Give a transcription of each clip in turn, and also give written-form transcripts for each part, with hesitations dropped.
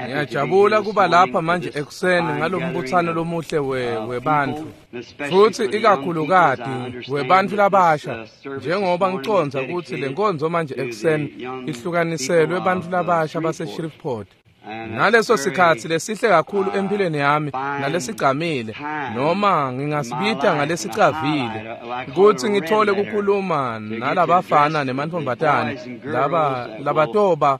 Ngiyajabula kuba lapha manje ekuseni ngalombuthano lomuhle webantfu futsi ikakhulukati webantfu labasha, njengoba ngicondza kutsi le nkonzo manje ekuseni ihlukaniselwe bantfu labasha base-Shreveport. Ngaleso sikhatsi lesihle kakhulu empilweni yami nalesigcamile, noma ngingasibita ngalesicavile, kutsi ngithole kukhuluma nalabafana nemantfombatane laba labatoba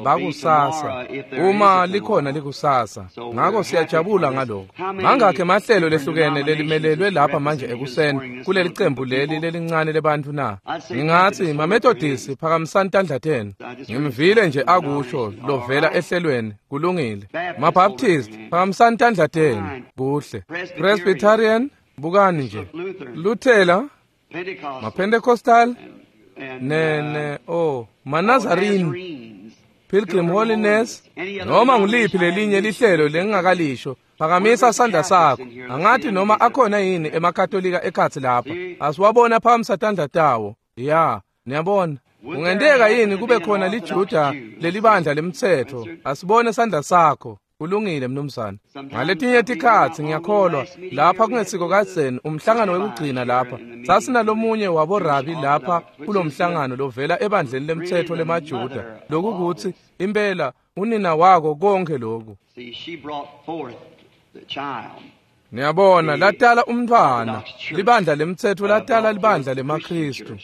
bakusasa, uma likhona likusasa. Ngako siyajabula ngaloko. Mangakhe emahlelo lehlukene lelimelelwe lapha manje ekuseni kuleli cembu leli lelincane lebantfu na? Ngingatsi maMethodist, phakamisani tandla tenu. Ngimvile nje akusho lovela ehlelweni, kulungile. MaBaptist, phakamisani tandla tenu, kuhle. Presbyterian, bukani nje. Luthela, maPentecostal, ne maNazarene, Pilgrim Holiness, noma nguliphi lelinye lihlelo lengingakalisho, phakamisa sandla sakho. Angathi noma akhona yini emaKatolika ekhatsi lapha. Asiwabona phakamisa tandla tawo. Ya, niyabona. Kungenteka yini kube khona liJuda lelibandla lemtsetfo? Asibone sandla sakho. Kulungile mnumzane. Ngaletinye tikhatsi ngiyakholwa lapha kungesiko kadzeni umhlangano wekugcina lapha sasinalomunye waborabi lapha kulomhlangano lovela ebandleni lemtsetfo lemaJuda, lokukutsi impela unina wako konke loku. Niyabona, latala umntfwana, libandla lemtsetfo latala libandla lemaKhristu.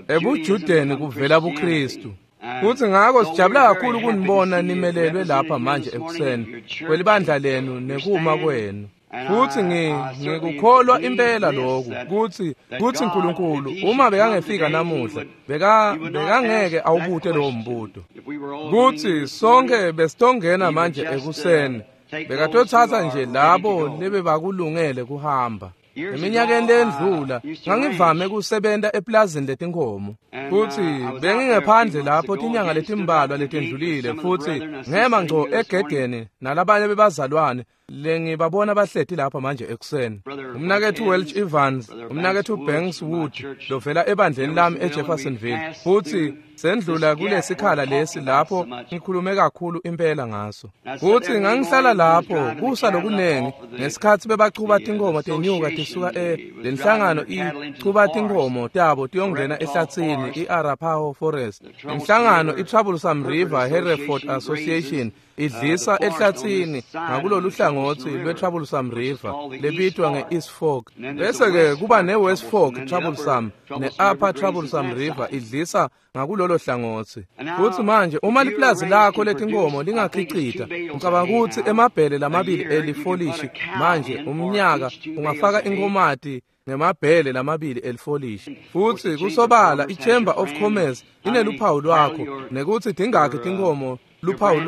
EbuJudeni kuvela buKhristu. Futsi ngako sijabula kakhulu kunibona nimelelwe lapha manje ekuseni kwelibandla lenu nekuma kwenu. Futsi ngikukholwa impela lokhu kutsi uNkulunkulu uma bekangefika namuhla bekangeke awubute lowo mbuto. Kutsi sonke besitongena manje ekuseni bekatotsatsa nje labo lebebakulungele kuhamba. Eminyakeni lendlula ngangivame kusebenta eplazini letinkhomo, futsi bengingephandle lapho tinyanga letimbalwa letendlulile, futsi ngema ngco egedeni nalabanye bebazalwane lengibabona bahleti lapha manje ekuseni. Umnaketfu Welch Evans, umnaketfu Banks Wood lovela ebandleni lami eJeffersonville, futsi sendlula kulesikhala lesi lapho ngikhulume kakhulu impela ngaso. Futsi ngangihlala lapho kusa lokunengi ngesikhatsi bebachuba tinkhomo tenyuka tisuka lenhlangano ichuba tinkhomo tabo tiyongena ehlatsini i-Arapaho Forest. Inhlangano i-Troublesome River Hereford Association idlisa ehlatsini ngakulolu hlangothi lwe-Troublesome River lebitwa nge-East Fork. Bese-ke kuba ne-West Fork Troublesome ne-Upper Troublesome River idlisa ngakulolo hlangothi. Futsi manje uma liplazi lakho letinkhomo lingakhicita, ngicabanga kutsi emabhele lamabili elifolishi manje umnyaka ungafaka inkhomati ngemabhele lamabili elifolishi. Futsi kusobala i-Chamber of Commerce ineluphawu lwakho nekutsi tingakhi tinkhomo luphawu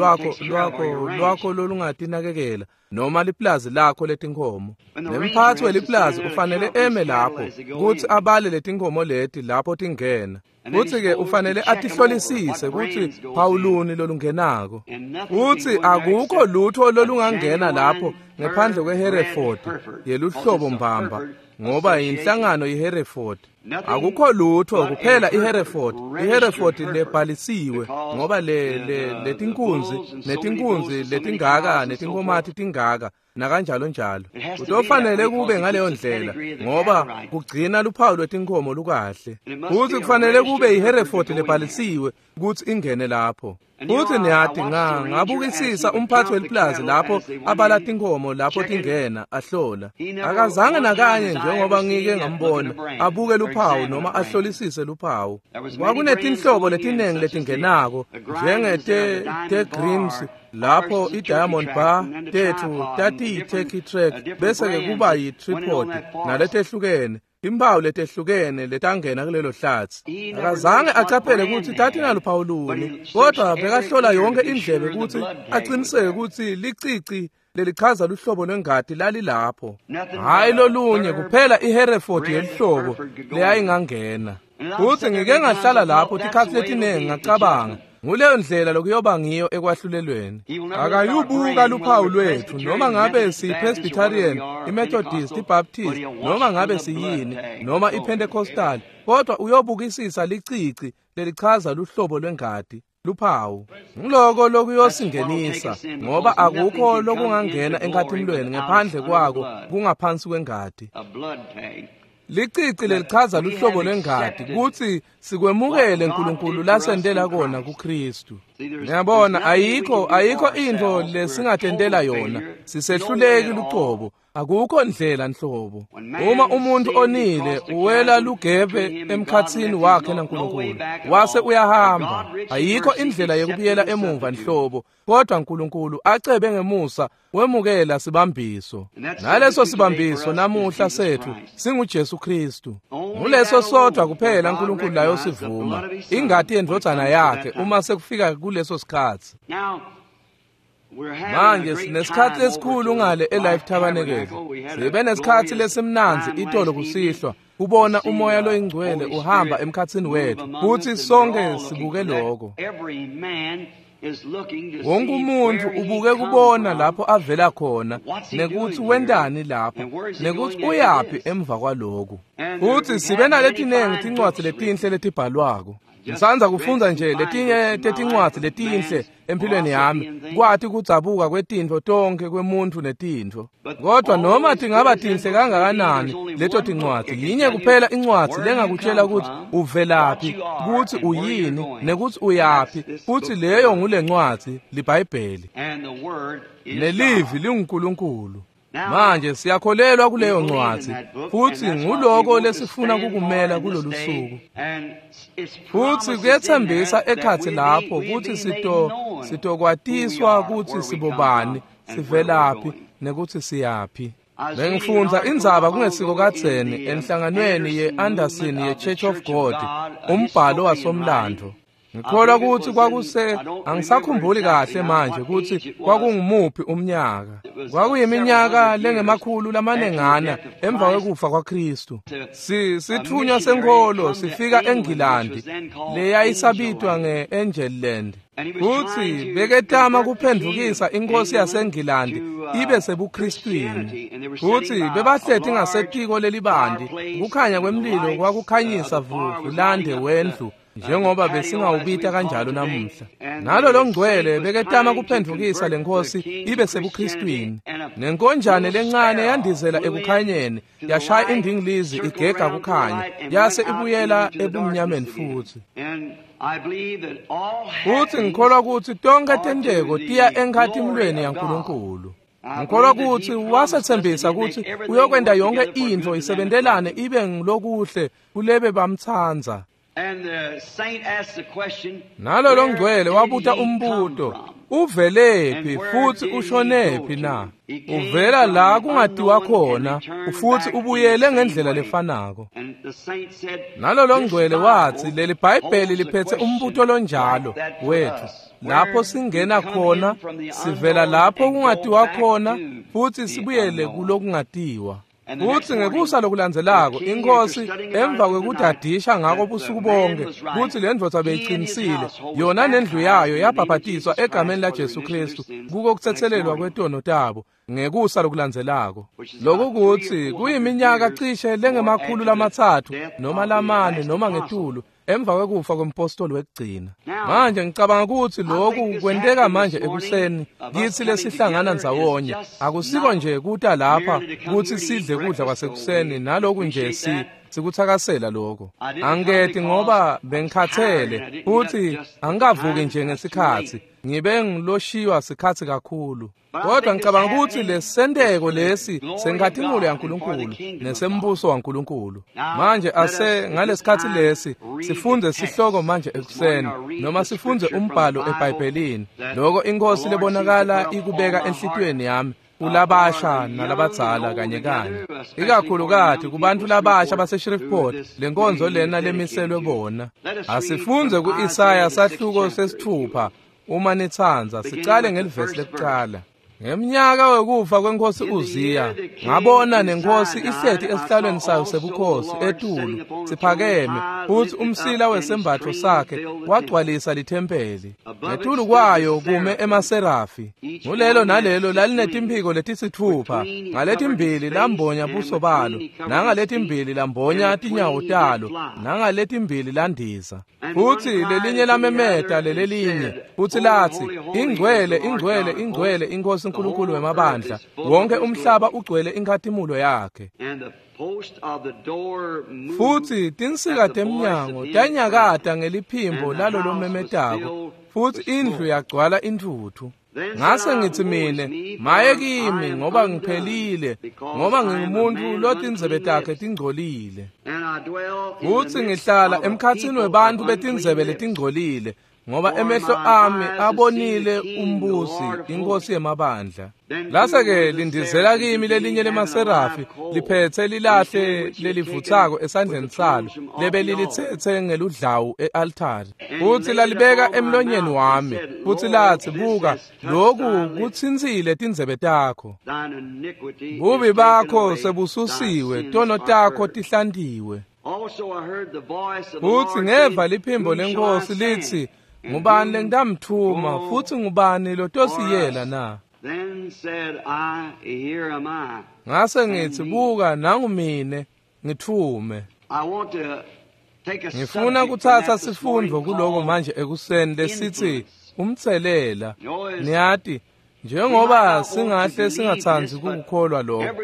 lwakho lolungatinakekela noma liplazi lakho letinkhomo. Nemphatsi weliplazi ufanele eme lapho kutsi abale letinkhomo leti lapho tingena. Futsi-ke ufanele atihlolisise kutsi phawuluni lolungenako. Futsi akukho lutho lolungangena lapho ngephandle kweHereford yeluhlobo mbamba, ngoba yinhlangano iHereford. Akukho lutho kuphela iHereford, iHereford lebhalisiwe, ngoba letinkunzi netinkunzi letingaka netinkhomati tingaka nakanjalo njalo. Kutofanele kube ngaleyo ndlela ngoba kugcina luphawu lwetinkhomo lukahle. Futsi kufanele kube iHereford lebhalisiwe kutsi ingene lapho. Futsi niyati ngabukisisa umphathi weliplazi lapho abala tinkhomo lapho tingena ahlola. Akazange nakanye njengoba ngike ngambona abuke luphawu noma ahlolisise luphawu. Kwakunetinhlobo letinengi letingenako njengete te-Greens lapho i-Diamond Bar tetfu tatiyi-Turkey Track, bese-ke kuba yi-tripod naletehlukene. Timphawu letehlukene letangena kulelo hlatsi. Akazange acaphele kutsi tatinaluphawu luni, kodwa bekahlola yonke indlebe kutsi aqiniseke kutsi licici lelichaza luhlobo lwengati lalilapho. Hhayi lolunye kuphela iHereford yelihlobo leyayingangena. Futsi ngike ngahlala lapho tikhatsi letinengi ngacabanga, nguleyo ndlela lokuyoba ngiyo ekwahlulelweni. Akayubuka luphawu lwetfu noma ngabe siyi-Presbyterian, iMethodist, iBaptist, noma ngabe siyini, noma iPentecostal, kodwa uyobukisisa licici lelichaza luhlobo lwengati. luphawu. Ngiloko lokuyosingenisa, ngoba akukho lokungangena enkhatimulweni ngephandle kwako kungaphansi kwengati. Licici lelichaza luhlobo lwengati kutsi sikwemukele uNkulunkulu lasentela kona kuKristu. Ngiyabona ayikho intfo lesingatentela yona, sisehluleki lucobo, akukho ndlela nhlobo. Uma umuntu onile uwela lugebe emkhatsini wakhe naNkulunkulu, wase uyahamba, ayikho indlela yekubuyela emuva nhlobo, kodwa uNkulunkulu acebe ngemusa wemukela sibambiso. Naleso sibambiso namuhla sethu singuJesu Kristu. Nguleso sodwa kuphela uNkulunkulu layo sivuma, ingati yendvodzana yakhe uma sekufika kuleso sikhatsi. Manje sinesikhatsi lesikhulu ngale eLife Tabernacle. Sibe nesikhatsi lesimnandzi itolo kusihlwa kubona umoya loyingcwele uhamba emkhatsini wethu, futhi sonke sibuke lokho. Wonke umuntu ubuke kubona lapho avela khona, nekuthi wentani lapha, nekuthi uyaphi emva kwaloku. Futhi sibe naletinengi tincwadzi letinhle letibhalwako. Ngisanza kufundza nje letinye tetincwadzi letinhle empilweni yami, kwati kudzabuka kwetintfo tonke kwemuntfu netintfo. Kodwa noma tingaba tinhle kangakanani leto tincwadzi, yinye kuphela incwadzi lengakutshela ukuthi uvelaphi, ukuthi uyini, nekuthi uyaphi, futhi leyo ngulencwadzi, liBhayibheli. Nelivi linguNkulunkulu. Manje siyakholelwa kuleyo ncwadzi, futhi nguloko lesifuna kukumela kulolu suku. Futhi kuyethembisa ekhatsi lapho kutsi sitokwatiswa kutsi sibobani, sivelaphi, nekuthi siyaphi. Bengifundza indzaba kungesiko kadzeni enhlanganweni ye-Anderson ye-Church of God, umbhalo wasomlando. Ngikholwa ukuthi kwakuse, angisakhumbuli kahle manje ukuthi kwakungumuphi umnyaka. Kwakuyiminyaka lengemakhulu lamanengana emva kwekufa kwaKristu. Sithunywa senkholo sifika eNgilandi leyayisabitwa nge-Angelland. Futhi beketama kuphendvukisa inkosi yaseNgilandi ibe sebuKristwini. Futhi bebahleti ngasetiko lelibandi, kukhanya kwemlilo kwakukhanyisa vulande wendlu, njengoba besingawubita kanjalo namuhla. Nalo longcwele beketama kuphendvukisa lenkosi ibe sebuKristwini. Nenkonjane lencane yandizela ekukhanyeni, yashaya indingilizi igega kukhanya, yase ibuyela ebumnyameni futhi. Futhi ngikholwa ukuthi tonke tenteko tiya enkhatimulweni yaNkulunkulu. Ngikholwa ukuthi wasethembisa ukuthi uyokwenta yonke intfo isebentelane ibe ngilokuhle kulebe bamtsandza. Nalo longcwele wabuta umbuto, uvelephi futhi ushonephi na? Uvela la kungatiwa khona, futhi ubuyele ngendlela lefanako. Nalo longcwele wathi leli Bhayibheli liphethe umbuto lonjalo wethu, lapho singena khona, sivela lapho kungatiwa khona, futhi sibuyele kulokungatiwa. Futhi ngekusa lokulandzelako inkosi emva kwekudadisha ngako busuku bonke kutsi le ndvodza beyiqinisile, yona nendlu yayo yabhabhatiswa egameni laJesu Kristu kuko kutsetselelwa kwetono tabo ngekusa lokulandzelako. Loku kutsi kuyiminyaka cishe lengama-300 noma 4 noma ngetulu emva kwekufa kwempostoli wekugcina. Manje ngicabanga ukuthi lokhu kwenteka manje ekuseni kithi lesihlangana ndzawonye. Akusiko nje kuta lapha kutsi sidle kudla kwasekuseni, naloku nje sikuthakasela lokho. Angiketi ngoba bengikhathele futhi angikavuki nje ngesikhatsi, ngibe ngiloshiywa sikhatsi kakhulu. Kodwa ngicabanga ukuthi lesenteko lesi senkhatimulo yaNkulunkulu nesembuso waNkulunkulu. Manje ase ngalesikhatsi lesi sifunze sihloko manje ekuseni, noma sifunze umbhalo eBhayibhelini, loko inkosi lebonakala ikubeka enhlitiyweni yami kulabasha nalabadzala kanye kanye, ikakhulukati kubantu labasha baseShreveport, lenkonzo lena lemiselwe bona. Asifunze ku-Isaya sahluko 6 uma nitsandza, sicale ngelivesi lekucala. Ngemnyaka wekufa kwenkosi Uziya, ngabona nenkosi ihleti esihlalweni sayo sebukhosi etulu siphakeme, futhi umsila wesembatho sakhe wagcwalisa lithempeli. Ngetulu kwayo kume emaserafi. Ngulelo nalelo lalinetimpiko letisitfupha, ngaletimbili lambonya buso balo, nangaletimbili lambonya tinyawo talo, nangaletimbili landiza. Futhi lelinye lamemeta lelelinye, futhi lathi, ingcwele, ingcwele, ingcwele inkosi uNkulunkulu wemabandla, wonke umhlaba ugcwele inkhatimulo yakhe. Futhi tinsika temnyango tanyakata ngeliphimbo lalolomemetako, futhi indlu yagcwala intfutfu. Ngase ngithi mine, maye kimi ngoba ngiphelile, ngoba ngingumuntu lotindzebe takhe tingcolile. Futhi ngihlala emkhatsini webantfu betindzebe letingcolile, ngoba emehlo ami abonile umbusi, inkosi yemabandla. Lase-ke lindizela kimi lelinye lemaserafi liphetse lilahle lelivutsako esandleni salo lebelilitsetse ngeludlawu e-altari, futhi lalibeka emlonyeni wami, futhi lathi, buka, loku kutsintsile tindzebe takho, bubi bakho sebususiwe, tono takho tihlantiwe. Futhi ngeva liphimbo lenkosi lithi, ngubani lengitamthuma, futhi ngubani lotosiyela na? Ngase ngithi, buka, nangu mine, ngithume. Ngifuna kutsatsa sifundvo kuloko manje ekuseni lesithi umtselela. Niyati, njengoba singahle singatsandzi kukukholwa lokho,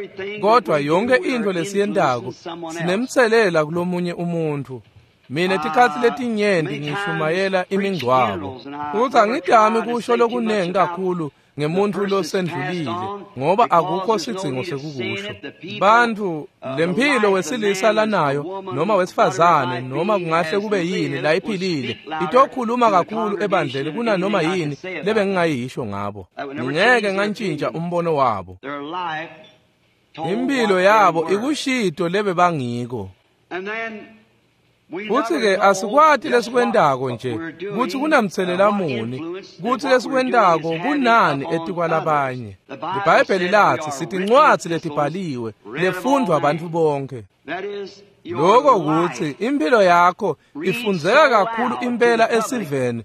kodwa yonke intfo lesiyentako sinemtselela kulomunye umuntfu. Mina tikhatsi letinyenti ngishumayela imingcwabo, futhi angidami kusho lokunengi kakhulu ngemuntfu losendlulile, ngoba akukho sidzingo sekukusho. Bantfu lemphilo wesilisa lanayo noma wesifazane noma kungahle kube yini layiphilile itokhuluma kakhulu ebandleni kunanoma yini lebengingayisho ngabo. Ngeke ngantshintsha umbono wabo. Impilo yabo ikushito lebebangiko. Futhi-ke asikwati lesikwentako nje kutsi kunamtselela muni, kutsi lesikwentako kunani etikwalabanye. IBhayibheli lathi sitincwadzi letibhaliwe lefundvwa bantfu bonke. Lokho kutsi impilo yakho ifundzeka kakhulu impela esiveni,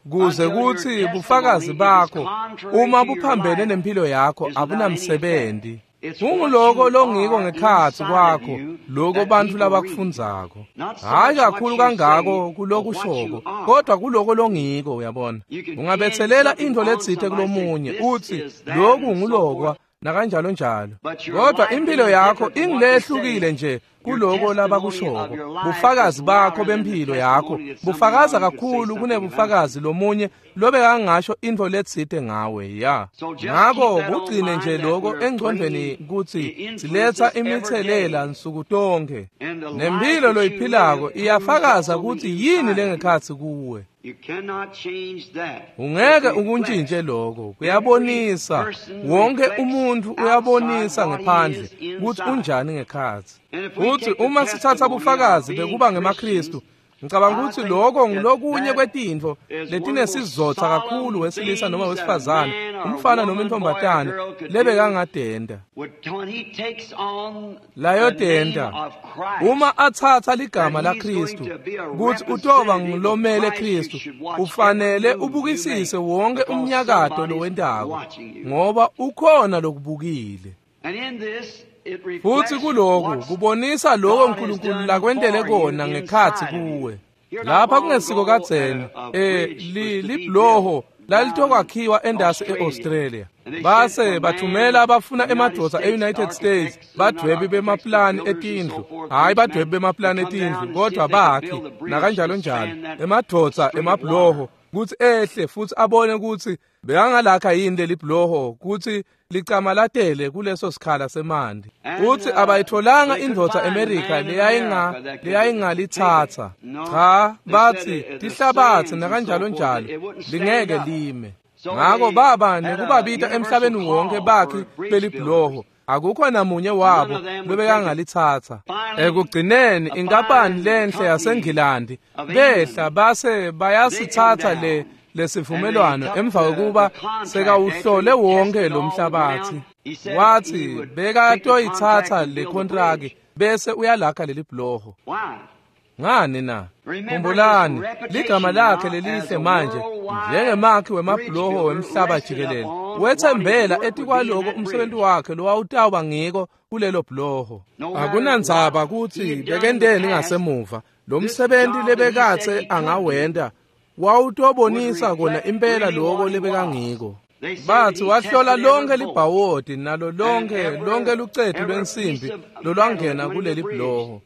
kuze kutsi bufakazi bakho uma buphambene nempilo yakho abunamsebenzi. Kunguloko longiko ngekhatsi kwakho, loko bantfu labakufundzako. Hayi kakhulu kangako kulokushoko, kodwa kuloko longiko, uyabona. Ungabetselela intfo letsite kulomunye, utsi loku ngulokwa nakanjalo njalo. Kodwa impilo yakho ingilehlukile nje kuloko labakushoko. Bufakazi bakho bempilo yakho bufakaza kakhulu kunebufakazi lomunye lobekangasho intfo letsite ngawe, ya. Ngako kugcine nje loko engcondvweni kutsi siletsa imitselela nsuku tonkhe. Nempilo loyiphilako iyafakaza kutsi yini lengekhatsi kuwe. Ungeke ukuntshintshe lokho, kuyabonisa. Wonke umuntfu uyabonisa ngephandle kutsi unjani ngekhatsi. Futhi uma sithatha bufakazi bekuba ngemaKristu, ngicabanga ukuthi lokho ngilokunye kwetintfo letinesizotha kakhulu wesilisa noma wesifazane, umfana noma intombazane lebekangadenda. Layodenda uma atsatsa ligama laKristu kutsi utoba ngulomele Kristu, ufanele ubukisise wonke umnyakato lowentako, ngoba ukhona lokubukile. Futhi kuloku kubonisa lokho uNkulunkulu lakwentele kona ngekhatsi kuwe. Lapha kungesiko kadzeni, libhuloho lalitokwakhiwa endasi e-Australia. Base bathumela abafuna emadvodza e-United States, badwebi bemaplani etindlu, hhayi badwebi bemaplani etindlu, kodwa bakhi nakanjalo njalo, emadvodza emabhuloho kutsi ehle futhi abone kutsi bekangalakha yini leli bhuloho kutsi licamalatele kuleso sikhala semanti. Uthi abayitholanga indvodza eMerika leyayingalithatha. Cha, bathi tihlabatsi nakanjalo njalo lingeke lime. Ngako baba nekubabita emhlabeni wonke bakhi belibhuloho, akukho namunye wabo lobekangalithatha. Ekugcineni inkampani lenhle yaseNgilandi behla base bayasithatha le lesivumelwano emva kokuba sekawuhlole wonke lo mhlabathi, wathi bekatoyithatha le kontraki bese uyalakha leli bhuloho. Ngani na? Khumbulani ligama lakhe lelihle manje njengemakhi wemabhuloho wemhlaba jikelele. Wethembela etikwaloko umsebenzi wakhe lowawutawuba ngiko kulelo bhuloho. Akunandzaba kutsi bekendeni ngasemuva, lo msebenzi lebekatse angawenta wawutobonisa kona impela loko lebekangiko. Bathi wahlola lonke libhawodi nalo lonke lucetu lwensimbi lolwangena kuleli bhuloho.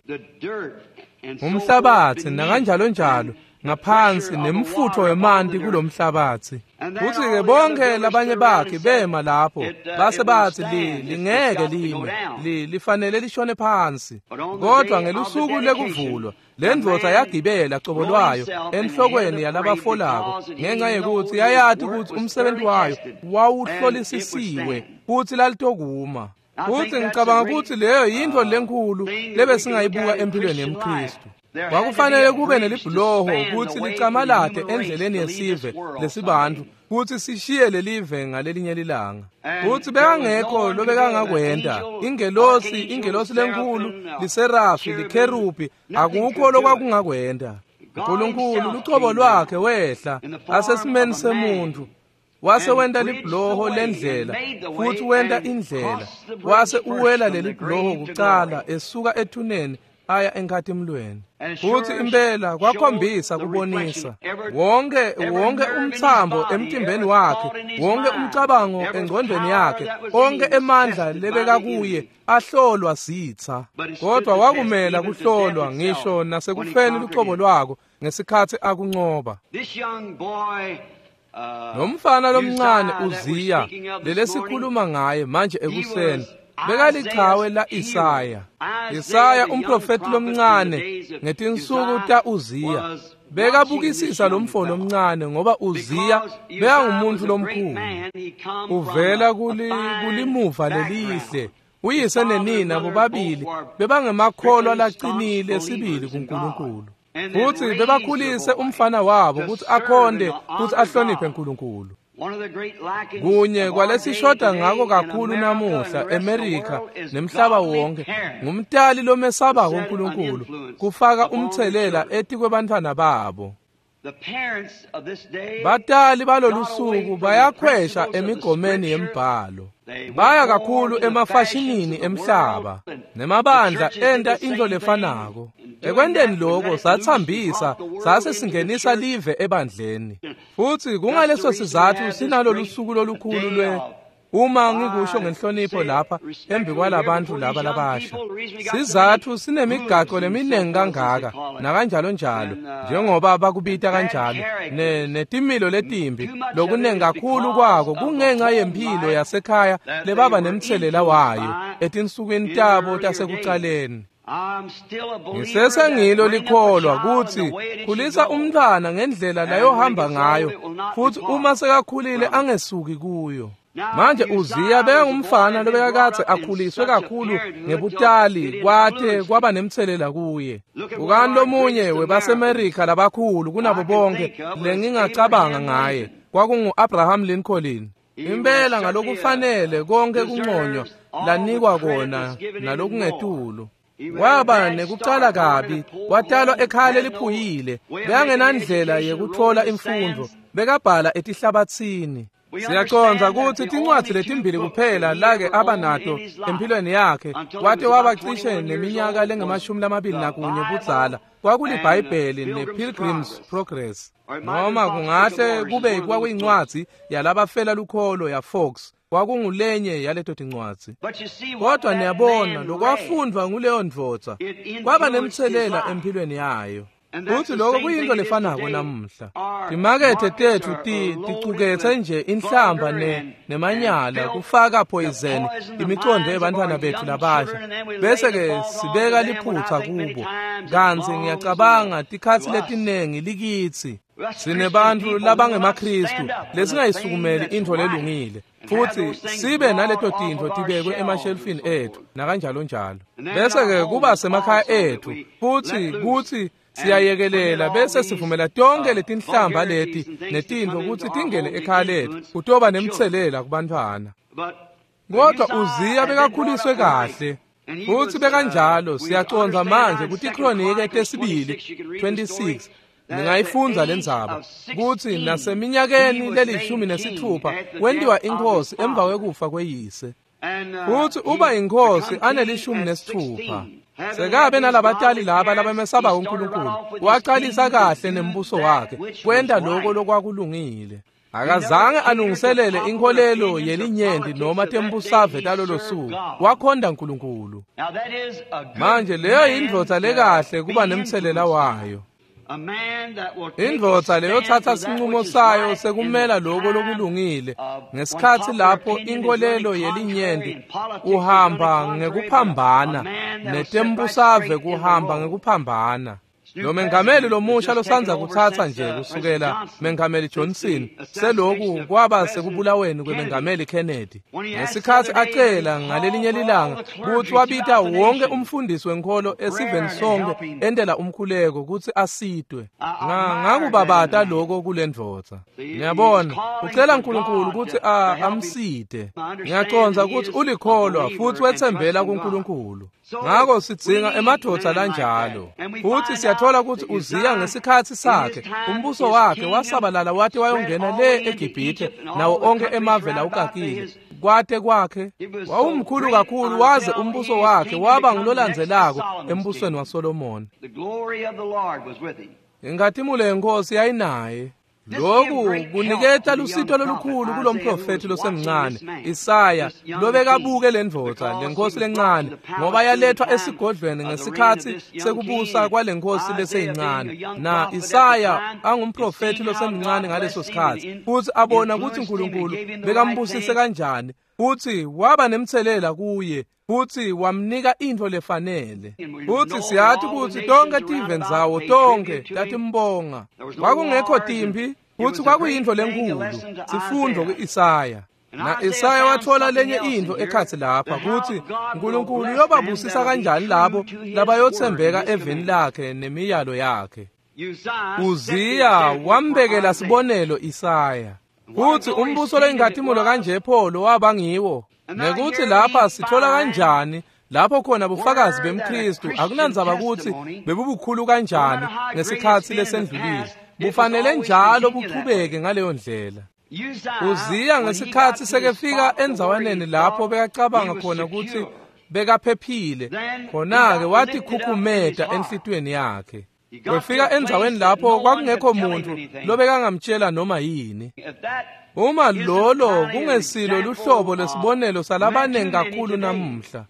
Umhlabathi nakanjalo njalo ngaphansi nemfutho wemanti kulomhlabathi. Kuthi-ke bonke labanye bakhe bema lapho base bathi lingeke lime, lifanele lishone phansi. Kodwa ngelusuku lekuvulwa le ndvodza yagibela cobo lwayo enhlokweni yalabafolako ngenxa yekuthi yayati ukuthi umsebenzi wayo wawuhlolisisiwe futhi lalitokuma. Futhi ngicabanga ukuthi leyo yintfo lenkulu lebesingayibuka empilweni yemKristu. Kwakufanele kube nelibhuloho ukuthi licamalate endleleni yesive lesibantu futhi sishiye lelive ngalelinye lilanga. Futhi bekangekho lobekangakwenta. Ingelosi lenkulu, liserafi, likherubi, akukho lokwakungakwenta. uNkulunkulu lucobo lwakhe wehla asesimeni semuntu. Wase wenta libhuloho lendlela futhi wenta indlela. Wase uwela leli bhuloho kucala esuka ethuneni aya enkhathimlweni. Futhi impela kwakhombisa kubonisa wonke umthambo emtimbeni wakhe, wonke umcabango engqondweni yakhe, onke emandla lebeka kuye ahlolwa sitha. Kodwa wakumela kuhlolwa ngisho nasekufeni lucobo lwako ngesikhathi akuncoba. Nomfana lomncane Uziya lelesikhuluma ngaye manje ekuseni bekalichawe la Isaya. Isaya umprofeti lomncane ngetinsuku ta Uziya bekabukisisa lo mfo lomncane ngoba Uziya bekangumuntu lomkhulu. Uvela kulimuva lelihle. Uyise nenina bobabili bebangemakholwa laqinile sibili kuNkulunkulu. Futhi bebakhulise umfana wabo ukuthi akhonde futhi ahloniphe uNkulunkulu. Kunye kwalesishoda ngako kakhulu namuhla eMerika nemhlaba wonke ngumtali lomesabako uNkulunkulu kufaka umthelela etikwebantfwana babo. Batali balolusuku bayakhwesha emigomeni yembhalo. Baya kakhulu emafashinini emhlaba nemabandla enta into lefanako. Ekwenteni lokho sathambisa sase singenisa live ebandleni. Futhi kungaleso sizathu sinalolu suku lolukhulu lwe uma ngikusho ngenhlonipho lapha embi kwalabantu laba labasha. Sizathu sinemigaco leminingi kangaka nakanjalo njalo njengoba bakubita kanjalo netimilo letimbi lokunengi kakhulu kwako kungenxa yempilo yasekhaya lebaba nemthelela wayo etinsukwini tabo tasekucaleni. Ngisesengilo likholwa kutsi khulisa umntwana ngendlela layohamba ngayo futhi uma sekakhulile angesuki kuyo. Manje Uziya bekangumfana lobekakade akhuliswe kakhulu ngebutali kwathe kwaba nemthelela kuye. Ukani lomunye webaseMerika labakhulu kunabo bonke lengingacabanga ngaye kwakungu-Abraham Lincoln. Impela ngalokufanele konke kunconywa lanikwa kona nalokungetulu. Waba nekucala kabi, watalwa ekhaya leliphuyile, bekangenandlela yekutfola imfundvo, bekabhala etihlabatsini. Siyacondza kutsi tincwadzi letimbili kuphela lake abanato empilweni yakhe wate waba cishe neminyaka lengamashumi 21 budzala kwakuliBhayibheli ne-Pilgrim's Progress. Noma kungahle kube kwakuyincwadzi yalabafela lukholo ya Fox, kwakungulenye yaleto tincwadzi. Kodwa niyabona lokwafundvwa nguleyo ndvodza kwaba nemthelela empilweni yayo. Futhi lokho kuyinto lefanako namuhla. Timakethe tetfu ticuketse nje inhlamba nemanyala kufaka poison imicondo yebantwana bethu labasha bese ke sibeka liphutha kubo. Kantsi ngiyacabanga tikhatsi letinengi likitsi sinebantfu labangemaKristu lesingayisukumeli intfo lelungile futhi sibe naleto tintfo tibekwe emashelfini ethu nakanjalo njalo. Bese ke kuba semakhaya ethu futhi kutsi Siyayekelela bese sivumela tonke letinhlamba leti netintfo kutsi tingene ekhaya letfu, kutoba nemtselela kubantfwana. Kodwa Uziya bekakhuliswe kahle, futsi bekanjalo. Siyacondza manje kutiKronike tesibili 26, ningayifundza lendzaba, kutsi naseminyakeni le-16 wentiwa inkhosi emva kwekufa kweyise. Futsi uba inkhosi ane-16. Sekabe nalabatali laba labamesaba uNkulunkulu, waqalisa kahle nembuso wakhe, kwenta lokho lokwakulungile. Akazange alungiselele inkholelo yelinyenti noma tembusave talolo suku, wakhonda uNkulunkulu. Manje leyo yindvodza lekahle kuba nemtselela wayo. Indvodza leyotsatsa sinqumo sayo sekumela lokho lokulungile ngesikhatsi lapho inkholelo yelinyenti kuhamba ngekuphambana netembusave kuhamba ngekuphambana. Lo mengameli lomusha losandza kutsatsa nje kusukela Mengameli Johnson seloku kwaba sekubulaweni kwemengameli Kennedy. Ngesikhatsi acela ngalelinye lilanga kutsi wabita wonke umfundisi wenkholo esiveni sonke entela umkhuleko kutsi asitwe. Ngakubabata lokho kulendvodza. Ngiyabona ucela uNkulunkulu kutsi amsite. Ngiyacondza kutsi ulikholwa futsi wetsembela kuNkulunkulu. Ngako sidzinga emadvodza lanjalo. Futsi siyathola kutsi Uziya ngesikhatsi sakhe umbuso wakhe wasabalala wate wayongena le eGibhithe nawo onke emave lawukakile. Kwate kwakhe wawumkhulu kakhulu waze umbuso wakhe waba ngulolandzelako embusweni waSolomoni. Inkhatimulo yenkosi yayinaye. Lokhu kuniketa lusito lolukhulu kulomprofethi losemncane Isaya lobekabuke lendvodza lenkosi lencane, ngoba yalethwa esigodlweni ngesikhatsi sekubusa kwalenkosi leseyincane. Na Isaya angumprofethi losemncane ngaleso sikhatsi, futsi abona kutsi uNkulunkulu bekambusise kanjani, futsi waba nemtselela kuye, futsi wamnika intfo lefanele. Futsi siyati kutsi tonke tive ndzawo tonke tatimbonga. Kwakungekho timphi, futsi kwakuyintfo lenkhulu sifundvo ku-Isaya. Na Isaya wathola lenye intfo ekhatsi lapha kutsi uNkulunkulu uyobabusisa kanjani labo labayotsembeka eveni lakhe nemiyalo yakhe. Uziya wambekela sibonelo Isaya. Kutsi umbuso loyinkhatimulo kanje pho waba ngiwo. Nekuthi lapha sithola kanjani lapho khona bufakazi bemKristu akunandzaba kutsi bebubukhulu kanjani ngesikhatsi lesendlulile, bufanele njalo buchubeke ngaleyo ndlela. Uziya ngesikhatsi sekefika endzawaneni lapho bekacabanga khona kutsi bekaphephile, khona-ke watikhukhumeta enhlitiyweni yakhe. Wefika endzaweni lapho kwakungekho muntfu lobekangamtshela noma yini. Uma lolo kungesilo luhlobo lesibonelo salabanengi kakhulu namuhla,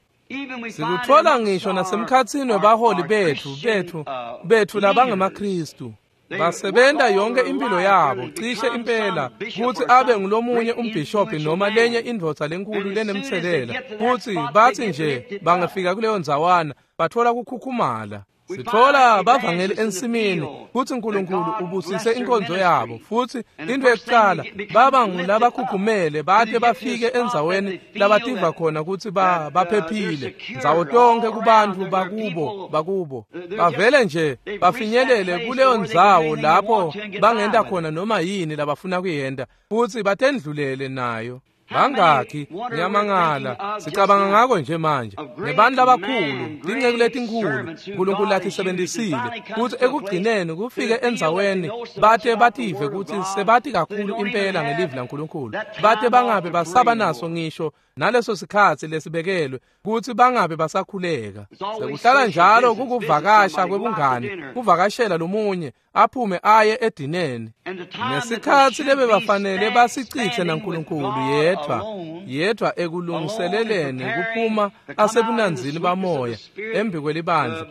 sikuthola ngisho nasemkhatsini webaholi bethu labangemaKristu. Basebenta yonke impilo yabo cishe impela kutsi abe ngulomunye umbhishobhi noma lenye indvodza lenkulu lenemtselela, futsi batsi nje bangafika kuleyo ndzawana bathola kukhukhumala. Sithola bavangeli ensimini kutsi uNkulunkulu ubusise inkonzo yabo, futsi into yokuqala baba ngulabakhukhumele bate bafike endzaweni labativa khona kutsi baphephile ndzawo tonke kubantfu bakubo bavele nje bafinyelele kuleyo ndzawo lapho bangenta khona noma yini labafuna kuyenta futsi batendlulele nayo. Bangakhi ngiyamangala sicabanga ngako nje manje ngebantu labakhulu tinceku letinkhulu uNkulunkulu latisebenzisile kutsi ekugcineni kufike endzaweni bate bative kutsi sebati kakhulu impela ngelivi laNkulunkulu bate bangabe basaba naso ngisho naleso sikhatsi lesibekelwe kutsi bangabe basakhuleka. Sekuhlala njalo kukuvakasha kwebungani, kuvakashela lomunye aphume aye edineni ngesikhatsi lebebafanele basicithe naNkulunkulu yedwa ekulungiseleleni kuphuma asebunanzini bamoya embi kwelibandla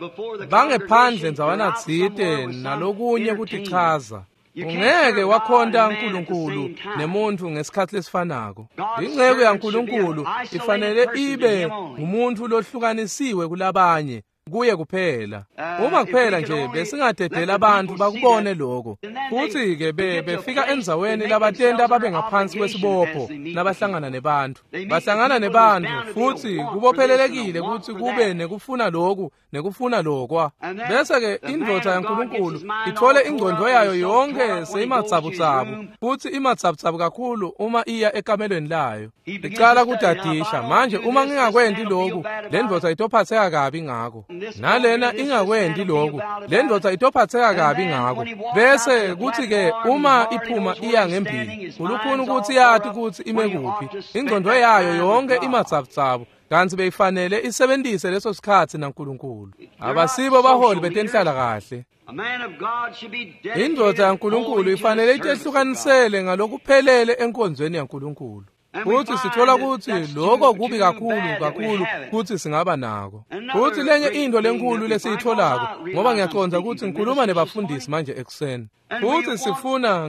bangephandle ndzawana tsite nalokunye kutichaza. Ungeke wakhonta uNkulunkulu nemuntu ngesikhatsi lesifanako. Inceku yaNkulunkulu ifanele ibe ngumuntu lohlukanisiwe kulabanye. kuye kuphela. Uma kuphela nje besingadedela abantu bakubone lokho. Futhi-ke befika endzaweni labatenta babe ngaphansi kwesibopho nabahlangana nebantu. Bahlangana nebantu futhi kubophelelekile ukuthi kube nekufuna lokhu nekufuna lokwa. Bese-ke indvodza yaNkulunkulu ithole ingqondo yayo yonke seyimatsabutsabu futhi imatsabutsabu kakhulu uma iya ekamelweni layo. Icala kudadisha manje uma ngingakwenti lokhu le ndvodza itophatheka kabi ngako. Nalena ingakwendi lokhu le ndvodza itophatheka kabi ngako. Bese kuthi-ke uma iphuma iya ngembili ulukhuni ukuthi yati ukuthi ime kuphi. Ingqondo yayo yonke imatsabutsabu kanti beyifanele isebenzise leso sikhathi naNkulunkulu. Abasibo baholi betenhlala kahle. Indvodza yaNkulunkulu ifanele itehlukanisele ngalokuphelele enkonzweni yaNkulunkulu. Futhi sithola ukuthi lokho kubi kakhulu kakhulu kuthi singaba nako. Futhi lenye into lenkulu lesiyitholako ngoba ngiyaqonda ukuthi ngikhuluma nebafundisi manje ekuseni. Futhi sifuna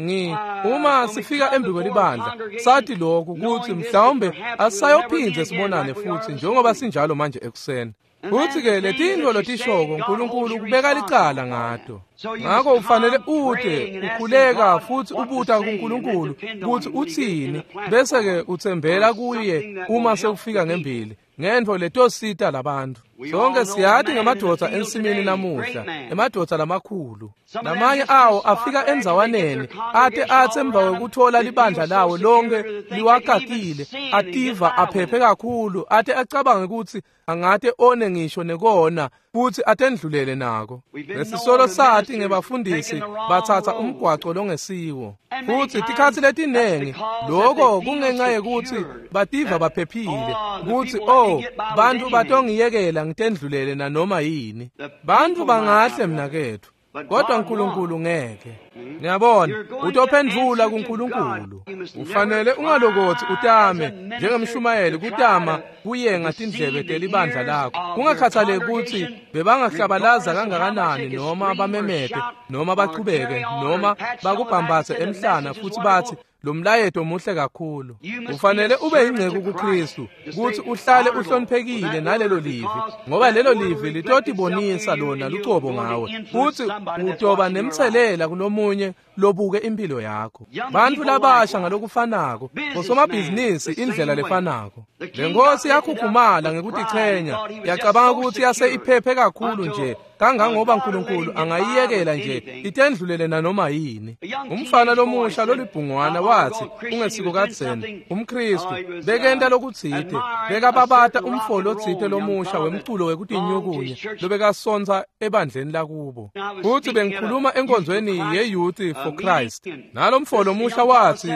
uma sifika embi kwelibandla sathi lokhu ukuthi mhlawumbe asisayophindze sibonane futhi njengoba sinjalo manje ekuseni. Futhi-ke letintfo letishoko uNkulunkulu kubeka licala ngato. Ngakho ufanele ude ukhuleka futhi ubuta kuNkulunkulu ukuthi uthini bese-ke uthembela kuye uma sekufika ngembili ngentfo letosita labantu. Sonke siyati ngemadoda ensimini namuhla, emadoda lamakhulu. Lamanye awo afika endzawaneni ate athi emva kwekuthola libandla lawo lonke liwakakile, ativa aphephe kakhulu, ate acabange ukuthi angate one ngisho nekona futhi atendlulele nako. Lesisolo sathi ngebafundisi bathatha umgwaco longesiwo. Futhi tikhatsi letinengi lokho kungenxa yekuthi bativa baphephile ukuthi oh bantu batongiyekela ngitendlulele nanoma yini. Bantu bangahle mnakethu kodwa uNkulunkulu ngeke. Niyabona, utophendvula kuNkulunkulu. Ufanele ungalokothi utame njengemshumayeli kutama kuyenga tindlebe telibandla lakho. Kungakhathaleki ukuthi bebangahlabalaza kangakanani noma bamemete noma bachubeke noma bakubhambathe emhlana futhi bathi lo mlayeto muhle kakhulu. Ufanele ube ingceku kuKristu ukuthi uhlale uhloniphekile nalelo livi ngoba lelo livi litotibonisa lona lucobo ngawe futhi utoba nemthelela kulomunye lobuke impilo yakho. Bantu labasha ngalokufanako, bosomabhizinisi indlela lefanako. Le nkosi yakhukhumala ngekutichenya, yacabanga ukuthi yase iphephe kakhulu nje kangangoba uNkulunkulu angayiyekela nje itendlulele nanoma yini. Umfana lomusha lolibhungwana wathi ungesiko kadzeni umKristu bekenta lokutsite bekababata umfolo otsite lomusha wemculo wekutinyukunya lobekasonsa ebandleni lakubo. Futhi bengikhuluma enkonzweni ye-Youth for Christ. Nalo mfolo omusha wathi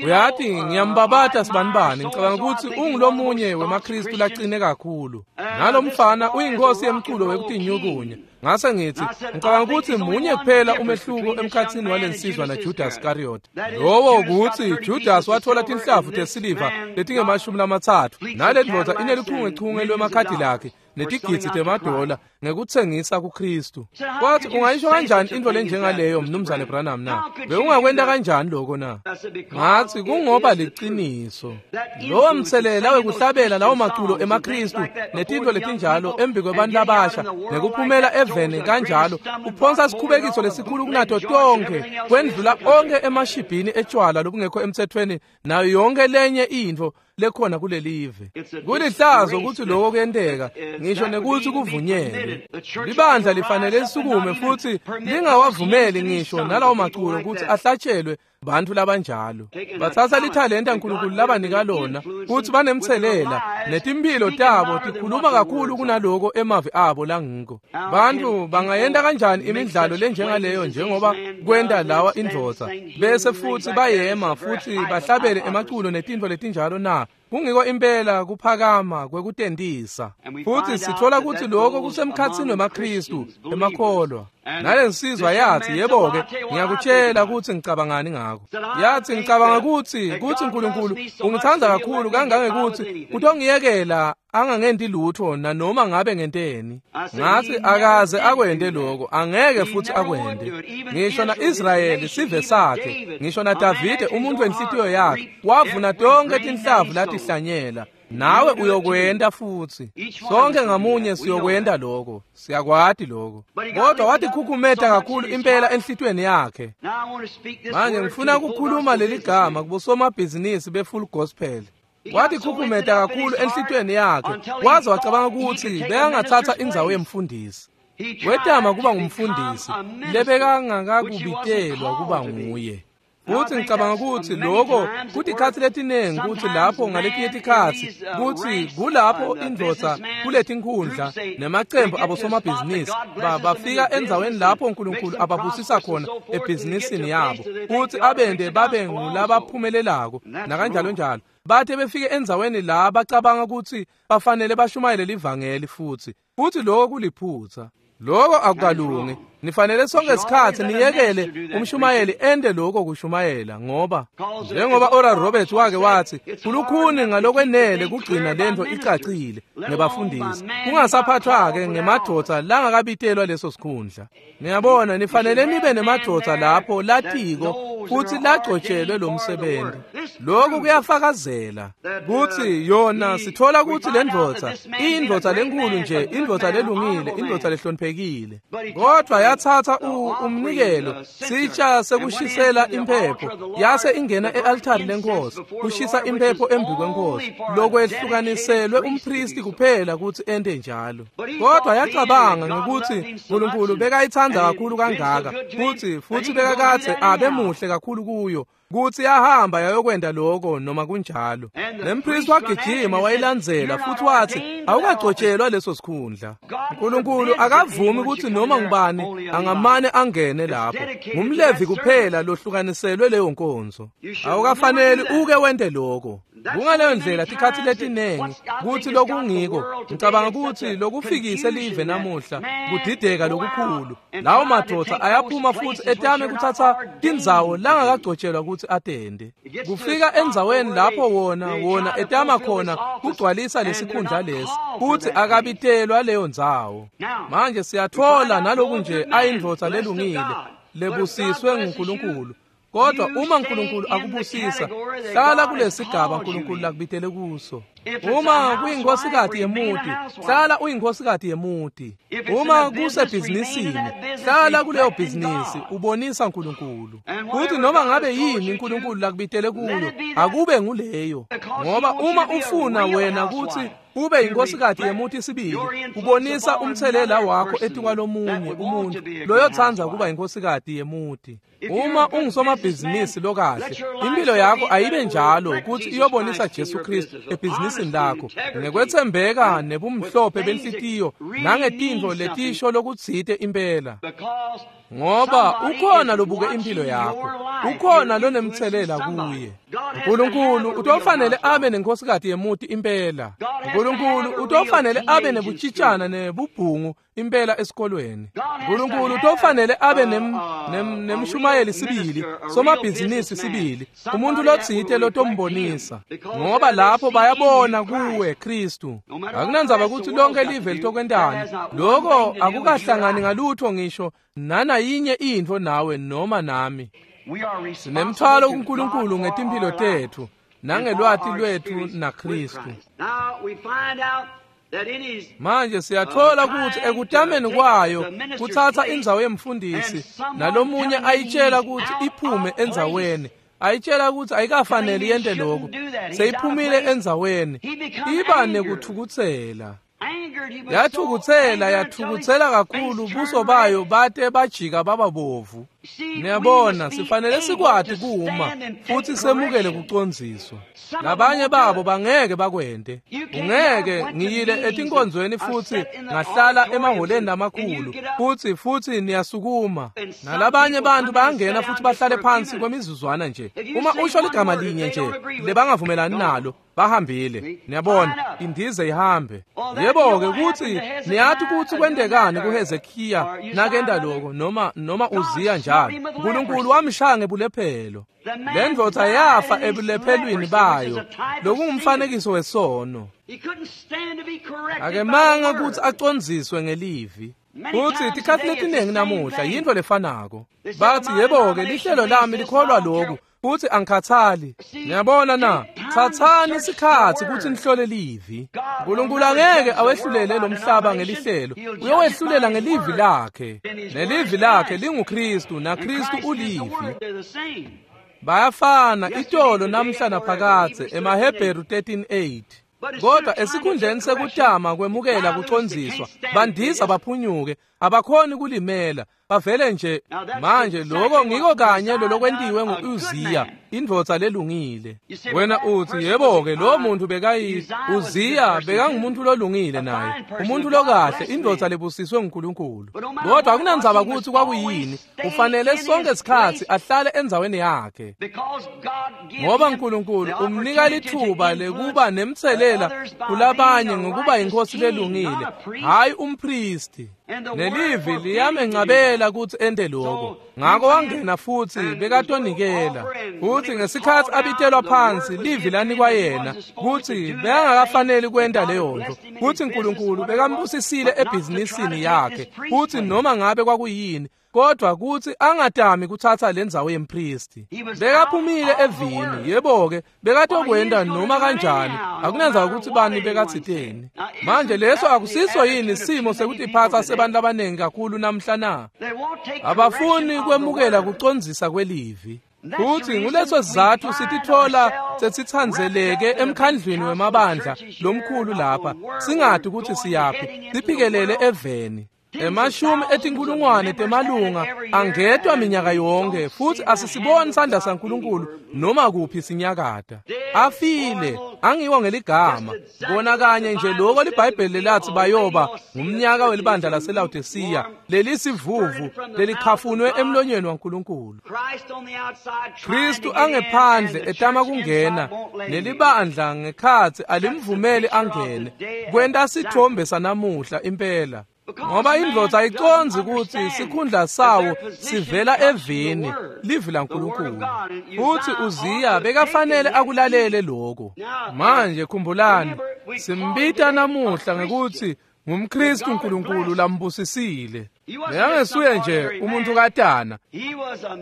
uyati ngiyambabata sibanibani ngicabanga ukuthi ungulomunye wemaKristu laqine kakhulu. Nalo mfana uyinkosi yemculo wekutinyukunya. Ngase ngithi ngicabanga ukuthi munye kuphela umehluko emkhathini walensizwa naJudas Iscariot. Lowo ukuthi Judas wathola tinhlavu tesiliva letinge-30 nale ndvodza inelichungechunge lwemakhadi lakhe netigidzi temadola ngekutsengisa kuKristu. Kwathi ungayisho kanjani into lenjengaleyo mnumzane Branham na? Bewungakwenta kanjani lokho na? Ngathi kungoba liqiniso. Lowo mthelela wekuhlabela lawo maculo emaKristu netintfo letinjalo embi kwebantu labasha nekuphumela eveni kanjalo uphonsa sikhubekiso lesikhulu kunato tonke kwendlula onke emashibhini etshwala lobungekho emthethweni nayo yonke lenye intfo lekhona kulelive. Kulihlazo ukuthi lokho kuyenteka ngisho nekuthi kuvunyelwe. Libandla lifanele lisukume futhi lingawavumeli ngisho nalawo maculo ukuthi ahlatshelwe bantu labanjalo. Bathatha lithalenta uNkulunkulu labanika lona futhi banemthelela netimpilo tabo tikhuluma kakhulu kunaloko emavi abo langiko. Bantu bangayenta kanjani imidlalo lenjengaleyo njengoba kwenta lawa indvodza bese futhi bayema futhi bahlabele emaculo netintfo letinjalo na? Kungiko impela kuphakama kwekutentisa. Futhi sithola ukuthi lokho kusemkhathini wemaKristu emakholwa. Nale nsizwa yathi yebo-ke ngiyakutshela ukuthi ngicabangani ngakho. Yathi ngicabanga ukuthi uNkulunkulu ungithanda kakhulu kangangekuthi utongiyekela angangenti lutho nanoma ngabe ngenteni. Ngathi akaze akwente lokho, angeke futhi akwente. Ngisho na-Israyeli sive sakhe, ngisho naDavide umuntu wenhlitiyo yakhe wavuna tonke tinhlavu latihlanyela. Nawe uyokwenta futsi. Sonke ngamunye siyokwenta lokho. Siyakwati lokho. Kodwa watikhukhumeta kakhulu impela enhlitiyweni yakhe. Manje ngifuna ukukhuluma leli gama kubosomabhizinisi be-Full Gospel. Watikhukhumeta kakhulu enhlitiyweni yakhe, waze wacabanga ukuthi bekangathatha indzawo yemfundisi. Wetama kuba ngumfundisi lebekangakakubitelwa kuba nguye. Futhi ngicabanga ukuthi lokho kutikhatsi letiningi ukuthi lapho ngaletinye tikhatsi kutsi kulapho indvodza kuletinkhundla nemacembu abosomabhizinisi bafika endzaweni lapho uNkulunkulu ababusisa khona ebhizinisini yabo futhi abende babe ngulabaphumelelako nakanjalo njalo. Bathe befike endzaweni la bacabanga ukuthi bafanele bashumayele livangeli futhi lokho kuliphutha. Lokho akukalungi. Nifanele sonke isikhathi niyekele umshumayeli ende lokho kushumayela, ngoba njengoba Oral Roberts wake wathi kulukhuni ngalokwenele kugcina lento icacile ngebafundisi, kungasaphathwa-ke ngemadoda langakabitelwa leso sikhundla. Niyabona, nifanele nibe nemadoda lapho latiko futhi lagcotshelwe lo msebenzi. Lokhu kuyafakazela kutsi yona sithola kutsi le ndvodza iyindvodza lenkulu nje, indvodza lelungile, indvodza lehloniphekile, kodwa yathatha umnikelo sitsha sekushisela imphepho yase ingena e-altari lenkosi kushisa imphepho embi kwenkosi, lokwehlukaniselwe umpristi kuphela kutsi ente njalo. Kodwa yacabanga ngekutsi uNkulunkulu bekayithanda kakhulu kangaka futhi bekakadze abe muhle kakhulu kuyo kutsi yahamba yayokwenta lokho noma kunjalo. Nempristi wagijima wayilandzela futhi wathi awukagcotshelwa leso sikhundla. uNkulunkulu akavumi kutsi noma ngubani angamane angene lapho. Ngumlevi kuphela lohlukaniselwe leyo nkonzo. Awukafaneli uke wente lokho. Kungaleyo ndlela tikhatsi letiningi kutsi lokungiko ngicabanga kutsi lokufikise live namuhla kudideka lokukhulu. Lawo madoda ayaphuma futhi etame kuthatha tindzawo langakagcotshelwa kutsi atende. Kufika endzaweni lapho wona etama khona kugcwalisa lesikhundla lesi futhi akabitelwa leyo ndzawo. Manje siyathola naloku nje ayindvodza lelungile lebusiswe nguNkulunkulu. Kodwa uma uNkulunkulu akubusisa, hlala kulesigaba uNkulunkulu lakubitele kuso. Uma kuyinkosikazi yemuti, hlala uyinkosikazi yemuti. Uma kusebhizinisini, hlala kuleyo bhizinisi ubonisa uNkulunkulu. Futhi noma ngabe yini uNkulunkulu lakubitele kuyo, akube nguleyo. Ngoba uma ufuna wena kutsi ube inkosikazi yemuti sibili, ubonisa umthelela wakho etikwalomunye umuntu loyotsandza kuba inkosikazi yemuti. Uma ungusomabhizinisi lokahle, impilo yakho ayibe njalo kutsi iyobonisa Jesu Kristu ebhizinisini lakho ngekwetsembeka nebumhlophe benhlitiyo nangetintfo letisho lokutsite impela. Ngoba ukhona lobuke impilo yakho, ukhona lonemthelela kuye. uNkulunkulu utofanele abe nenkosikazi yemuti impela. uNkulunkulu utofanele abe nebutshitshana nebubhungu impela esikolweni. uNkulunkulu utofanele abe nemshumayeli sibili, somabhizinisi sibili, umuntu lotsite lotombonisa, ngoba lapho bayabona kuwe Kristu. Akunandzaba kutsi lonke live litokwentani, lokho akukahlangani ngalutho ngisho nana yinye intfo nawe noma nami. Sinemthwalo kuNkulunkulu ngetimphilo tethu nangelwati lwethu naKristu. Manje siyathola kutsi ekutameni kwayo kutsatsa indzawo yemfundisi nalomunye ayitshela kutsi iphume endzaweni, ayitshela kutsi ayikafaneli yente lokho, seyiphumile endzaweni, iba nekuthukutsela. Yathukutsela kakhulu, buso bayo bate bajika baba bovu. Niyabona, sifanele sikwati kuma futhi semukele kucondziswa. Labanye babo bangeke bakwente. Ungeke ngiyile etinkonzweni futhi ngahlala emaholeni lamakhulu futhi niyasukuma. Nalabanye bantu bayangena futhi bahlale phansi kwemizuzwana nje. Uma usho ligama linye nje lebangavumelani nalo, bahambile. Niyabona, indize ihambe. Yebo-ke kutsi niyathi kutsi kwentekani kuHezekiya nakenta lokho noma Uziya njalo. uNkulunkulu wamshaya ngebulephelo. Le ndvodza yafa ebulephelweni bayo, lokungumfanekiso wesono. Akemanga kutsi acondziswe ngelivi. Futsi tikhatsi letiningi namuhla yintfo lefanako. Bathi yebo-ke lihlelo lami likholwa lokhu futhi angikhathali. Niyabona na? Thathani isikhatsi kutsi nihlole livi. Nkulunkulu angeke awehlulele lo mhlaba ngelihlelo, uyowehlulela ngelivi lakhe. Nelivi lakhe linguKristu, naKristu ulivi. Bayafana itolo namhla naphakadze, emaHebheru 13:8. Kodwa esikhundleni sekutama kwemukela kucondziswa, bandiza baphunyuke, abakhoni kulimela, bavele nje. Manje lokho ngiko kanye lolokwentiwe ngu-Uziya, indvodza lelungile. Wena uthi, yebo-ke, lo muntu bekayi Uziya bekangumuntu lolungile naye, umuntu lokahle, indvodza lebusiswe nguNkulunkulu. Kodwa akunandzaba kutsi kwakuyini, ufanele sonke sikhatsi ahlale endzaweni yakhe. Ngoba uNkulunkulu umnika lithuba lekuba nemtselela kulabanye ngokuba inkosi lelungile, hayi umpristi. Nelivi liyamencabela kutsi ente lokho. Ngako wangena futsi bekatonikela. Futsi ngesikhatsi abitelwa phansi, livi lanikwa yena kutsi bekangakafaneli kwenta leyo nto, kutsi uNkulunkulu bekambusisile ebhizinisini yakhe, kutsi noma ngabe kwakuyini, kodwa kutsi angatami kutsatsa lendzawo yempristi. Bekaphumile evini, yebo-ke, bekatokwenta noma kanjani, akunandzaba kutsi bani bekatsiteni. Manje leso akusiso yini simo sekutiphatsa sebantu labanengi kakhulu namhla na? Abafuni kwemukela kucondzisa kwelivi. Futsi nguleso sizatfu sititfola sesitsandzeleke emkhandlwini wemabandla lomkhulu lapha, singati kutsi siyaphi, siphikelele eveni. Emashumi etinkulungwane temalunga angetwa minyaka yonke, futsi asisiboni sandla saNkulunkulu noma kuphi sinyakata. Afile, angiwo ngeligama. Kona kanye nje lokho liBhayibheli lathi bayoba ngumnyaka welibandla laseLawodisiya, lelisivuvu lelikhafunwe emlonyeni waNkulunkulu. Kristu angephandle etama kungena, nelibandla ngekhatsi alimvumeli angene. Kwenta sithombe sanamuhla impela. Ngoba indvodza ayicondzi kutsi sikhundla sawo sivela evini, livi laNkulunkulu. Futsi Uziya bekafanele akulalele lokho. Manje khumbulani, simbita namuhla ngekutsi ngumKristu uNkulunkulu lambusisile. Bekangesuye nje umuntu katana.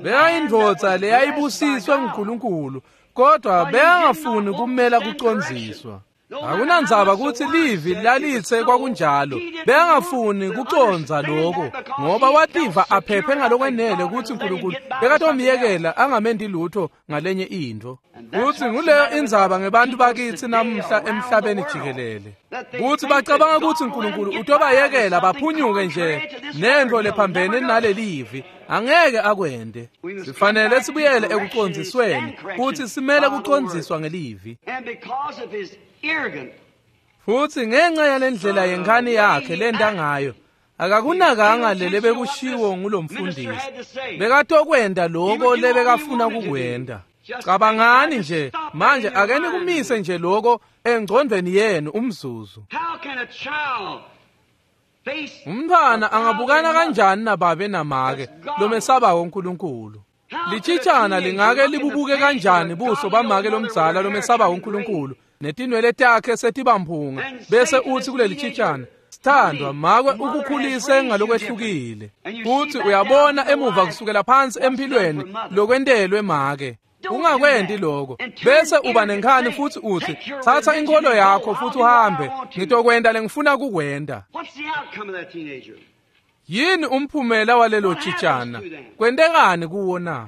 Bekayindvodza leyayibusiswe nguNkulunkulu, kodwa bekangafuni kumela kucondziswa. Akunandzaba kutsi livi lalitse kwakunjalo, bekangafuni kucondza lokho, ngoba wativa aphephe ngalokwenele kutsi uNkulunkulu bekatomyekela angamenti lutho ngalenye intfo. Futsi nguleyo indzaba ngebantu bakitsi namuhla emhlabeni jikelele, kutsi bacabanga kutsi uNkulunkulu utobayekela baphunyuke nje nentfo lephambene nalelivi. Angeke akwente. Sifanele sibuyele ekucondzisweni, kutsi simele kucondziswa ngelivi. Futsi ngenxa yalendlela yenkhani yakhe lenta ngayo, akakunakanga lele bekushiwo ngulomfundisi. Bekatokwenta lokho lebekafuna kukwenta. Cabangani nje manje, ake nikumise nje lokho engcondweni yenu umzuzu. Umntwana angabukana kanjani nababe namake lomesabako uNkulunkulu? Litshitshana lingake libubuke kanjani buso bamake lomdzala lomesabako uNkulunkulu, netinwele takhe setibamphunga, bese uthi kuleli tshitshana, sithandwa, make ukukhulise ngalokwehlukile. Futhi uyabona emuva kusukela phansi empilweni lokwentelwe make. Ungakwenti lokho, bese uba nenkhani futhi uthi, thatha inkolo yakho futhi uhambe, ngitokwenta lengifuna kukwenta. Yini umphumela walelo tshitshana? Kwentekani kuwo na?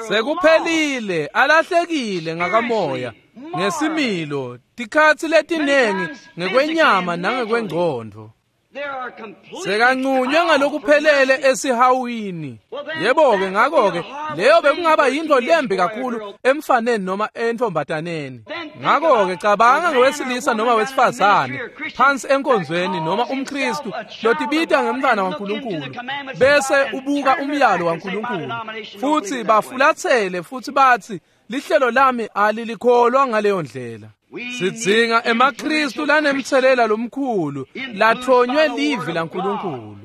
Sekuphelile, alahlekile ngakamoya, ngesimilo, tikhatsi letinengi ngekwenyama nangekwengcondvo. Sekancunywe ngalokuphelele esihawini. Yebo-ke, ngako-ke leyo bekungaba yintfo lembi kakhulu emfaneni noma entombataneni. Ngako-ke cabanga ngewesilisa noma wesifazane phansi enkonzweni noma umKristu lotibita ngemntwana waNkulunkulu, bese ubuka umyalo waNkulunkulu futsi bafulatsele futhi bathi, lihlelo lami alilikholwa ngaleyo ndlela. Sidzinga emaKristu lanemtselela lomkhulu lathonywe livi laNkulunkulu.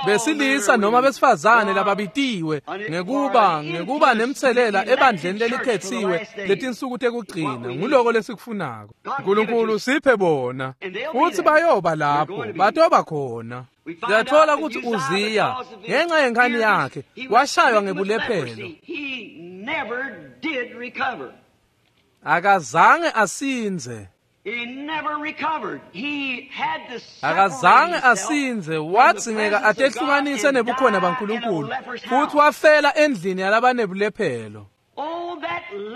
Besilisa noma besifazane lababitiwe ngekuba nemtselela ebandleni lelikhetsiwe letinsuku tekugcina, nguloko lesikufunako. Nkulunkulu siphe bona, futsi bayoba lapho, batoba khona. Siyatfola kutsi Uziya ngenxa yenkhani yakhe washaywa ngebulephelo. Akazange asindze. Akazange asindze, wadzingeka atehlukanise nebukhona baNkulunkulu futhi wafela endlini yalabanebulephelo.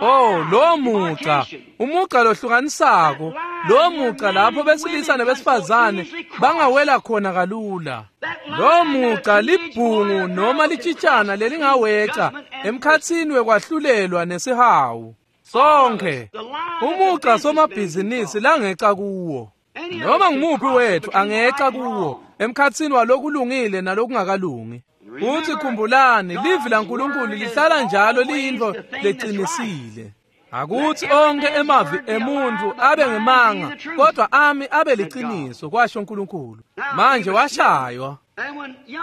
Oh, lo muca, umuca lohlukanisako, lo muca lapho besilisa nebesifazane bangawela khona kalula. Lo muca libhungu noma litshitshana lelingaweca emkhatsini wekwahlulelwa nesihawu. Sonke umuca somabhizinisi langeca kuwo, noma ngumuphi wethu angeca kuwo emkhatsini walokulungile nalokungakalungi. Futhi khumbulani, livi laNkulunkulu lihlala njalo liyintfo lecinisile. Akuthi onke emavi emuntfu abe ngemanga, kodwa ami abe liciniso, kwasho uNkulunkulu. Manje washaywa.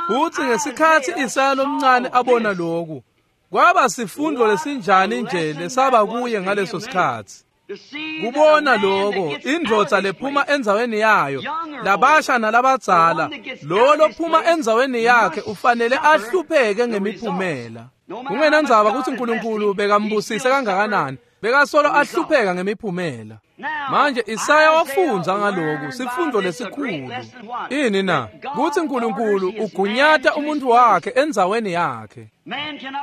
Futhi ngesikhatsi Isaya lomncane abona lokhu, kwaba sifundo lesinjani nje lesaba kuye ngaleso sikhatsi. Kubona lokho, indvodza lephuma endzaweni yayo, labasha nalabadzala, lo lophuma endzaweni yakhe ufanele ahlupheke ngemiphumela. Kungenandzaba kutsi uNkulunkulu bekambusise kangakanani, bekasolo ahlupheka ngemiphumela. Manje Isaya wafundza ngaloku sifundo lesikhulu. Ini na? Kutsi uNkulunkulu ugunyata umuntu wakhe endzaweni yakhe.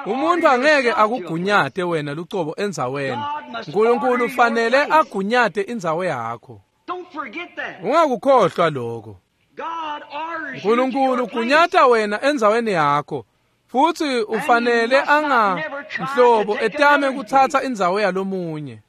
Umuntu angeke akugunyate wena lucobo endzaweni. uNkulunkulu ufanele agunyate indzawo yakho. Ungakukhohlwa lokho. uNkulunkulu ugunyata wena endzaweni yakho. Futhi ufanele anganhlobo etame kuthatha indzawo yalomunye.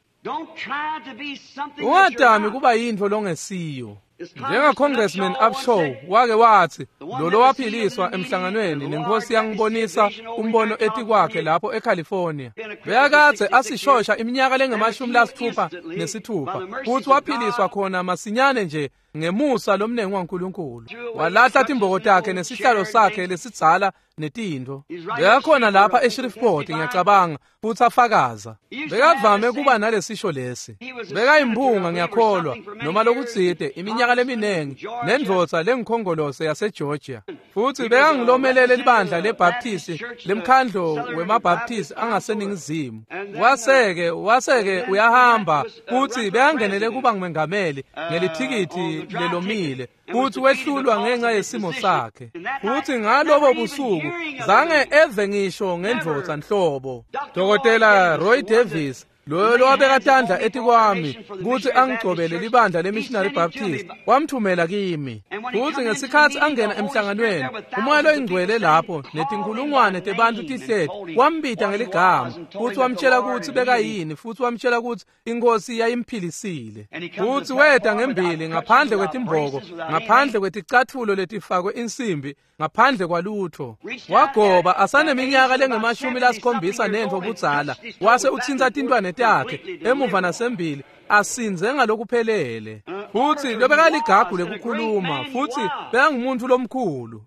Ungatami kuba yintfo longesiyo. Njenga Congressman Upshaw wake wathi, lolo waphiliswa emhlanganweni nenkosi yangibonisa umbono etikwakhe lapho eCalifornia. Bekakadze asishosha iminyaka lengamashumi-66 futhi waphiliswa khona masinyane nje ngemusa lomnengi waNkulunkulu. Walahla timboko takhe nesihlalo sakhe lesidzala netintfo. Bekakhona lapha eShreveport ngiyacabanga futhi afakaza. Bekavame kuba nalesisho lesi. Bekayimphunga ngiyakholwa noma lokutsite iminyaka leminengi nendvodza lengikhongolose yaseGeorgia. Futhi bekangilomelele libandla leBaptist lemkhandlo wemaBaptist angaseningizimu. Waseke uyahamba futhi bekangenele kuba ngumengameli ngelithikithi lelomile futhi wehlulwa ngenxa yesimo sakhe. Futhi ngalobo busuku zange eve ngisho ngendvodza nhlobo. Dr. Roy Davis loyo lowabeka tandla etikwami kutsi angigcobele libandla leMissionary Baptist wamthumela kimi. Futhi ngesikhatsi angena emhlanganweni, umoya loyingcwele lapho netinkhulungwane tebantfu tihleti wambita ngeligama futhi wamtshela kutsi bekayini futhi wamtshela kutsi inkosi yayimphilisile. Futhi weta ngembili ngaphandle kwetimboko, ngaphandle kweticatfulo letifakwe insimbi, ngaphandle kwalutho. Wagoba asaneminyaka lengamashumi-79 budzala, wase utsintsa tintwane takhe emuva nasembili asinze ngalokuphelele. Futhi lobekaligagu lekukhuluma futhi bekangumuntu lomkhulu.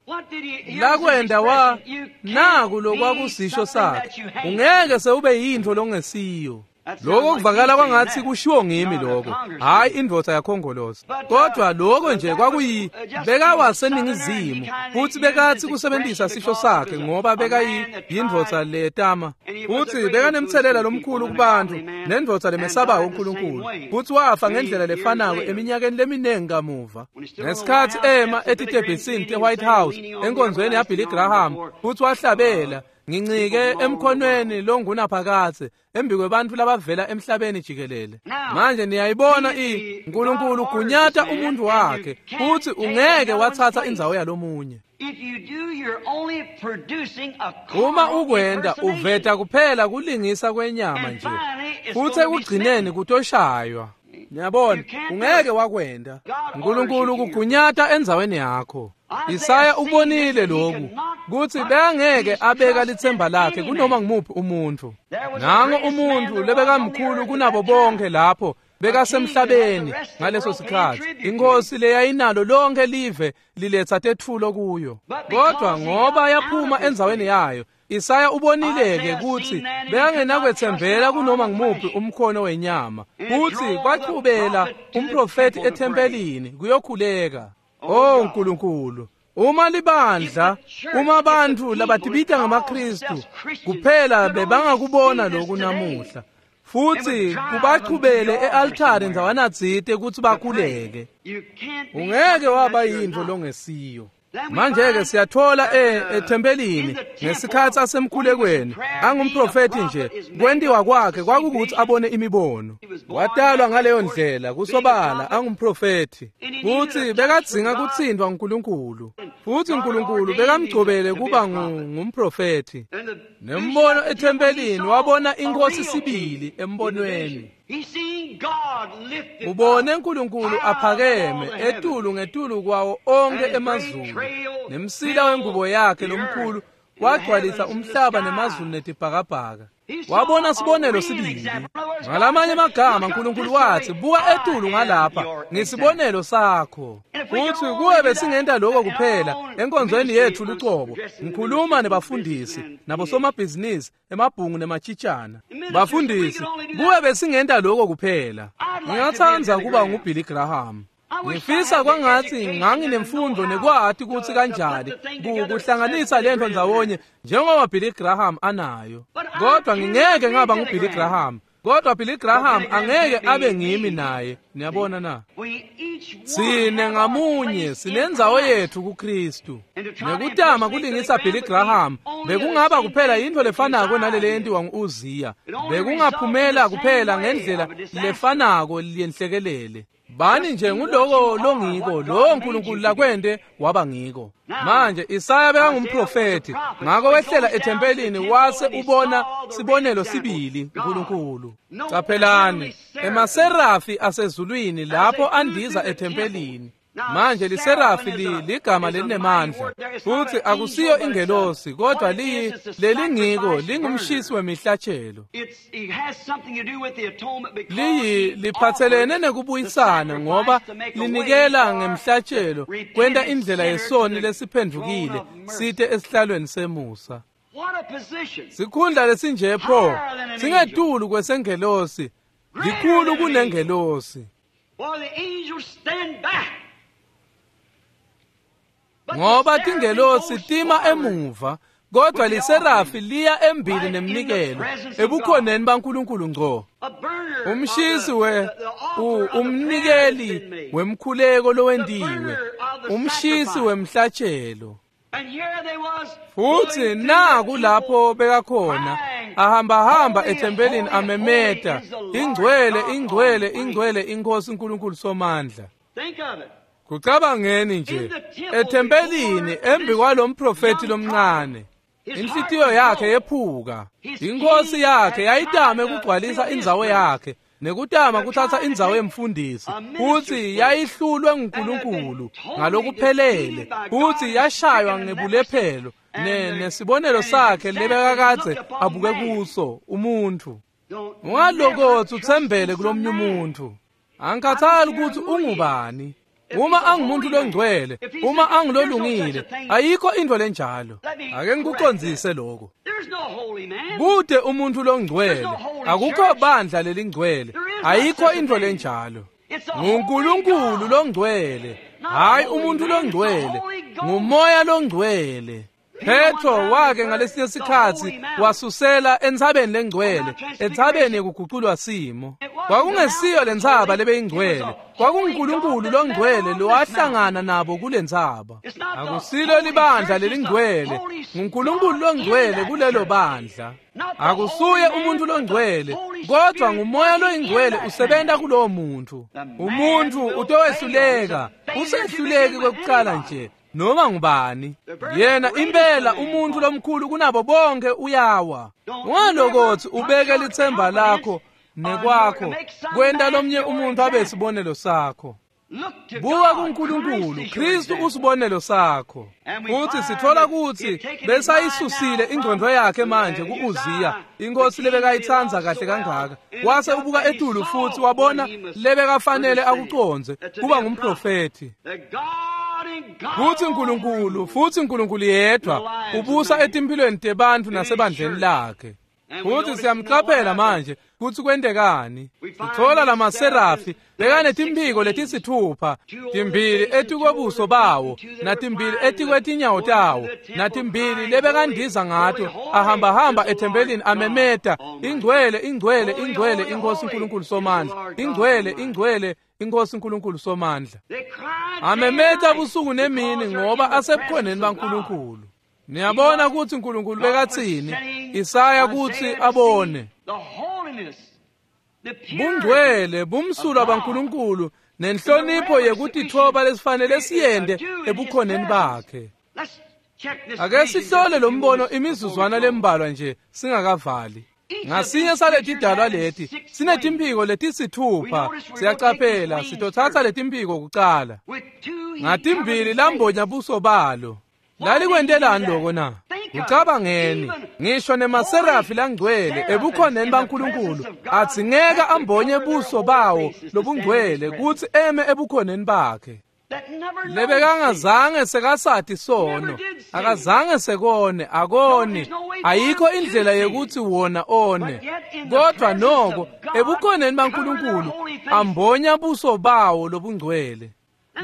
Lakwenda wa naku lokwakusisho sakhe, ungeke sewube yintfo longesiyo. Lokho kuvakala kwangathi kushiwo ngimi lokho, hayi indvodza yakhongolosi. Kodwa lokho nje kwakuyi bekawaseningizimu futhi bekathi kusebenzisa sisho sakhe ngoba bekayindvodza letama. Futhi bekanemthelela lomkhulu kubantu nendvodza lemesabayo uNkulunkulu. Futhi wafa ngendlela lefanako eminyakeni leminingi kamuva. Ngesikhatsi ema etitebhisini te-White House enkonzweni yaBilly Graham futhi wahlabela, ngincike emkhonweni longunaphakadze embi kwebantfu labavela emhlabeni jikelele. Manje niyayibona uNkulunkulu ugunyata umuntu wakhe futhi ungeke watsatsa indzawo yalomunye. Uma ukwenda uveta kuphela kulingisa kwenyama nje futhi ekugcineni kutoshaywa. Niyabona, ungeke wakwenda. uNkulunkulu kugunyata endzaweni yakho. Isaya ubonile lokhu kutsi bekangeke abeka litsemba lakhe kunoma ngumuphi umuntfu. Nango umuntfu lebekamkhulu kunabo bonke lapho bekasemhlabeni ngaleso sikhatsi, inkosi leyayinalo lonke live liletsa tetfulo kuyo. Kodwa ngoba yaphuma endzaweni yayo, Isaya ubonile-ke kutsi bekangenakwetsembela kunoma ngumuphi umkhono wenyama. Futsi kwachubela umprofethi ethempelini kuyokhuleka. Oh Nkulunkulu, uma libandla, uma abantu labatibita ngamaKristu kuphela bebangakubona lokhu namuhla. Futhi kubachubele e-altare ndzawanatsite kutsi bakhuleke. Ungeke waba yintfo longesiyo. Manje-ke siyathola ethempelini ngesikhatsi asemkhulekweni angumprofethi nje kwentiwa kwakhe kwakukuthi abone imibono. Watalwa ngaleyo ndlela kusobala angumprofethi futhi bekadzinga kutsintfwa nguNkulunkulu futhi uNkulunkulu bekamgcobele kuba ngumprofethi. Nembono ethempelini wabona inkosi sibili embonweni. Ubone uNkulunkulu aphakeme etulu ngetulu kwawo onke emazulu nemsila wengubo yakhe lomkhulu wagcwalisa umhlaba nemazulu netibhakabhaka. Wabona sibonelo sibili. Ngalamanye amagama uNkulunkulu wathi buka etulu ngalapha ngisibonelo sakho. Futhi kuwe besingenta lokho kuphela enkonzweni yethu lucobo. Ngikhuluma nebafundisi nabosomabhizinisi emabhungu nematshitshana. Bafundisi kuwe besingenta lokho kuphela. Ngingathanda kuba nguBilly Graham. Ngifisa kwangathi nganginemfundo nekwati kutsi kanjani kuhlanganisa lento ndzawonye njengoba Billy Graham anayo. Kodwa ngingeke ngaba nguBilly Graham. Kodwa Billy Graham angeke abe ngimi naye. Niyabona na? Sine ngamunye sinendzawo yethu kuKristu. Nekutama kulingisa Billy Graham bekungaba kuphela yintfo lefanako nalele yentiwa ngu-Uziya. Bekungaphumela kuphela ngendlela lefanako yenhlekelele. Bani nje nguloko longiko lo uNkulunkulu lakwente waba ngiko. Manje Isaya bekangumprofethi ngako wehlela ethempelini wase ubona sibonelo sibili uNkulunkulu. Caphelani emaserafi asezulwini lapho andiza ethempelini. Manje liserafi ligama lelinemandla futhi akusiyo ingelosi kodwa lelingiko lingumshisi wemihlatshelo. Liphathelene nekubuyisana ngoba linikela ngemhlatshelo kwenta indlela yesoni lesiphendvukile site esihlalweni semusa. Sikhundla lesinje pho singetulu kwesengelosi, likhulu kunengelosi. Ngoba tingelosi tima emuva kodwa liserafi liya embili nemnikelo ebukhoneni baNkulunkulu ngco. Umshisi umnikeli wemkhuleko lowentiwe, umshisi wemhlatshelo. Futhi naku lapho bekakhona ahamba ethempelini amemeta ingcwele ingcwele ingcwele inkosi uNkulunkulu somandla. Kucabangeni nje ethempelini embi kwalomprofethi lomncane. Inhlitiyo yakhe yephuka. Inkosi yakhe yayitame kugcwalisa indzawo yakhe nekutama kuthatha indzawo yemfundisi futhi yayihlulwe nguNkulunkulu ngalokuphelele futhi yashaywa ngebulephelo nesibonelo sakhe lebekakadze abuke kuso umuntu. Ungalokothi uthembele kulomnye umuntu. Angikhathali ukuthi ungubani. Uma angumuntu longcwele, uma angilolungile, ayikho into lenjalo. Ake ngikucondzise lokho. Kude umuntu longcwele, akukho bandla lelingcwele, ayikho into lenjalo. NguNkulunkulu longcwele, hayi umuntu longcwele, ngumoya longcwele. Petro wake ngalesinye sikhatsi wasusela entsabeni lengcwele, entsabeni yekuguculwa simo. Kwakungesiyo lentsaba lebeyingcwele, kwakunguNkulunkulu longcwele lowahlangana nabo kulentsaba. Akusilo libandla lelingcwele, nguNkulunkulu longcwele kulelo bandla. Akusuye umuntu longcwele, kodwa ngumoya loyingcwele usebenta kulowo muntu. Umuntu utowehluleka, usehluleki kwekucala nje. Noma ngubani yena impela umuntu lomkhulu kunabo bonke uyawa. Ungalokothi ubeke lithemba lakho nekwakho kwenta lomnye umuntu abe sibonelo sakho. Buka kuNkulunkulu, Kristu usibonelo sakho. Futhi sithola ukuthi besayisusile ingqondo yakhe manje kuUziya, inkosi lebekayithanza kahle kangaka. Wase ubuka etulu futhi wabona lebekafanele akuconze kuba ngumprofethi. Futhi uNkulunkulu, futhi uNkulunkulu yedwa ubusa etimpilweni tebantfu nasebandleni lakhe. Futhi siyamqaphela manje kutsi kwentekani. Sithola lamaserafi bekanetimphiko letisithupha, timbili etikwebuso bawo, natimbili etikwetinyawo tawo, natimbili lebekandiza ngato, ahambahamba ethempelini amemeta, ingcwele, ingcwele, ingcwele iNkosi uNkulunkulu Somandla, ingcwele, ingcwele iNkosi uNkulunkulu Somandla. Amemeta busuku nemini ngoba asebukhoneni baNkulunkulu. Niyabona kutsi uNkulunkulu bekatsini Isaya kutsi abone bungcwele bumsulwa baNkulunkulu nenhlonipho yekutitfoba lesifanele siyente ebukhoneni bakhe. Ake sihlole lo mbono imizuzwana lembalwa nje singakavali. Ngasinye saletidalwa leti sinetimphiko letisithupha. Siyacaphela sitothatha letimphiko kucala. Ngatimbili lambonya buso balo. Lalikwentelani loko na? Ucabangeni ngisho nemaserafi langcwele ebukhoneni baNkulunkulu adzingeka ambonye buso bawo lobungcwele kutsi eme ebukhoneni bakhe. Lebekangazange sekasati sono, akazange sekone, akoni, ayikho indlela yekutsi wona one. Kodwa noko ebukhoneni baNkulunkulu ambonya buso bawo lobungcwele.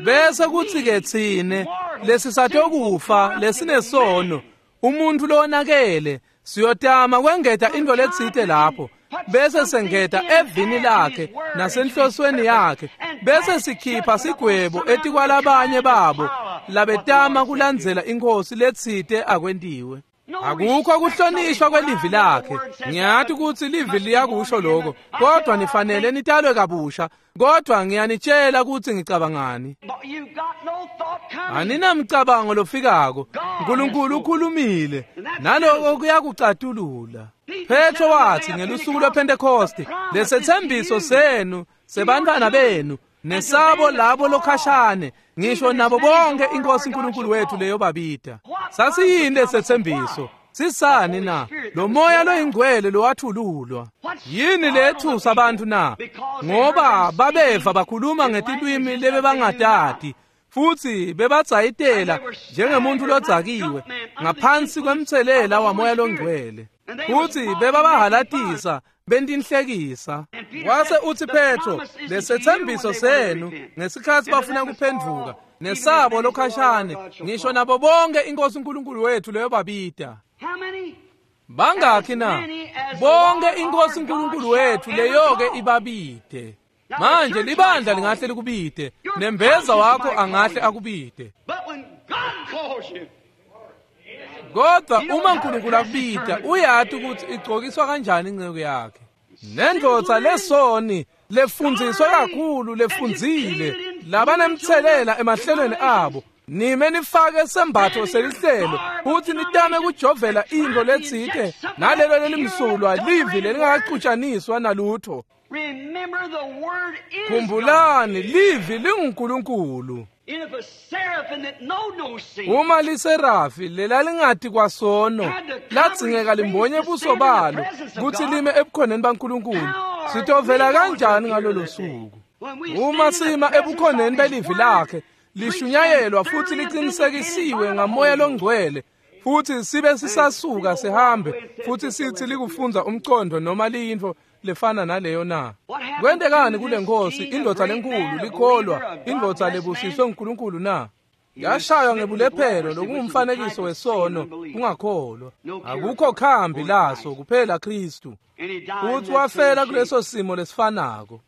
Bese kuthi ke tsine lesisatokufa lesinesono, umuntu lowonakele, siyotama kwengeta into letsite lapho, bese sengeta evini lakhe nasenhlosweni yakhe, bese sikhipha sigwebo etikwalabanye babo labetama kulandzela inkosi letsite akwentiwe. Akukho kuhlonishwa kwelivi lakhe. Ngiyati kutsi livi liyakusho lokho, kodwa nifanele nitalwe kabusha. Kodwa ngiyanitshela kutsi ngicabangani. Aninamcabango lofikako. uNkulunkulu ukhulumile, naloko kuyakucatulula. Petro wathi ngelusuku lwePhentekoste, lesetsembiso senu sebantfwana benu nesabo labo lokhashane, ngisho nabo bonke iNkosi uNkulunkulu wethu leyo babita. Sasiyini lesetsembiso? Sisani na? Lo moya loyingcwele lowathululwa. Yini lethusa abantu na? Ngoba babeva bakhuluma ngetilwimi lebebangatati, futhi bebadzayitela njengemuntu lodzakiwe ngaphansi kwemtselela wamoya longcwele. Futhi bebabahalatisa bentinhlekisa. Wase uthi Petro, lesetsembiso senu ngesikhathi bafuna kuphenduka nesabo lokhashane, ngisho nabo bonke iNkosi uNkulunkulu wethu leyo babita. Bangakhi na? Bonke iNkosi uNkulunkulu wethu leyoke ibabite. Manje libandla lingahle likubite, nembeza wakho angahle akubite. Kodwa uma uNkulunkulu akubita, uyati ukuthi igcokiswa kanjani inceku yakhe. Nendvodza lesoni lefundziswe kakhulu, lefundzile, labanemtselela emahlelweni abo, nime nifake sembatho selihlelo futhi nitame kujovela into letsite nalelo lelimsulwa livi lelingakacutshaniswa nalutho. Khumbulani, livi linguNkulunkulu. Uma liserafi lelalingati kwasono ladzingeka limbonye buso balo kutsi lime ebukhoneni baNkulunkulu, sitovela kanjani ngalolo suku? Uma sima ebukhoneni belivi lakhe lishunyayelwa futhi liqinisekisiwe ngamoya longcwele, futhi sibe sisasuka sihambe futhi sithi likufunza umcondo noma liyintfo lefana naleyo na? Kwentekani kule nkosi, indvodza lenkulu, likholwa, indvodza lebusiswe nguNkulunkulu na? Yashaywa ngebulephelo lokungumfanekiso wesono, kungakholwa. Akukho khambi laso kuphela Kristu. Futhi wafela kuleso simo lesifanako.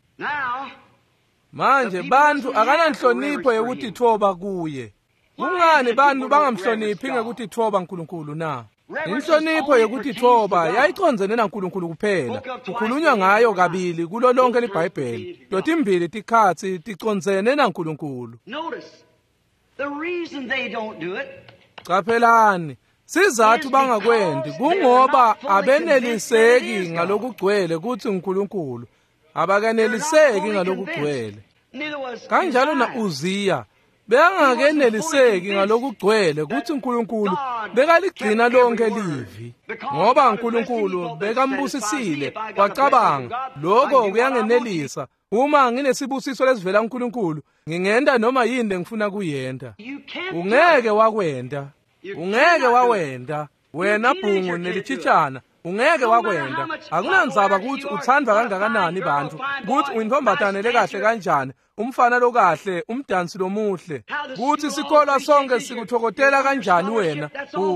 Manje bantu akananhlonipho yekutitfoba kuye. Kungani bantu bangamhloniphi ngekutitfoba uNkulunkulu na? Inhlonipho yekutitfoba yayicondzene naNkulunkulu kuphela. Kukhulunywa ngayo kabili kulo lonke liBhayibheli. Totimbili tikhatsi ticondzene naNkulunkulu. Caphelani, sizathu bangakwendi kungoba abeneliseki ngalokugcwele kutsi uNkulunkulu. Abakaneliseki ngalokugcwele. Kanjalo na Uziya bekangakeneliseki ngalokugcwele kutsi uNkulunkulu bekaligcina lonke livi, ngoba uNkulunkulu bekambusisile. Wacabanga, lokho kuyangenelisa. Uma nginesibusiso lesivela kuNkulunkulu, ngingenta noma yini lengifuna kuyenta. Ungeke wakwenta, ungeke wawenta wena bhungu nelichitshana. Ungeke wakwenda. Akunandzaba kutsi utsandvwa kangakanani bantfu, kutsi uyintfombatane lekahle kanjani, umfana lokahle, umdansi lomuhle, kutsi sikolwa sonke sikutfokotela kanjani wena,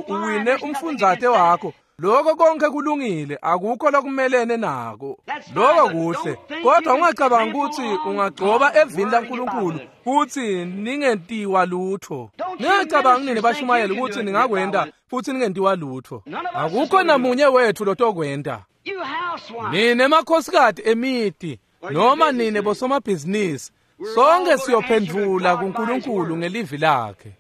uwine umfundzate wakho. Lokho konke kulungile, akukho lokumelene nako. Lokho kuhle, kodwa ungacabangi kutsi ungagcoba evini laNkulunkulu futhi ningentiwa lutho. Ningacabangi nini bashumayeli kutsi ningakwenta futhi ningentiwa lutho. Akukho namunye wethu lotokwenta. Nine makhosikati emiti noma nine bosomabhizinisi, sonke siyophendvula kuNkulunkulu ngelivi lakhe.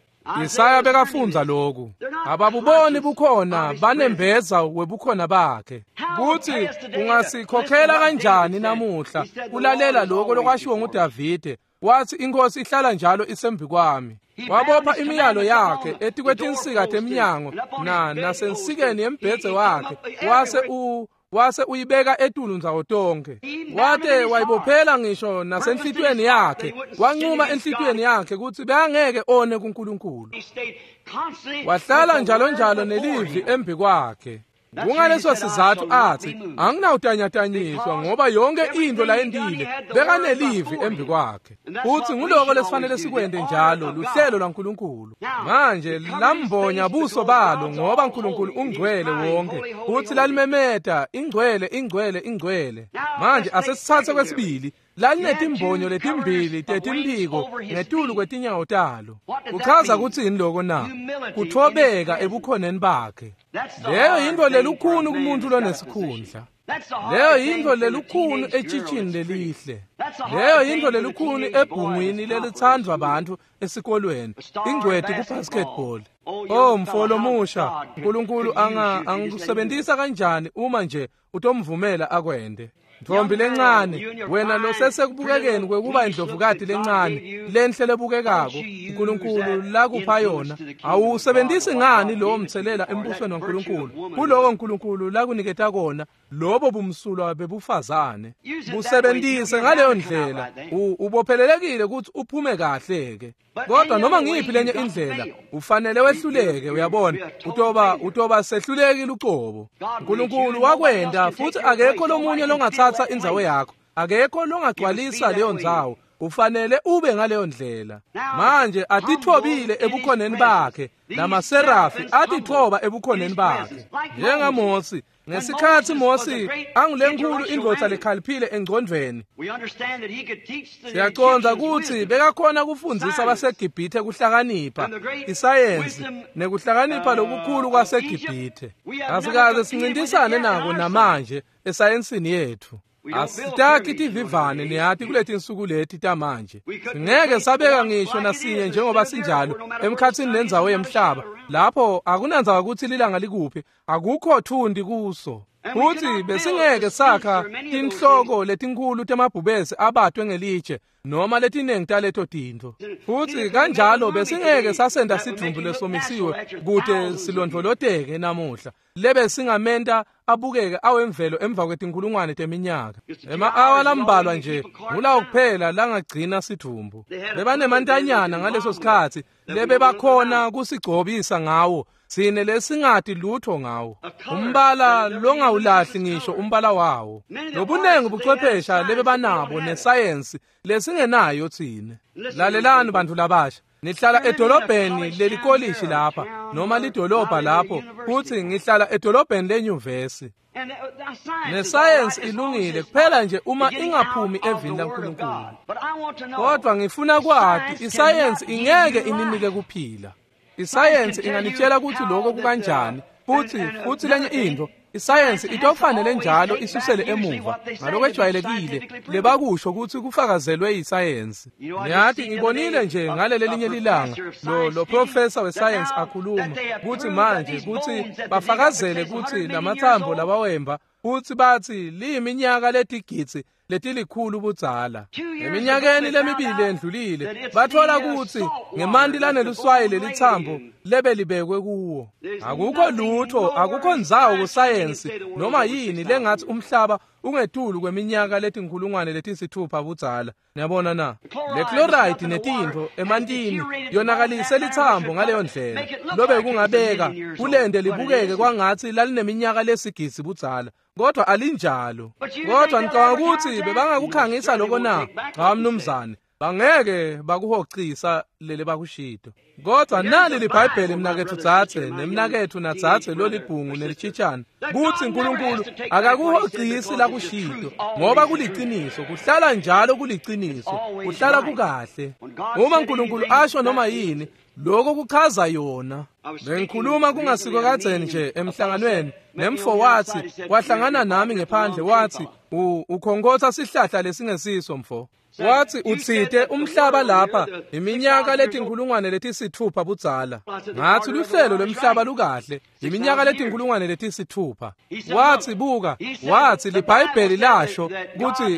Isaya bekafundza lokhu. Ababuboni bukhona banembeza webukhona bakhe. Kutsi ungasikhokhela kanjani namuhla kulalela lokho lokwashiwo nguDavide, wathi inkosi ihlala njalo isembi kwami. Wabopha imiyalo yakhe etikwetinsika teminyango na nasensikeni yembhedze wakhe, wase uyibeka etulu ndzawo tonke. Wate wayibophela ngisho nasenhlitiyweni yakhe, wancuma enhlitiyweni yakhe kutsi bekangeke one kuNkulunkulu. Wahlala njalo njalo nelivi embi kwakhe. Kungaleso sizathu athi anginawutanyatanyiswa, ngoba yonke into layentile bekanelivi embi kwakhe. Futhi nguloko lesifanele sikwente njalo, luhlelo lwaNkulunkulu. Manje lambonya buso balo, ngoba uNkulunkulu ungcwele wonke, futhi lalimemeta ingcwele, ingcwele, ingcwele. Manje asesithathe kwesibili, lalinetimbonyo letimbili tetimphiko ngetulu kwetinyawo talo. Kuchaza kutsini loko na? Kuthobeka ebukhoneni bakhe. Leyo yintfo lelukhuni kumuntu lonesikhundla. Leyo yintfo lelukhuni etshitshini lelihle. Leyo yintfo lelukhuni ebhungwini lelitsandvwa bantfu esikolweni, ingcweti ku-basketball. Oh mfo lomusha, uNkulunkulu angakusebentisa kanjani uma nje utomvumela akwente. Ntombi lencane, wena losesekubukekeni kwekuba indlovukati lencane lenhle lebukekako uNkulunkulu lakupha yona, awusebentisi ngani lowo mthelela embusweni waNkulunkulu, kuloko uNkulunkulu lakuniketa kona, lobo bumsulwa bebufazane. Busebentise ngaleyo ndlela, ubophelelekile ukuthi uphume kahle ke. Kodwa noma ngiyiphi lenye indlela, ufanele wehluleke, uyabona, utoba sehluleki lucobo. uNkulunkulu wakwenta, futhi akekho lomunye longathatha indzawo yakho, akekho longagcwalisa leyo ndzawo. Ufanele ube ngaleyo ndlela. Manje atithobile ebukhoneni bakhe, lamaserafi atithoba ebukhoneni bakhe. NjengaMosi, ngesikhatsi Mosi angulenkulu indvodza lekhaliphile engcondvweni, siyacondza kutsi bekakhona kufundzisa baseGibhithe kuhlakanipha, isayensi nekuhlakanipha lokukhulu kwaseGibhithe. Asikaze sincintisane nako namanje esayensini yethu. Asitakhi tivivane niyati kuletinsuku leti tamanje. Singeke sabeka ngisho nasinye njengoba sinjalo emkhatsini nendzawo yemhlaba, lapho akunandzaba kutsi lilanga likuphi, akukho thundi kuso. Futhi besingeke sakha tinhloko letinkhulu temabhubesi abatwe ngelitshe noma letinengi taleto tintfo. Futhi kanjalo besingeke sasenta sidvumbu lesomisiwe kute silondvoloteke namuhla, lebe singamenta abukeke awemvelo emva kwetinkulungwane teminyaka. Ema-awa lambalwa nje ngulawo kuphela langagcina sidvumbu. Bebanemantanyana ngaleso sikhatsi lebebakhona kusigcobisa ngawo, sine lesingati lutho ngawo. Umbala longawulahli ngisho umbala wawo. Lobunengi buchwephesha lebebanabo nesayensi lesingenayo tsine. Lalelani bantfu labasha, nihlala edolobheni lelikolishi lapha noma lidolobha lapho, futhi ngihlala edolobheni lenyuvesi. Nesayensi ilungile kuphela nje uma ingaphumi evini laNkulunkulu. Kodwa ngifuna kwati, isayensi ingeke ininike kuphila. Isayensi inganitshela ukuthi lokho kukanjani, futhi lenye into, isayensi itofanele njalo isusele emuva ngalokwejwayelekile lebakusho ukuthi kufakazelwe yisayensi. Niyati ngibonile nje ngaleli linye lilanga lo professor wesayensi akhuluma ukuthi manje kutsi bafakazele kutsi lamatsambo labawemba futhi bathi liyiminyaka letigidzi letilikhulu budzala. Eminyakeni lemibili endlulile bathola kutsi ngemanti laneluswayi lelitsambo lebelibekwe kuwo. Akukho lutho, akukho ndzawo kusayensi noma yini lengathi umhlaba ungetulu kweminyaka letinkhulungwane letisithupha budzala. Niyabona na? Le chloride netintfo emantini yonakalise litsambo ngaleyo ndlela lobe kungabeka kulende libukeke kwangatsi lalineminyaka lesigisi budzala, kodwa alinjalo. Kodwa ngicabanga ukuthi bebangakukhangisa lokho na? Cha mnumzane, bangeke bakuhocisa lele bakushito. Kodwa nali liBhayibheli mnaketfu dzadze nemnaketfu nadzadze lolibhungu nelitshitshana kutsi uNkulunkulu akakuhocisi lakushito, ngoba kuliciniso, kuhlala njalo kuliciniso, kuhlala kukahle. Uma uNkulunkulu asho noma yini, lokho kuchaza yona. Bengikhuluma kungasiko kadzeni nje emhlanganweni nemfo wathi wahlangana nami ngephandle wathi ukhonkotha sihlahla lesingesiso mfo. Wathi utsite umhlaba lapha iminyaka letinkhulungwane letisithupha budzala. Ngathi luhlelo lwemhlaba lukahle iminyaka letinkhulungwane letisithupha. Wathi buka, wathi liBhayibheli lasho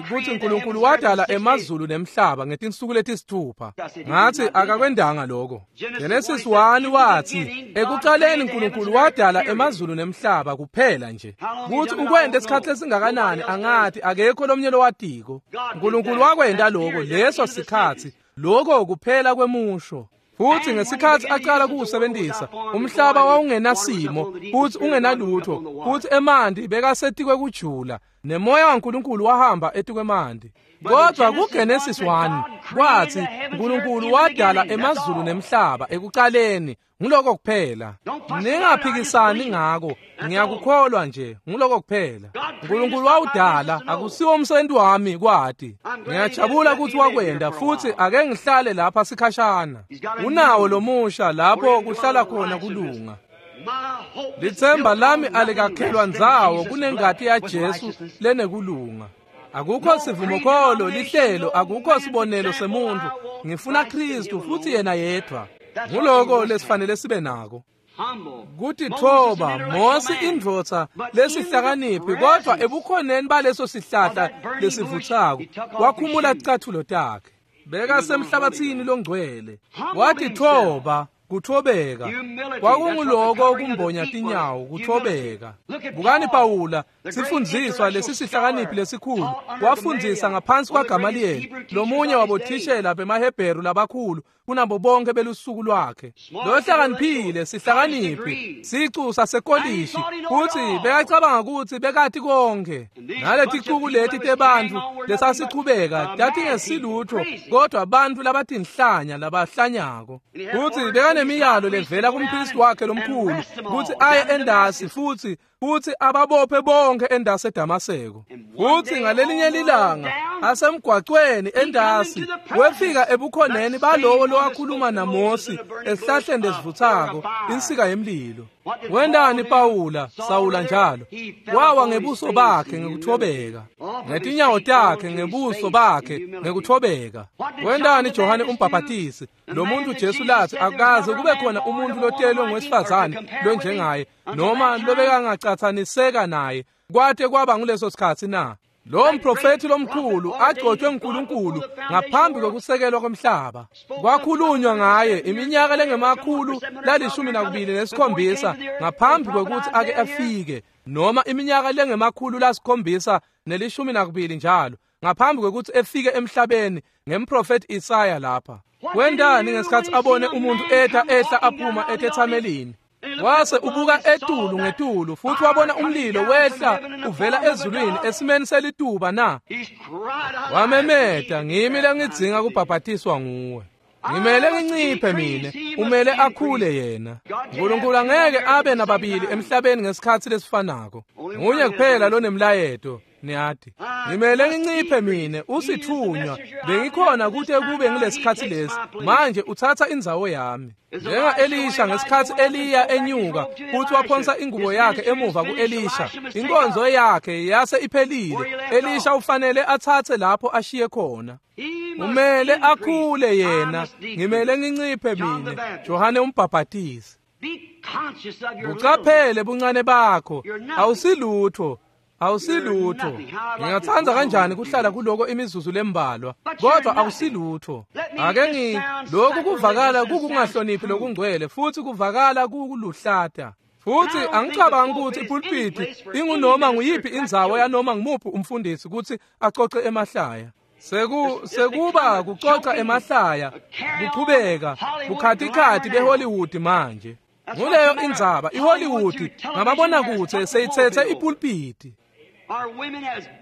kutsi uNkulunkulu wadala emazulu nemhlaba ngetinsuku letisithupha. Ngathi akakwendanga lokho. Genesis 1 wathi ekuqaleni uNkulunkulu wadala emazulu nemhlaba kuphela nje. Kuthi ukwente isikhathi lesingakanani angathi akekho lomnye lowatiko. uNkulunkulu wakwenta lokho leso sikhathi, lokho kuphela kwemusho. Futhi ngesikhathi aqala kuwusebenzisa, umhlaba wawungenasimo futhi ungenalutho, futhi emanti bekasetikwe kujula, nemoya waNkulunkulu wahamba etikwemanti. Kodwa kuGenesis 1 kwathi uNkulunkulu wadala emazulu nemhlaba ekuqaleni, nguloko kuphela. Ningaphikisani ngako, ngiyakukholwa nje, nguloko kuphela. uNkulunkulu wawudala, akusiwo umsebenzi wami kwati. Ngiyajabula ukuthi wakwenda futhi ake ngihlale lapha sikhashana. Unawo lomusha lapho kuhlala khona kulunga. Lithemba lami alikakhelwa ndzawo kunengati yaJesu lenekulunga. Akukho sivumokholo lihlelo, akukho sibonelo semuntu. Ngifuna Kristu futhi yena yedwa. Nguloko lesifanele sibe nako. Kutitfoba, Mosi indvodza lesihlakaniphi, kodwa ebukhoneni baleso sihlahla lesivutsako wakhumula ticathulo takhe. Bekasemhlabathini longcwele. Watitfoba, kuthobeka. Kwakunguloko kumbonya tinyawo, kuthobeka. Bukani Pawula, sifundziswa lesisihlakaniphi lesikhulu, wafundzisa ngaphansi kwaGamaliyeli, lomunye wabothishela bemaHebheru labakhulu kunabo bonke belusuku lwakhe. Lohlakaniphile, sihlakaniphi, sicu sasekolishi, futhi bekacabanga ukuthi bekati konke. Naleticuku leti tebantfu lesasichubeka tatingesilutho, kodwa bantfu labatinhlanya labahlanyako. Futhi bekanemiyalo levela kumpristi wakhe lomkhulu kutsi aye endasi futhi ababophe bonke endasi eDamaseko. Futhi ngalelinye lilanga asemgwacweni endasi wefika ebukhoneni balowo lowakhuluma naMosi esihlahleni lesivutsako, insika yemlilo. Wendani Pawula, Sawula njalo? Wawa ngebuso bakhe ngekuthobeka, ngetinyawo takhe ngebuso bakhe ngekuthobeka. Wendani Johane umbhaphatisi, lo muntu Jesu lathi akaze kube khona umuntu lotelwe ngowesifazane lonjengaye noma lobekangacathaniseka naye kwate kwaba nguleso sikhathi na? Lo mprofethi lomkhulu agcotshwe nguNkulunkulu ngaphambi kokusekelwa komhlaba. Kwakhulunywa ngaye iminyaka lengemakhulu la-27 ngaphambi kokuthi ake afike, noma iminyaka lengemakhulu la-712 njalo ngaphambi kokuthi efike emhlabeni ngemprofethi Isaya lapha. Wendani ngesikhathi abone umuntu ehla aphuma etethamelini? Wase ubuka etulu ngetulu futhi wabona umlilo wehla uvela ezulwini esimeni selituba na? Wamemeta, ngimi lengidzinga kubhabhatiswa nguwe. Ngimele nginciphe mina, umele akhule yena. uNkulunkulu angeke abe nababili emhlabeni ngesikhathi lesifanako. Nguye kuphela lonemlayeto, niyati. Ngimele nginciphe mina, usithunywa. Bengikhona kute kube ngilesikhathi lesi. Manje uthatha indzawo yami. Njenga Elisha ngesikhathi Eliya enyuka futhi waphonsa ingubo yakhe emuva kuElisha, inkonzo yakhe yase iphelile. Elisha ufanele athathe lapho ashiye khona. Umele akhule yena, ngimele nginciphe mina. Johane umbhaphatisi. Ucaphele buncane bakho, awusilutho. Awusilutho. Ngingatsandza kanjani kuhlala kuloko imizuzu lembalwa, kodwa awusilutho. Ake lokhu kuvakala kukungahloniphi lokungcwele futhi kuvakala kukuluhlata. Futhi angicabangi ukuthi ipulpiti ingunoma nguyiphi indzawo yanoma ngumuphi umfundisi ukuthi acoce emahlaya. Sekuba kucoca emahlaya, kuchubeka, bukhatikhathi beHollywood manje. Nguleyo indzaba iHollywood ngababona kuthe seyithethe ipulpiti.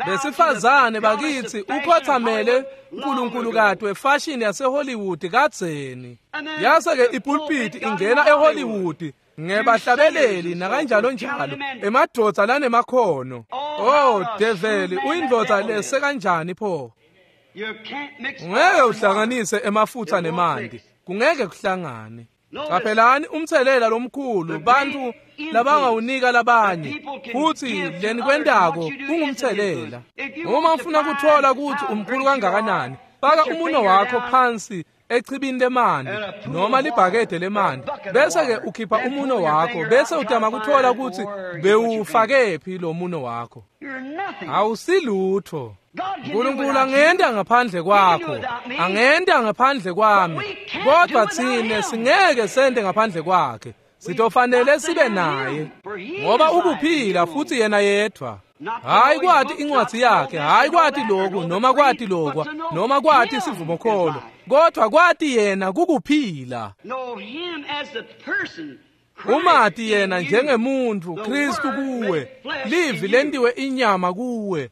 Besifazane bakithi ukhothamele uNkulunkulu wefashion yaseHollywood kadzeni. Yase ke ipulpiti ingena eHollywood ngebahlabeleli nakanjalo njalo emadvodza lanemakhono. Oh develi, uyindvodza lese kanjani pho? Ungeke uhlanganise emafutha nemanti, kungeke kuhlangane. Qaphelani umthelela lomkhulu bantu labangawunika labanye, futhi lenikwentako kungumthelela. Uma ufuna kuthola ukuthi umkhulu kangakanani, faka umuno wakho phansi echibini lemanti noma libhakede lemanti, bese ke ukhipha umuno wakho, bese utama kuthola ukuthi bewufakephi lo muno wakho. Awusilutho. uNkulunkulu angenta ngaphandle kwakho, angenta ngaphandle kwami, kodwa thine singeke sente ngaphandle kwakhe. Sitofanele sibe naye, ngoba ukuphila futhi yena yedwa. Hayi kwati incwadi yakhe, hayi kwati lokhu noma kwati lokwa noma kwati isivumokholo, kodwa kwati yena kukuphila. Umati yena njengemuntu, Kristu kuwe, livi lentiwe inyama kuwe.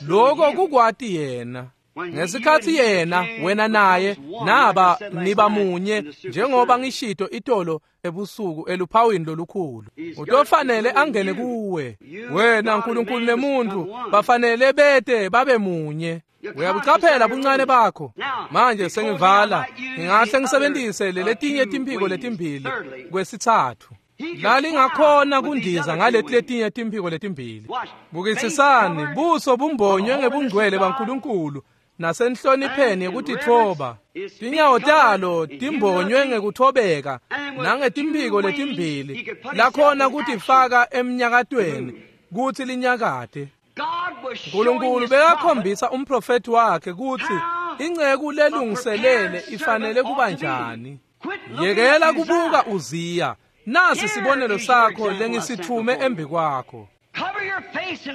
Lokho kukwati yena. Ngesikhathi yena, wena naye, naba niba munye, njengoba ngishito itolo ebusuku eluphawini lolukhulu. Utofanele angene kuwe. Wena uNkulunkulu nemuntu bafanele bete babe munye. Uyabucaphela buncane bakho. Manje sengivala, ngingahle ngisebenzise leletinye timphiko letimbili kwesithathu. Lalingakhona kundiza ngaleti letinye timphiko letimbili. Bukisisani, buso bumbonywe ngebungcwele baNkulunkulu nasenhlonipheni yekutitfoba. Tinyawo talo timbonywe ngekuthobeka nangetimphiko letimbili lakhona kutifaka emnyakatweni kutsi linyakate. uNkulunkulu bekakhombisa umprofethi wakhe kutsi inceku lelungiselele ifanele kuba njani. Yekela kubuka Uziya. Nasi sibonelo sakho lengisithume embi kwakho.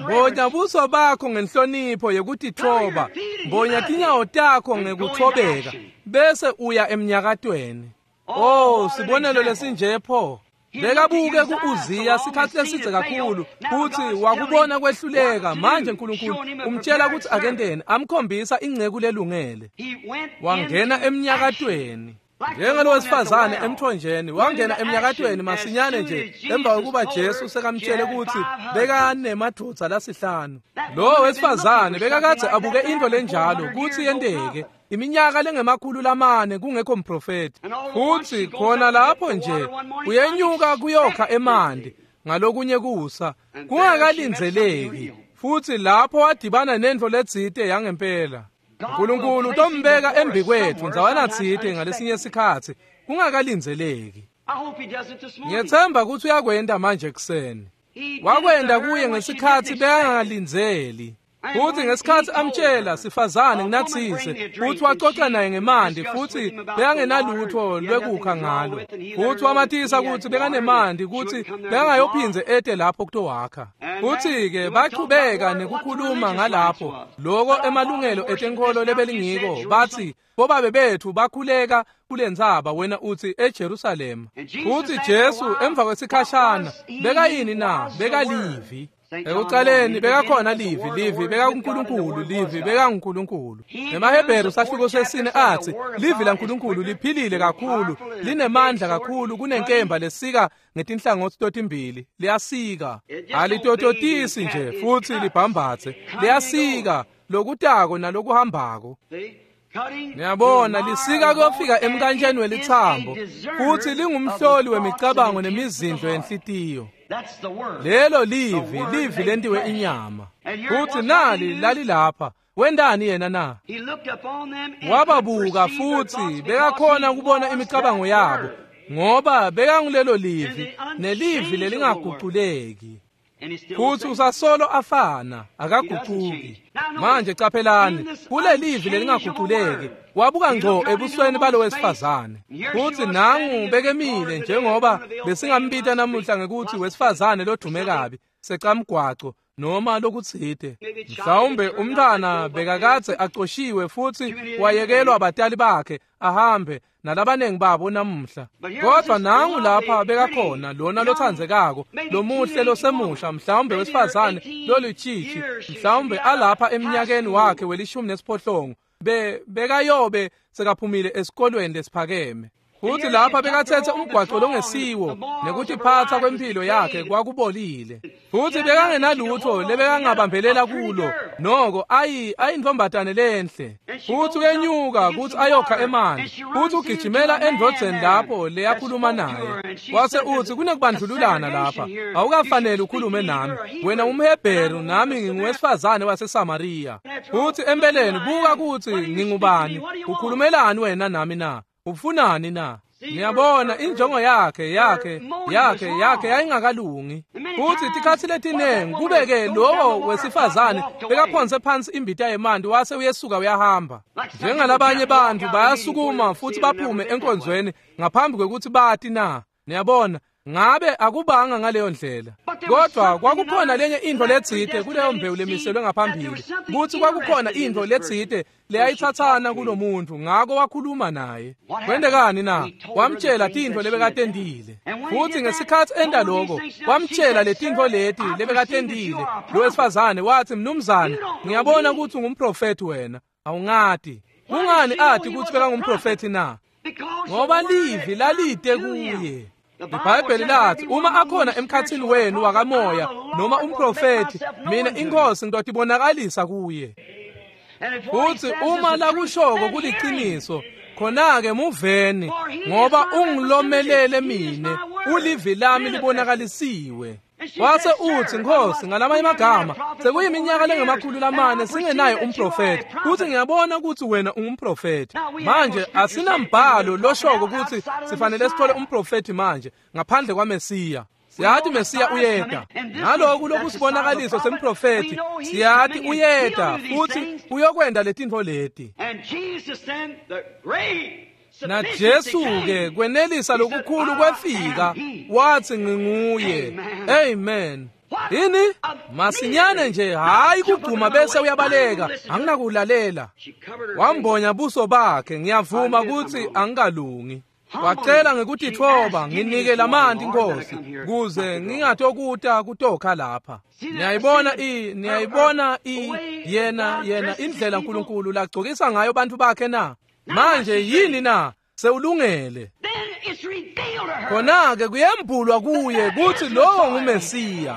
Mbonya buso bakho ngenhlonipho yekutitfoba, mbonya tinyawo takho ngekuthobeka, bese uya emnyakatweni. Oh, sibonelo lesinje pho. Bekabuke ku-Uziya sikhathi lesidze kakhulu futhi wakubona kwehluleka. Manje uNkulunkulu umtshela ukuthi akenteni, amkhombisa inceku lelungele. Wangena emnyakatweni. Njengalo wesifazane emthonjeni wangena emnyakatweni masinyane nje emva kokuba Jesu sekamtshele ukuthi bekanemadvodza lasihlanu. Lo wesifazane bekakadze abuke into lenjalo kutsi yenteke iminyaka lengemakhulu lamane kungekho mprofeti. Futhi khona lapho nje uyenyuka kuyokha emanti ngalokunye kusa kungakalindzeleki, futhi lapho wadibana nendvo letsite yangempela. uNkulunkulu utombeka embi kwethu ndzawana tsite ngalesinye sikhatsi kungakalindzeleki. Ngiyethemba ukuthi uyakwenta manje ekuseni. Wakwenta kuye ngesikhatsi bekangalindzeli. Futhi ngesikhatsi amtshela sifazane nginathise, futhi waxoxa naye ngemanti, futhi bekangenalutho lwekukha ngalo. Futhi wamatisa ukuthi bekanemanti ukuthi bekangayophindze ete lapho kutowakha. Futhi-ke bachubeka nekukhuluma ngalapho loko emalungelo etenkholo lebelingiko, bathi bobabe bethu bakhuleka kulentsaba, wena uthi eJerusalema. Futhi Jesu emva kwesikhashana bekayini na? Bekalivi. Ekucaleni bekakhona livi, livi bekakuNkulunkulu, livi bekanguNkulunkulu. EmaHebheru sahluko sesine athi livi laNkulunkulu liphilile kakhulu, linemandla kakhulu kunenkemba lesika ngetinhlangothi totimbili, liyasika. Alitototisi nje futhi libhambathe, liyasika lokutako nalokuhambako. Niyabona, lisika kuyofika emkantsheni welitsambo, futhi lingumhloli wemicabango nemizindlo yenhlitiyo. Lelo livi, livi lentiwe inyama. Futhi nali lalilapha. Wendani yena na? Wababuka futhi bekakhona ukubona imicabango yabo, ngoba bekangulelo livi, nelivi lelingaguculeki. Futhi usasolo afana, akaguquki. Manje caphelani, kulelivi lelingaguquleki, wabuka ngco ebusweni balo wesifazane. Futhi nangu bekemile njengoba besingambita namuhla ngekuthi wesifazane lodume kabi, secamgwaco noma lokutsite. Mhlawumbe umntwana bekakadze acoshiwe futhi wayekelwa abatali bakhe ahambe nalabanengi babo namuhla. Kodwa nangu lapha bekakhona lona lothandzekako, lomuhle losemusha, mhlawumbe wesifazane lolutshitshi, mhlawumbe alapha eminyakeni wakhe we-18, bekayobe sekaphumile esikolweni lesiphakeme. Futhi lapha bekathethe umgwaco longesiwo nekutiphatsa kwempilo yakhe kwakubolile. Futhi bekangenalutho lebekangabambelela kulo, noko ayintombatane lenhle. Futhi uyenyuka kuthi ayokha emanti, futhi ugijimela endvodzeni lapho leyakhuluma naye. Wase uthi kunekubandlululana lapha, awukafanele ukhulume nami, wena umHebheru nami nginguwesifazane waseSamariya. Futhi empeleni buka kuthi ngingubani, ukhulumelani wena nami na? Ufunani na? Niyabona injongo yakhe yayingakalungi. Futhi tikhatsi letinengi kubeke lowo wesifazane bekaphonse phansi imbita yemanti wase uyesuka uyahamba. Njengalabanye bantu bayasukuma futhi baphume enkonzweni ngaphambi kwekuthi bati na. Niyabona, ngabe akubanga ngaleyo ndlela. Kodwa kwakukhona lenye intfo letsite kuleyo mbewu lemiselwe ngaphambili, kuthi kwakukhona intfo letsite leyayithathana kulomuntu, ngako wakhuluma naye. Kwendekani na? Wamtshela tintfo lebekatentile. Futhi ngesikhatsi enta lokho, wamtshela letintfo leti lebekatentile. Lo wesifazane wathi, "Mnumzane, ngiyabona ukuthi ungumprofethi wena, awungati." Kungani ati ukuthi bekangumprofethi na? Ngoba livi lalite kuye. IBhayibheli lathi uma akhona emkhathini wenu wakamoya noma umprofethi, mina inkosi ngitotibonakalisa kuye. Futhi uma lakushoko kuliciniso, khona-ke muveni, ngoba ungilomelele mine, ulivi lami libonakalisiwe. Wase uthi, Nkosi, ngalamanye amagama, sekuyiminyaka lengama-400 singenaye umprofethi, futhi ngiyabona ukuthi wena ungumprofethi. Manje asinambhalo loshoko ukuthi sifanele sithole umprofethi manje ngaphandle kwaMesiya. Siyathi Mesiya uyeta. Naloku lokusibonakaliso semprofethi, siyathi uyeta futhi uyokwenda letintfo leti. Na Jesu-ke kwenelisa lokukhulu kwefika, wathi nginguye. Amen. Yini? Masinyane nje, hayi kugcuma bese uyabaleka, anginakuwulalela. Wambonya buso bakhe, ngiyavuma ukuthi angikalungi. Wacela ngekutitfoba, nginike lamanti Nkosi, kuze ngingatokuta kutokha lapha. Niyayibona yena indlela uNkulunkulu lagcokisa ngayo bantu bakhe na? Manje yini na? Sewulungele. Khona-ke kuyembulwa kuye kuthi lowo nguMesiya.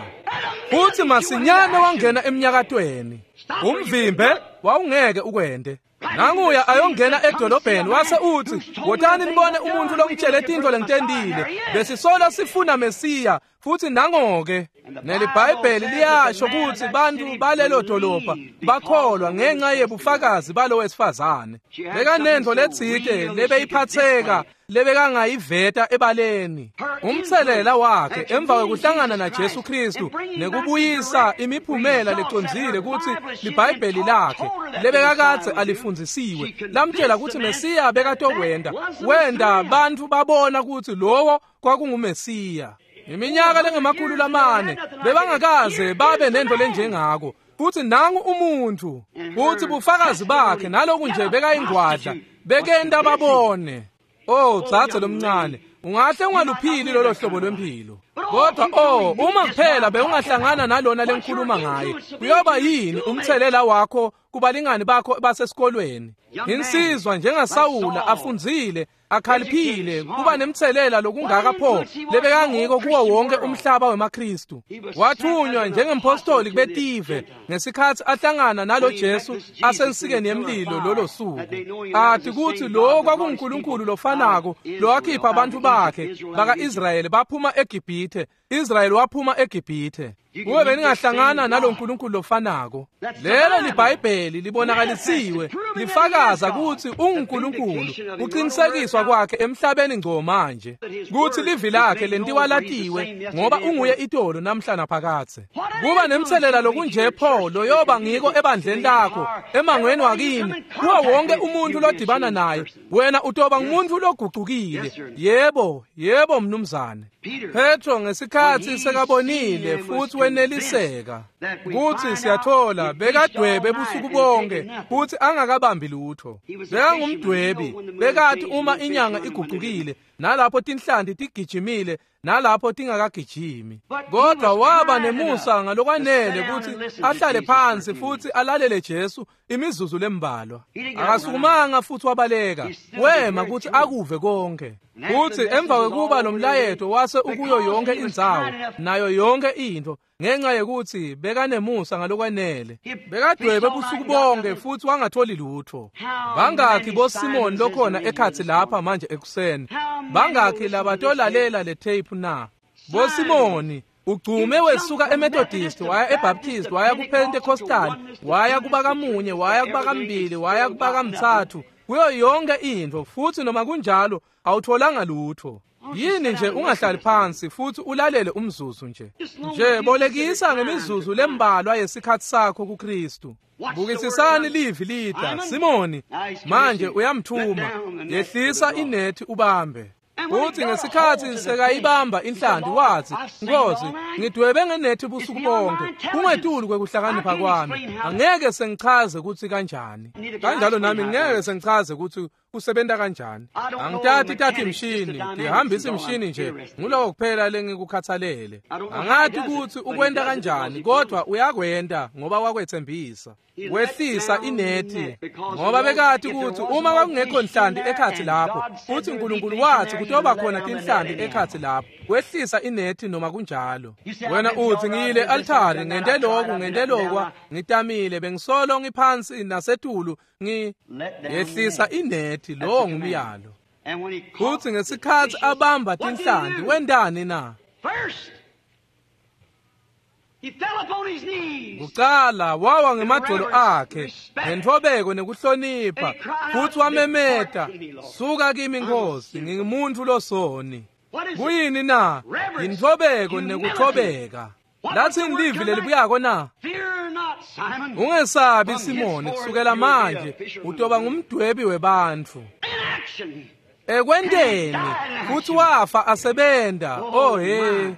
Futhi masinyane wangena emnyakatweni. Umvimbe wawungeke ukwende. Nanguya ayongena edolobheni wase uthi, "Wotani nibone umuntu longitshele tintfo lengitentile. Besisola sifuna Mesiya, futhi nangoke." NeliBhayibheli liyasho ukuthi bantu balelo dolobha bakholwa ngenxa yebufakazi balo wesifazane. Bekanentfo letsite lebeyiphatheka lebekangayiveta ebaleni. Umtselela wakhe emva kwekuhlangana na Jesu Kristu nekubuyisa imiphumela lecondzile kutsi liBhayibheli lakhe lebekakadze alifundzisiwe lamtshela kutsi Mesiya bekatokwenda, wenda bantfu babona kutsi lowo kwakunguMesiya. Iminyaka lengama-400 bebangakaze babe nento lenjengako. Futhi nangu umuntu, futhi bufakazi bakhe naloku nje bekayingwadla bekenta babone. Oh, dzadze lomncane, ungahle ungaluphili lolo hlobo lwempilo. Kodwa oh, uma kuphela bewungahlangana nalona lengikhuluma ngaye, kuyoba yini umthelela wakho kubalingani bakho basesikolweni? Insizwa njengaSawula afundzile, akhaliphile, kuba nemthelela lokungaka pho lebekangiko kuwo wonke umhlaba wemaKristu. Wathunywa njengempostoli kubetive ngesikhatsi ahlangana nalo Jesu asensikeni yemlilo lolo suku. Athi kuthi lo kwakunguNkulunkulu lofanako lowakhipha abantu bakhe baka-Israyeli baphuma eGibhithe. Israyeli waphuma eGibhithe. Kube beningahlangana naloNkulunkulu lofanako. Lelo liBhayibheli libonakalisiwe, lifakaza kutsi unguNkulunkulu, kuqinisekiswa kwakhe emhlabeni ngco manje. Kutsi livi lakhe lentiwa latiwe ngoba unguye itolo namhla naphakadze. Kuba nemtselela lokunje pho loyoba ngiko ebandleni lakho, emangweni wakini, kuwo wonke umuntu lodibana naye, wena utoba ngumuntu logucukile. Yebo, yebo mnumzane. Petro ngesikhatsi sekabonile futhi weneliseka kutsi siyathola bekadwebe busuku bonke futhi angakabambi lutho. Bekangumdwebi, bekathi uma inyanga igucukile nalapho tinhlanti tigijimile nalapho tingakagijimi. Kodwa waba nemusa ngalokwanele kutsi ahlale phansi futhi alalele Jesu imizuzu lembalwa. Akasukumanga futhi wabaleka, wema kutsi akuve konke. Futhi emva kwekuba lo mlayeto wase ukuyo yonke indzawo nayo yonke into, ngenxa yekuthi bekanemusa ngalokwanele, bekadwebe busuku bonke futhi wangatholi lutho. Bangakhi boSimon lokhona ekhatsi lapha manje ekuseni? Bangakhi labatolalela le tape na? BoSimoni ugcume wesuka eMethodist waya eBaptist waya kuPentecostal waya kubakamunye waya kubakambili waya kubakamthathu, kuyo yonke into, futhi noma kunjalo awutholanga lutho. Yini nje ungahlali phansi futhi ulalele umzuzu nje? Nje bolekisa ngemizuzu lembalwa yesikhatsi sakho kuKristu. Bukisisani livi lida Simoni manje uyamthuma, yehlisa inethi ubambe. Uthi ngesikhatsi sekayibamba inhlanti wathi, Nkosi, ngidwebe ngenethi busuku bonke, kungetulu kwekuhlakanipha kwami, angeke sengichaze kutsi kanjani. Kanjalo nami ngeke sengichaze kutsi kusebenta kanjani. Angitati tati imshini, ngihambisa imshini nje, nguloko kuphela lengikukhathalele. Angati kutsi ukwenta kanjani, kodwa uyakwenta ngoba wakwetsembisa. Wehlisa inethi ngoba bekati kutsi uma kwakungekho nhlanti ekhatsi lapho, futhi uNkulunkulu wathi kutoba khona tinhlanti ekhatsi lapho, wehlisa inethi noma kunjalo. Wena uthi ngiyile altari, ngente lokhu, ngente lokwa, ngitamile, bengisolo ngiphansi nasetulu, ngiyehlisa inethi. Lowo ngumyalo. Futhi ngesikhatsi abamba tinhlanti wentani na? Kucala wawa ngemadolo akhe ngentfobeko nekuhlonipha, futhi wamemeta, suka kimi Nkosi, ngingumuntu losoni. Kuyini na? Yintfobeko nekuthobeka. Lathini livi lelibuyako na? Ungesabi Simoni, kusukela manje utoba ngumdwebi webantfu. Ekwenteni futhi wafa asebenta. Oh he,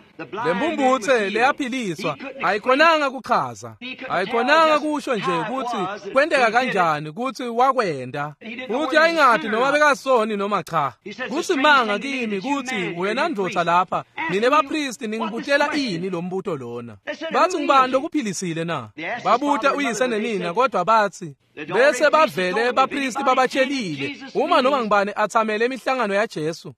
lembumbutse leyaphiliswa ayikhonanga kuchaza, ayikhonanga kusho nje kutsi kwenteka kanjani kutsi wakwenta, futhi ayingati noma bekasoni noma cha. Kusimanga kimi kutsi wena ndvodza lapha nine bapristi ningibutela ini lo mbuto lona. Bathi ngubani lokuphilisile na? Babuta uyise nenina, kodwa bathi bese bavele bapristi babatshelile, uma noma ngibani athamele imihlangano yaJesu,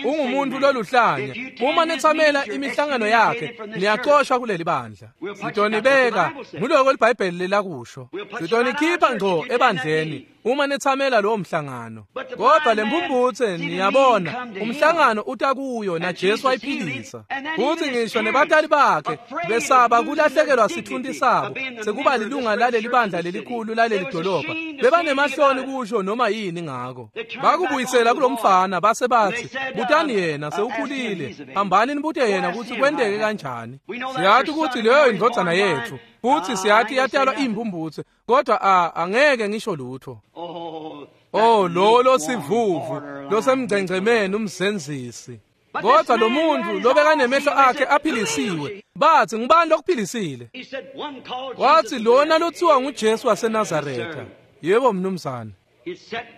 ungumuntu loluhlanya. Uma nithamela imihlangano yakhe niyaxoshwa kuleli bandla. Sitonibeka, nguloko liBhayibheli lelakusho. Sitonikhipha ngco ebandleni uma nithamela lowo mhlangano. Kodwa lembumbutse niyabona umhlangano utakuyo na Jesu wayiphilisa. Futhi ngisho nebatali bakhe besaba kulahlekelwa sithunti sabo sekuba lilunga laleli bandla lelikhulu laleli dolobha, bebanemahloni kusho noma yini ngako. Bakubuyisela kulomfana base bathi, butani yena sewukhulile, hambani nibute yena kutsi kwenteke kanjani. Siyathi kutsi leyo indvodzana yethu, futhi siyathi yatalwa imbumbutse, kodwa angeke ngisho lutho. Oh, lo losivuvu losemgcengcemeni umzenzisi. Kodwa lo muntu lobekanemehlo akhe aphilisiwe, bathi ngubani lokuphilisile? Wathi lona lothiwa nguJesu waseNazaretha. Yebo mnumzane.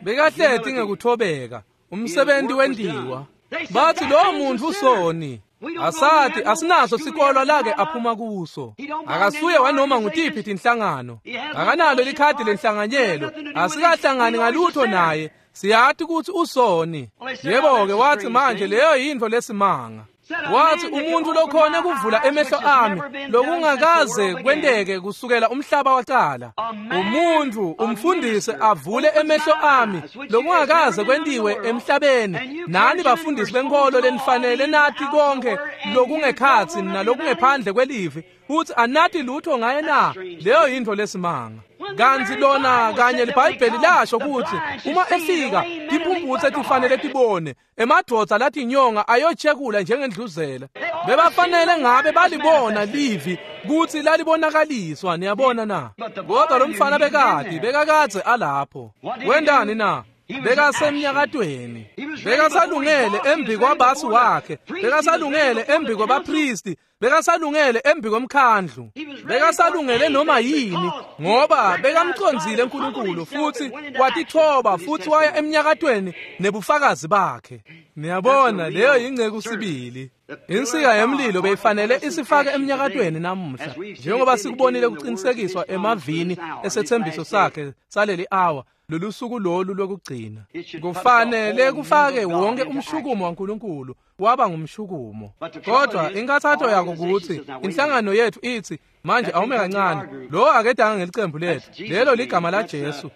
Bekahleti ngekuthobeka, umsebenzi wendiwa. Bathi lo muntu usoni. Asati asinaso sikolwa lake aphuma kuso. Akasuye wanoma ngutiphi tinhlangano. Akanalo likhadi lenhlanganyelo. Asikahlangani ngalutho naye. Siyathi kutsi usoni. Yebo ke wathi manje leyo yintfo lesimanga. Wathi umuntu lokhona kuvula emehlo ami lokungakaze kwenteke kusukela umhlaba waqala. Umuntu umfundisi avule emehlo ami lokungakaze kwentiwe emhlabeni. Nani bafundisi benkolo lenifanele nathi konke lokungekhatsi nalokungephandle kwelivi futhi anathi lutho ngaye na? Leyo yintfo lesimanga. Kanti lona kanye liBhayibheli lasho ukuthi uma efika timphumphutse tifanele tibone, emadvodza latinyonga ayochekula njengendluzela. Bebafanele ngabe balibona livi kutsi lalibonakaliswa, niyabona na? Kodwa lo mfana bekakadze alapho. Wendani na? Bekasemnyakatweni, bekasalungele embi kwabasi wakhe, bekasalungele embi kwabapristi, bekasalungele embi komkhandlu, bekasalungele noma yini, ngoba bekamcondzile uNkulunkulu futhi watithoba futhi waya emnyakatweni nebufakazi bakhe. Niyabona, leyo yingceku sibili. Insika yemlilo beyifanele isifake emnyakatweni namuhla, njengoba sikubonile kuqinisekiswa emavini esethembiso sakhe saleli hour, lolu suku lolu lokugcina. Kufanele kufake wonke umshukumo waNkulunkulu waba ngumshukumo. Kodwa inkathatho yako ukuthi inhlangano yethu ithi manje awume kancane, lo akedanga ngelicembu lethu, lelo ligama la Jesu,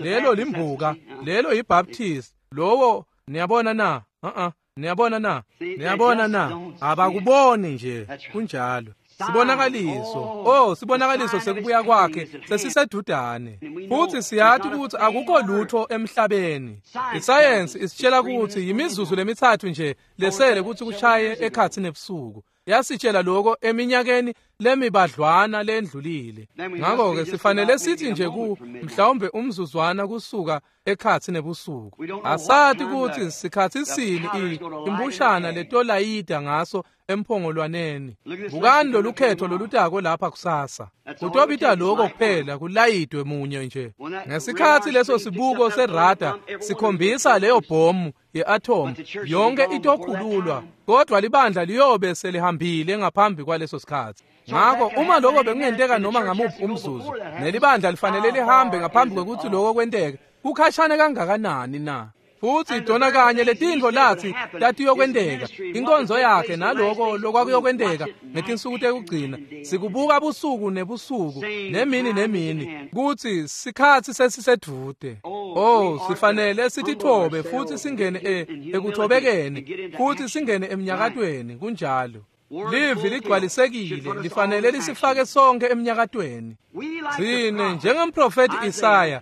lelo limbuka, lelo yiBaptist, lowo niyabona na? Niyabona na? Niyabona na? Abakuboni nje kunjalo. Sibonakaliso, oh, sibonakaliso sekubuya kwakhe sesisedudane. Futhi siyathi ukuthi akukho lutho emhlabeni. Isayensi isitshela ukuthi yimizuzu lemithathu nje lesele ukuthi kushaye ekhathi nebusuku. Yasitshela lokho eminyakeni lemibadlwana lendlulile. Ngakho-ke sifanele sithi nje ku mhlawumbe umzuzwana kusuka ekhathi nebusuku. Asathi ukuthi sikhathi sini imbushana letolayida ngaso emphongolwaneni. Bukani lolukhetho lolutako lapha kusasa. Kutobita lokho kuphela kulayidwe munye nje. Ngesikhathi leso sibuko serada sikhombisa leyo bhomu ye-atom yonke itokhululwa, kodwa libandla liyobe selihambile ngaphambi kwaleso sikhathi. Ngakho uma lokho bekungenteka noma ngamuphi umzuzu, nelibandla lifanele lihambe ngaphambi kwekuthi lokho kwenteke, kukhashane kangakanani na? Futhi dona kanye letintfo lathi tatiyokwenteka, inkonzo yakhe naloko lokwakuyokwenteka ngetinsuku tekugcina, sikubuka busuku nebusuku nemini nemini kuthi sikhathi sesisedvude. Oh, sifanele sitithobe futhi singene ekuthobekeni futhi singene emnyakatweni. Kunjalo. Livi ligcwalisekile lifanele lisifake sonke emnyakatweni. Tsine njengemprofeti Isaya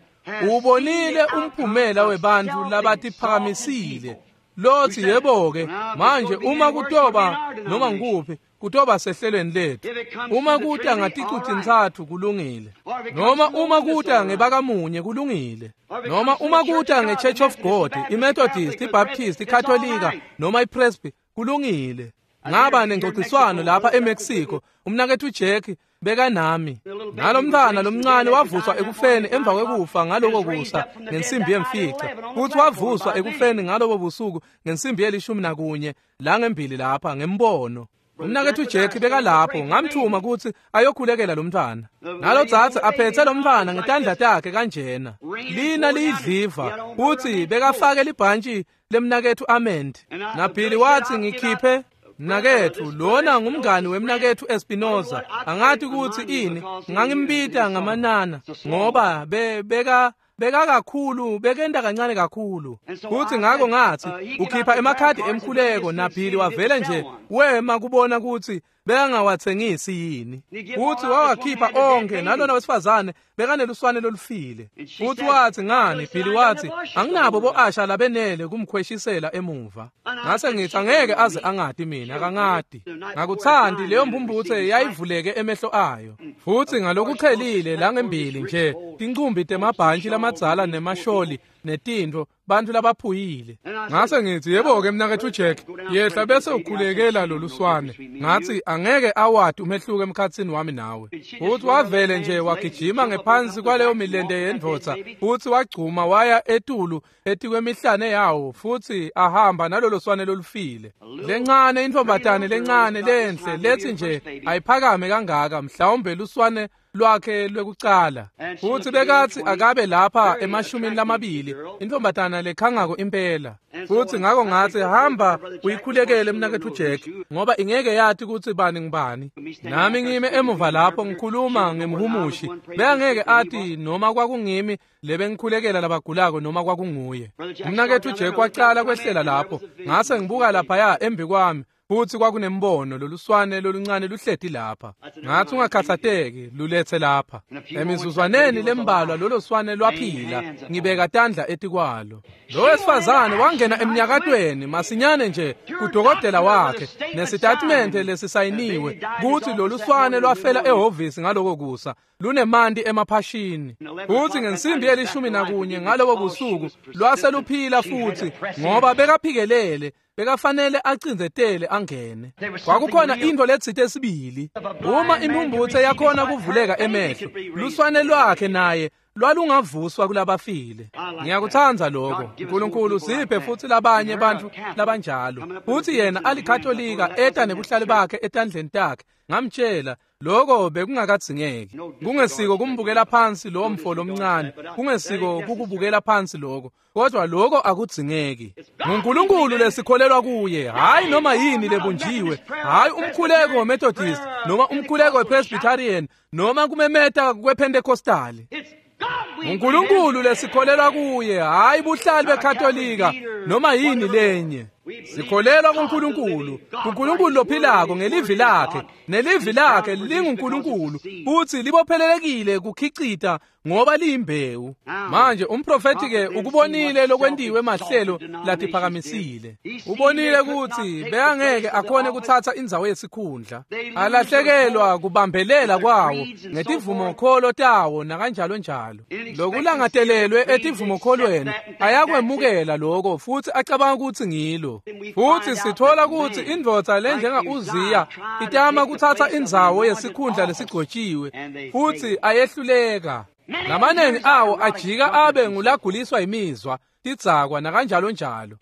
ubonile umphumela webantu labatiphakamisile. Lothi yebo-ke manje uma kutoba noma ngikuphi kutoba sehlelweni lethu. Uma kuta ngaticuthi-ntsatfu kulungile, noma uma kuta ngebakamunye kulungile, noma uma kuta nge-Church of God, iMethodist, iBaptist, iKatolika noma iPresby kulungile. Ngaba nengxoxiswano lapha eMexico, umnakethu Jack bekanami. Nalomntwana lomncane wavuswa ekufeni emva kwekufa ngaloko kusa ngensimbi yemfica, futhi wavuswa ekufeni ngalobo busuku ngensimbi ye-11 langembili lapha ngembono. Umnakethu Jack bekalapho, ngamthuma ukuthi ayokhulekela lo mntwana. Nalodzadze aphethe lo mntwana ngetandla takhe kanjena, lina liyidliva, futhi bekafake libhantshi lemnakethu Ament. Nabhili wathi ngikhiphe mnakethu, lona ngumngani wemnakethu Espinoza. Angathi ukuthi ini, ngangimbita ngamanana ngoba beka kakhulu, bekenda kancane kakhulu. Futhi ngakho ngathi ukhipha emakhadi emkhuleko, naBhili wavele nje wema kubona ukuthi bekangawathengisi yini. Futhi wawakhipha onke, nalona wesifazane bekaneluswane lolufile. Futhi wathi ngani, Bhili wathi anginabo bo-asha labenele kumkhweshisela emuva. Ngase ngithi angeke aze angadi mina, akangadi. Ngakuthandi leyo mbumbuthe yayivuleke emehlo ayo. Futhi ngalokuchelile langembili nje tincumbi temabhantshi lamadzala nemasholi netintfo bantu labaphuyile. Ngase ngithi yebo-ke mnakethu Jack, yehla bese ukhulekela loluswane. Ngathi angeke awadi umehluko emkhathini wami nawe. Futhi wavele nje wagijima ngephansi kwaleyo milente yendvodza, futhi wagcuma waya etulu etikwemihlane yawo, futhi ahamba nalolo swane lolufile. Lencane intombatane lencane lenhle lethi nje ayiphakame kangaka, mhlawumbe luswane lwakhe lwekucala. Futsi bekatsi akabe lapha 20, intfombatana lekhangako impela. Futsi ngako ngatsi, hamba uyikhulekele mnaketfu Jack, ngoba ingeke yati kutsi bani ngibani. Nami ngime emuva lapho ngikhuluma ngemhumushi, bekangeke ati noma kwakungimi lebengikhulekela labagulako noma kwakunguye. Mnaketfu Jack wacala kwehlela lapho, ngase ngibuka laphaya embi kwami, futsi kwakunembono loluswane loluncane luhleti lapha. Ngathi ungakhathateki, luletse lapha. Emizuzwaneni lembalwa lolo swane lwaphila, ngibeka tandla etikwalo. Lo wesifazane wangena emnyakatweni masinyane nje kudokotela wakhe nesitatimende lesisayiniwe kutsi loluswane lwafela ehhovisi ngaloko kusa, lunemanti emaphashini. Futsi ngensimbi ye-11 ngalobo busuku lwase luphila futhi, ngoba bekaphikelele, bekafanele acindzetele angene. Kwakukhona into letsite esibili. Uma imphumphutse yakhona kuvuleka emehlo, luswane lwakhe naye lwalungavuswa kulabafile. Ngiyakutsandza lokho. uNkulunkulu siphe futsi labanye bantfu labanjalo. Futsi yena alikatolika eta nebuhlali bakhe etandleni takhe. Ngamtshela lokho bekungakadzingeki. Kungesiko kumbukela phansi lo mfo lomncane, kungesiko kukubukela phansi lokho, kodwa lokho akudzingeki. NguNkulunkulu lesikholelwa kuye, hayi noma yini lebunjiwe, hayi umkhuleko weMethodist noma umkhuleko wePresbyterian noma kumemeta kwePentecostali. uNkulunkulu lesikholelwa kuye, hayi buhlali beKatolika noma yini lenye. Sikholelwa kuNkulunkulu, kuNkulunkulu lophilako ngelivi lakhe, nelivi lakhe linguNkulunkulu futhi libophelelekile kukhicita ngoba liyimbewu. Manje umprofeti ke ukubonile lokwentiwe mahlelo latiphakamisile. Ubonile ukuthi bekangeke akhone kuthatha indzawo yesikhundla. Alahlekelwa kubambelela kwawo ngetivumokholo tawo nakanjalo njalo. Lokulangatelelwe etivumokholweni ayakwemukela lokho futhi acabanga ukuthi ngilo. Futhi sithola ukuthi indvodza lenjenga Uziya itama kuthatha indzawo yesikhundla lesigcotshiwe futhi ayehluleka. Lamanengi awo ajika abe ngulaguliswa imizwa, tidzakwa nakanjalo njalo.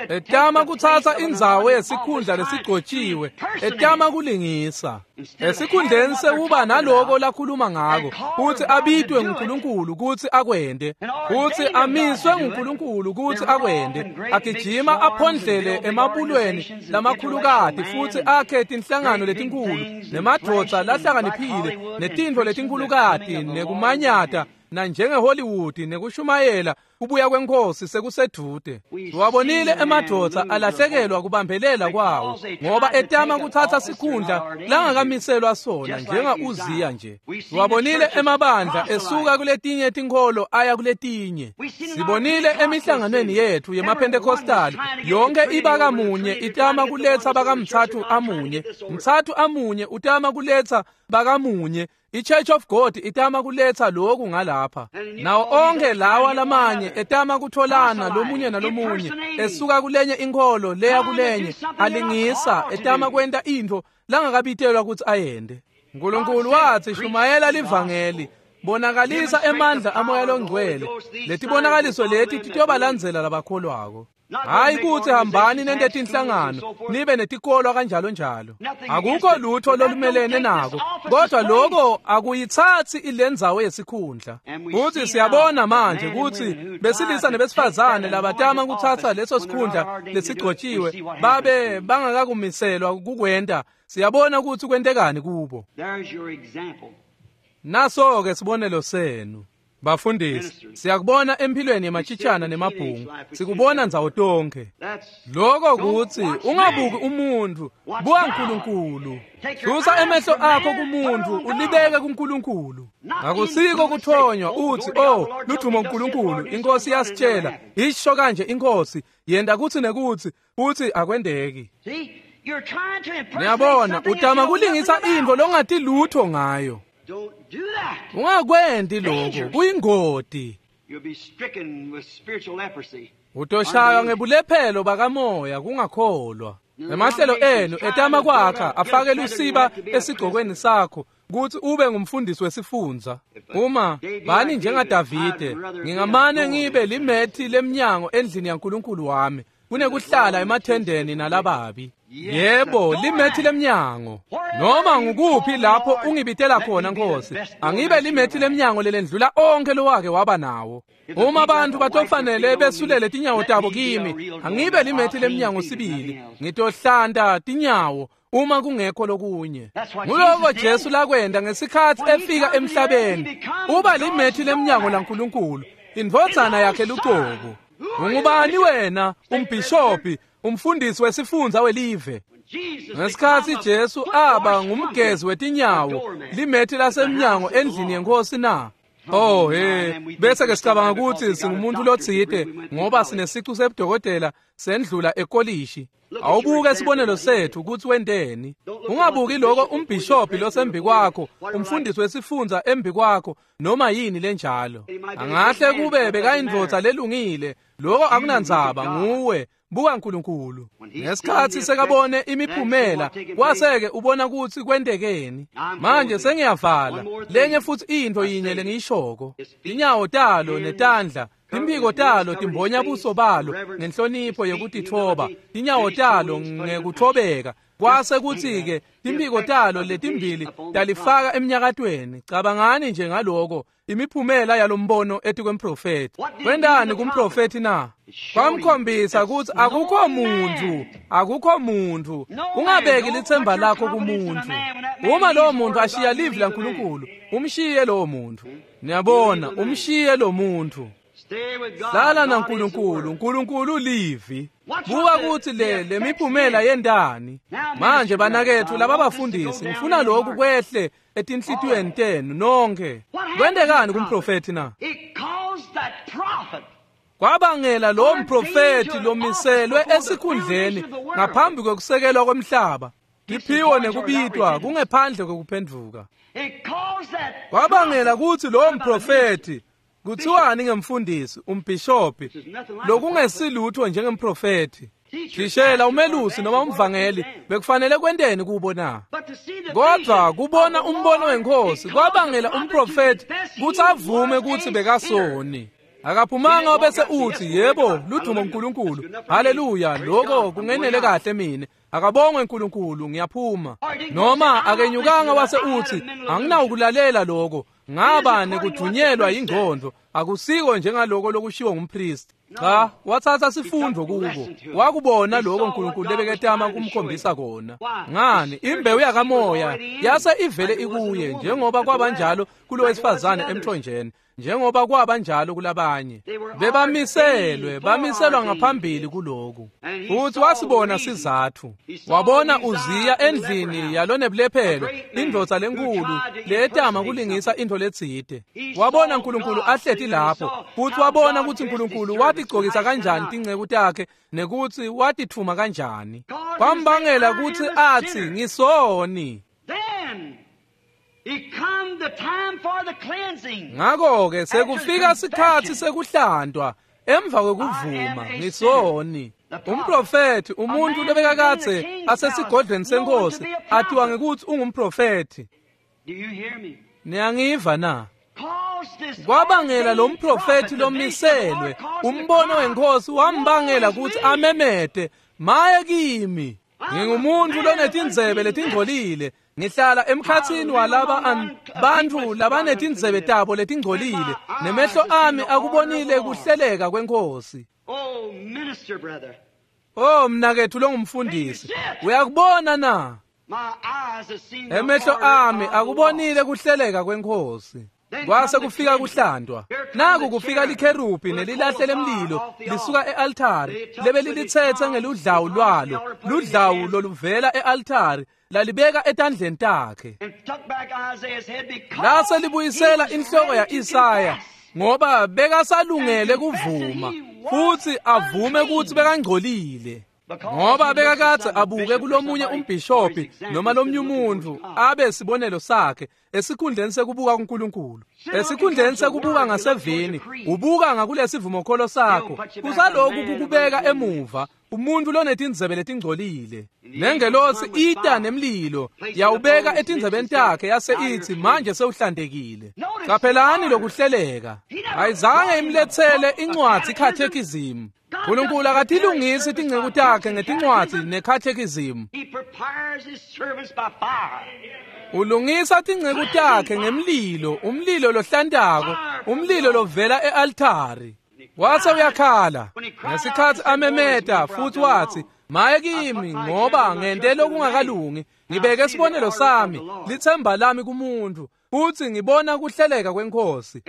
Etama kuthatha indzawo yesikhundla lesigcotshiwe, etama kulingisa. Esikhundleni sekuba naloko lakhuluma ngako, futhi abitwe nguNkulunkulu kutsi akwente, futhi amiswe nguNkulunkulu kutsi akwente, agijima aphondlele emabulweni lamakhulukati futhi akhe tinhlangano letinkulu nemadvodza lahlakaniphile netintfo letinkhulukati nekumanyata na njengeHollywood nekushumayela kubuya kwenkosi sekusedvute. Wabonile emadvodza alahlekelwa kubambelela kwawo ngoba etama kuthatha sikhundla langakamiselwa sona njenga Uziya nje. Wabonile emabandla esuka kuletinye tinkholo aya kuletinye. Sibonile emihlanganweni yethu yemaPentecostal yonke ibaka munye itama kuletsa bakamthathu amunye, mthathu amunye utama kuletsa bakamunye. I-Church of God itama kuletsa lokhu ngalapha. Nawo onke lawa lamanye etama kutholana lomunye nalomunye, esuka kulenye inkholo leya kulenye, alingisa etama kwenta intfo langakabitelwa kutsi ayende. uNkulunkulu wathi shumayela livangeli, bonakalisa emandla amoya longcwele. Letibonakaliso leti titobalandzela labakholwako. Hayi kutsi hambani nente tinhlangano nibe netikolwa kanjalo njalo. Akukho lutho lolumelene nako, kodwa lokho akuyithatsi ilendzawo yesikhundla. Futhi siyabona manje kutsi besilisa nebesifazane labatama kuthatha leso sikhundla lesigcotshiwe babe bangakakumiselwa kukwenta. Siyabona kutsi kwentekani kubo. Naso ke sibonelo senu. Bafundisi, siyakubona empilweni yemachitshana nemabhungu, sikubona ndzawo tonke. Lokho kutsi ungabuki umuntu, buka uNkulunkulu. Susa emehlo akho kumuntu, ulibeke kuNkulunkulu. Akusiko kuthonywa uthi, oh, ludumo uNkulunkulu, inkosi yasitshela, isho kanje inkosi, yenda kutsi nekutsi, futhi akwendeki. Niyabona, utama kulingisa intfo longati lutho ngayo. Ungakwendi lokho, kuyingoti. Utoshaywa ngebulephelo bakamoya kungakholwa. Emahlelo enu etama kwakha afake lusiba esigcokweni sakho kutsi ube ngumfundisi wesifundza. Uma bani njengaDavide, ngingamane ngibe limethi lemnyango endlini yaNkulunkulu wami kunekuhlala emathendeni nalababi. Yebo, limethi lemnyango. Noma ngukuphi lapho ungibitela khona Nkosi, angibe limethi lemnyango lelendlula onke lowake waba nawo. Uma abantu batofanele besulele tinyawo tabo kimi, angibe limethi lemnyango sibili, ngitohlanta tinyawo uma kungekho lokunye. Nguloko Jesu lakwenda ngesikhathi efika emhlabeni, uba limethi lemnyango laNkulunkulu, indvodzana yakhe lucobo. Ungubani wena, umbhishobhi, umfundisi wesifundza welive? Ngesikhathi Jesu aba ngumgezi wetinyawo, limethi lasemnyango endlini yenkosi na? Oh he, bese ke sicabanga ukuthi singumuntu lotsite ngoba sinesicu sebudokotela sendlula ekolishi. Awubuke isibonelo sethu ukuthi wenteni. Ungabuki lokho umbhishobhi losembi kwakho, umfundisi wesifundza embi kwakho, noma yini lenjalo. Angahle kube bekayindvodza lelungile, lokho akunandzaba nguwe. Buka uNkulunkulu. Ngesikhathi sekabone imiphumela, kwaseke ubona ukuthi kwentekeni. Manje sengiyavala. Lenye futhi into yinye lengiyishoko. Inyawo talo netandla, timphiko talo timbonya buso balo ngenhlonipho yekutitfoba, tinyawo talo ngekuthobeka. Kwase kuthi-ke timphiko talo letimbili talifaka emnyakatweni. Cabangani nje ngaloko, imiphumela yalombono etikwemprofethi. Kwentani kumprofethi na? Kwamkhombisa ukuthi akukho muntu, akukho muntu. Ungabeki lithemba lakho kumuntu. Uma lowo muntu ashiya livi laNkulunkulu, umshiye lowo muntu. Niyabona, umshiye lo muntu. Hlala naNkulunkulu, uNkulunkulu livi. Buka ukuthi le miphumela yentani. Manje banakethu laba bafundisi, ngifuna lokhu kwehle etinhlitiyweni tenu nonke. Kwentekani kumprofethi na? Kwabangela lo mprofethi lomiselwe esikhundleni ngaphambi kokusekelwa komhlaba. Tiphiwo nekubitwa kungephandle kokuphenduka. Kwabangela ukuthi lo mprofethi, kuthiwani ngemfundisi, umbhishobhi, lokungesilutho njengemprofethi, thishela, umelusi noma umvangeli, bekufanele kwenteni kubo na? Kodwa kubona umbono wenkosi kwabangela umprofethi ukuthi avume ukuthi bekasoni. Akaphumanga bese uthi yebo, ludumo uNkulunkulu, haleluya, lokho kungenele kahle mina, akabongwe uNkulunkulu, ngiyaphuma. Noma akenyukanga wase uthi anginawukulalela lokho, ngaba nekudunyelwa ingqondo, akusiko njengaloko lokushiwo ngumpristi. Cha, wathatha sifundo kubo, wakubona lokho uNkulunkulu lebeketama kumkhombisa kona. Ngani, imbewu yakamoya yase ivele ikuye, njengoba kwabanjalo kulowesifazane emthonjeni, njengoba kwabanjalo kulabanye. Bebamiselwe, bamiselwa ngaphambili kuloku. Futhi wasibona sizathu. Wabona Uziya endlini yalonebulephelo, indvodza lenkulu letama kulingisa into letsite. Wabona uNkulunkulu ahleti lapho, futhi wabona ukuthi uNkulunkulu watigcokisa kanjani tinceku takhe nekuthi watithuma kanjani. Kwambangela ukuthi athi ngisoni. Ngakho-ke sekufika sikhathi sekuhlantwa emva kwekuvuma ngisoni. Umprofethi, umuntu lobekakadze asesigodlweni senkosi, athiwa ngekuthi ungumprofethi. Niyangiva na? Kwabangela lo mprofethi lomiselwe, umbono wenkosi wambangela ukuthi amemete, maye kimi, ngingumuntu lonetindzebe letingcolile, ngihlala emkhatsini walaba bantu labanetindzebe tabo letingcolile, nemehlo ami akubonile kuhleleka kwenkosi. Oh mnakethu longumfundisi, uyakubona na? Emehlo ami akubonile kuhleleka kwenkosi. Kwase kufika kuhlantwa. Naku kufika likherubi nelilahle lemlilo lisuka e-altari, lebe lilithethe ngeludlawu lwalo, ludlawu loluvela e-altari, lalibeka etandleni takhe. Lase libuyisela inhloko ya-Isaya, ngoba bekasalungele kuvuma, futhi avume ukuthi bekangcolile. Ngoba bekakadze abuke kulomunye umbhishobhi noma lomnye umuntu abe sibonelo sakhe esikhundleni sekubuka kuNkulunkulu, esikhundleni sekubuka ngasevini, ubuka ngakulesivumokholo sakho. Kusaloku kukubeka emuva, umuntu lonetindzebe letingcolile. Nengelosi ita nemlilo yawubeka etindzebeni takhe, yase ithi manje sewuhlantekile. Qaphelani lokuhleleka. Ayizange imlethele incwadzi catechism. Nkulunkulu akatilungisi tinceku takhe ngetincwadzi nekhathekizimu. Ulungisa tinceku takhe ngemlilo, umlilo lohlantako, umlilo lovela e-altari. Wase uyakhala ngesikhatsi amemeta futhi wathi, maye kimi ngoba ngente lokungakalungi, ngibeke isibonelo sami, lithemba lami kumuntu, futhi ngibona kuhleleka kwenkosi.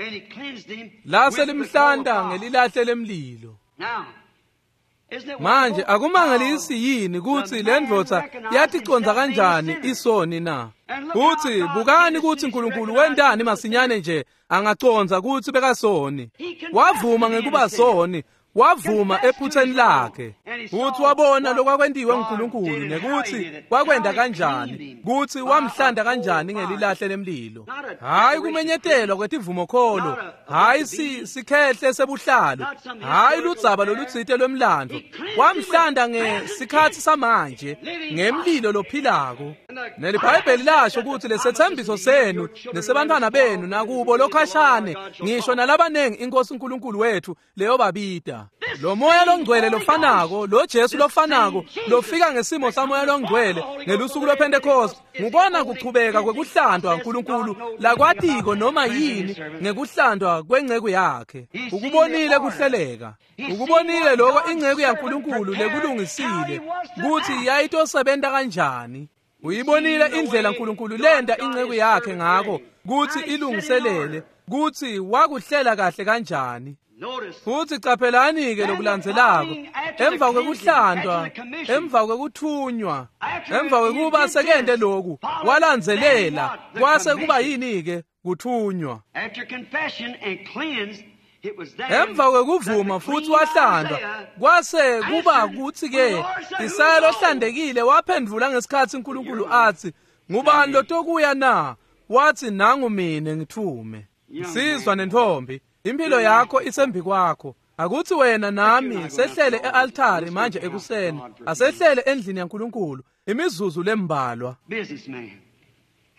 Lase limhlanta ngelilahle lemlilo. Manje akumangalisi yini kutsi le ndvodza yaticonza kanjani isoni na? Kutsi bukani kutsi Nkulunkulu wentani masinyane nje angaconza kutsi bekasoni. Wavuma ngekuba soni, wavuma ephutheni lakhe. Futhi wabona lokwakwentiwe nguNkulunkulu nekutsi wakwenda kanjani, kutsi wamhlanda kanjani ngelilahle lemlilo. Hayi kumenyetelwa kwetivumokholo, hayi sikhehle sebuhlalo, hayi ludzaba lolutsite lwemlandvo. Wamhlanda ngesikhatsi samanje ngemlilo lophilako. NeliBhayibheli lasho kutsi lesetsembiso senu nesebantfwana benu nakubo lokhashane ngisho nalabanengi inkosi uNkulunkulu wethu leyobabita. Lo moya longcwele lofanako, lo Jesu lofanako, lofika ngesimo samoya longcwele ngelusuku lwePentecost, ngubona kuchubeka kwekuhlantwa uNkulunkulu lakwatiko noma yini ngekuhlantwa kwenceku yakhe. Ukubonile kuhleleka. Ukubonile lokho inceku yaNkulunkulu lekulungisile kutsi yayitosebenta kanjani. Uyibonile indlela uNkulunkulu lenda inceku yakhe ngako kutsi ilungiselele, kutsi wakuhlela kahle kanjani. Futhi caphelani ke lokulandzelako, emva kwekuhlantwa, emva kwekuthunywa, emva kwekuba sekente lokhu, walandzelela, kwase kuba yini ke kuthunywa. Emva kwekuvuma futhi wahlandwa, kwase kuba kutsi ke Isaya lohlandekile waphendvula ngesikhatsi uNkulunkulu athi, ngubani lotokuya na? Wathi, nangu mine ngithume. Sizwa nentombi, impilo yakho isembi kwakho. Akuthi wena nami sehlele e-altari manje ekuseni, asehlele endlini yaNkulunkulu imizuzu lembalwa.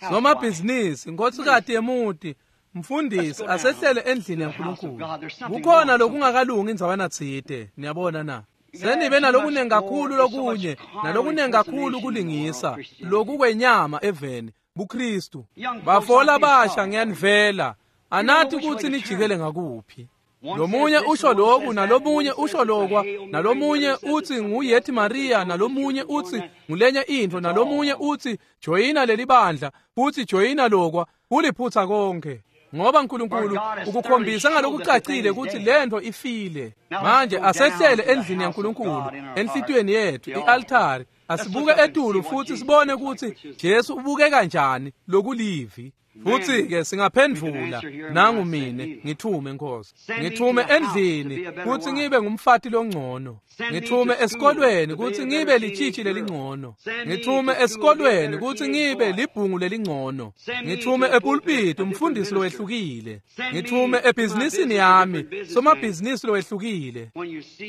Somabhizinisi, nkosikazi yemuti, mfundisi, asehlele endlini yaNkulunkulu. Kukhona lokungakalungi indzawana tsite, niyabona na? Senibe nalokunengi kakhulu lokunye, nalokunengi kakhulu kulingisa, lokukwenyama eveni, buKristu. Bafo labasha ngiyanivela, anathi kutsi nijikele ngakuphi. Lomunye usho lokhu, nalomunye usho lokwa, nalomunye utsi nguYethi Maria, nalomunye utsi ngulenye intfo, nalomunye utsi joyina leli bandla, futsi joyina lokwa, kuliphutsa konke. Ngoba uNkulunkulu ukukhombisa ngalokucacile kutsi lento ifile. Manje asehlele endlini yaNkulunkulu, enhlitiyweni yethu, i-altari. Asibuke etulu futhi sibone kutsi Jesu ubuke kanjani lokulivi. Futhi ke singaphendvula, nangu mine ngithume Nkosi. Ngithume endlini kutsi ngibe ngumfati longcono. Ngithume esikolweni kutsi ngibe litshitshi lelingcono. Ngithume esikolweni kutsi ngibe libhungu lelingcono. Ngithume epulpiti umfundisi lowehlukile. Ngithume ebhizinisini yami somabhizinisi lowehlukile.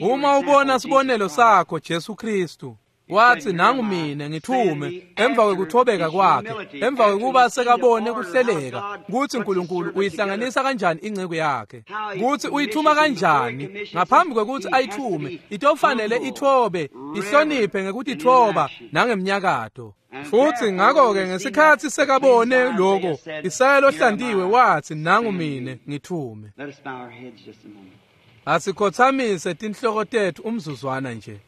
Uma ubona sibonelo sakho Jesu Kristu, wathi, nangu mine ngithume, emva kwekuthobeka kwakhe, emva kwekuba sekabone kuhleleka kutsi uNkulunkulu uyihlanganisa kanjani inceku yakhe, kutsi uyithuma kanjani. Ngaphambi kwekutsi ayithume, itofanele ithobe, ihloniphe ngekutithoba nangemnyakato. Futhi ngakho-ke ngesikhatsi sekabone lokho, Isaya lohlantiwe wathi, nangu mine ngithume. Asikhothamise tinhloko tethu umzuzwana nje.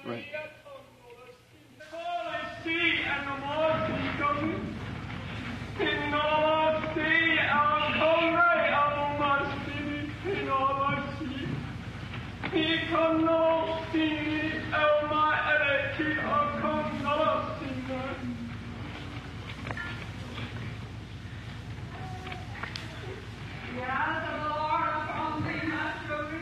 Right. The eyes of the Lord are upon thee, my children.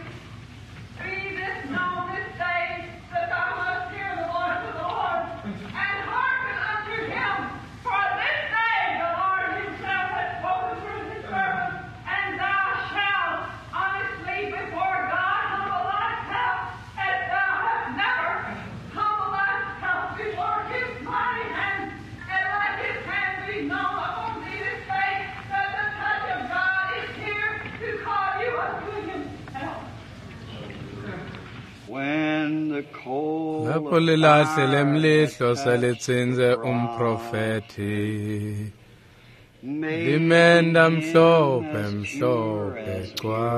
Lapho lilahle lemlihlo selitsinze umprofethi, limenda mhlophe mhlophe cwa.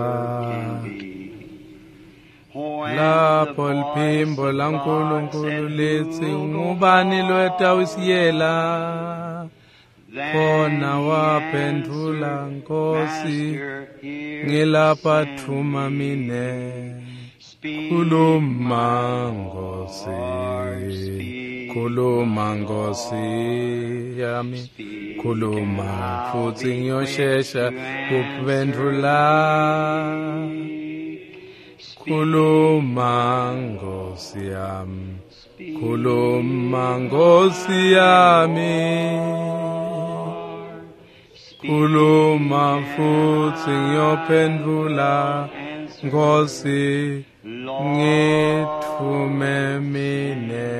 Lapho liphimbo laNkulunkulu litsi ngubani lwetawusiyela, khona waphendvula Nkosi ngilapha thuma mine. Khuluma Nkosi, khuluma Nkosi yami, khuluma futsi ngiyoshesha kuphendvula. Khuluma Nkosi yami, khuluma Nkosi yami, khuluma futsi ngiyophendvula Nkosi ngitfume mine.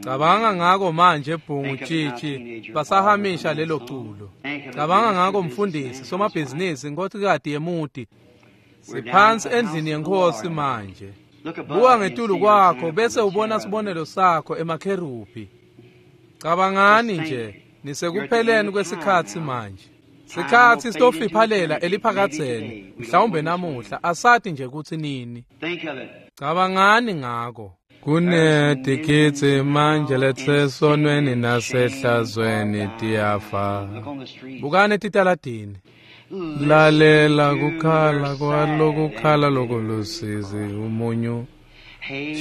Cabanga ngako manje bhungu tshitshi basahamisha lelo culo. Cabanga ngako mfundisi somabhizinisi nkosikati yemuti. Siphansi endlini yenkosi manje. Buka ngetulu kwakho bese ubona sibonelo sakho emakherubhi. Cabangani nje nisekupheleni kwesikhatsi manje. Sikhatsi sitofiphalela eliphakadzeni mhlawumbe namuhla asati nje kutsi nini. Cabangani ngako. Kunetikitsi manje letsesonweni nasehlazweni tiyafa. Bukani etitaladini. Lalela kukhala kwalokukhala lokulusizi umunyu.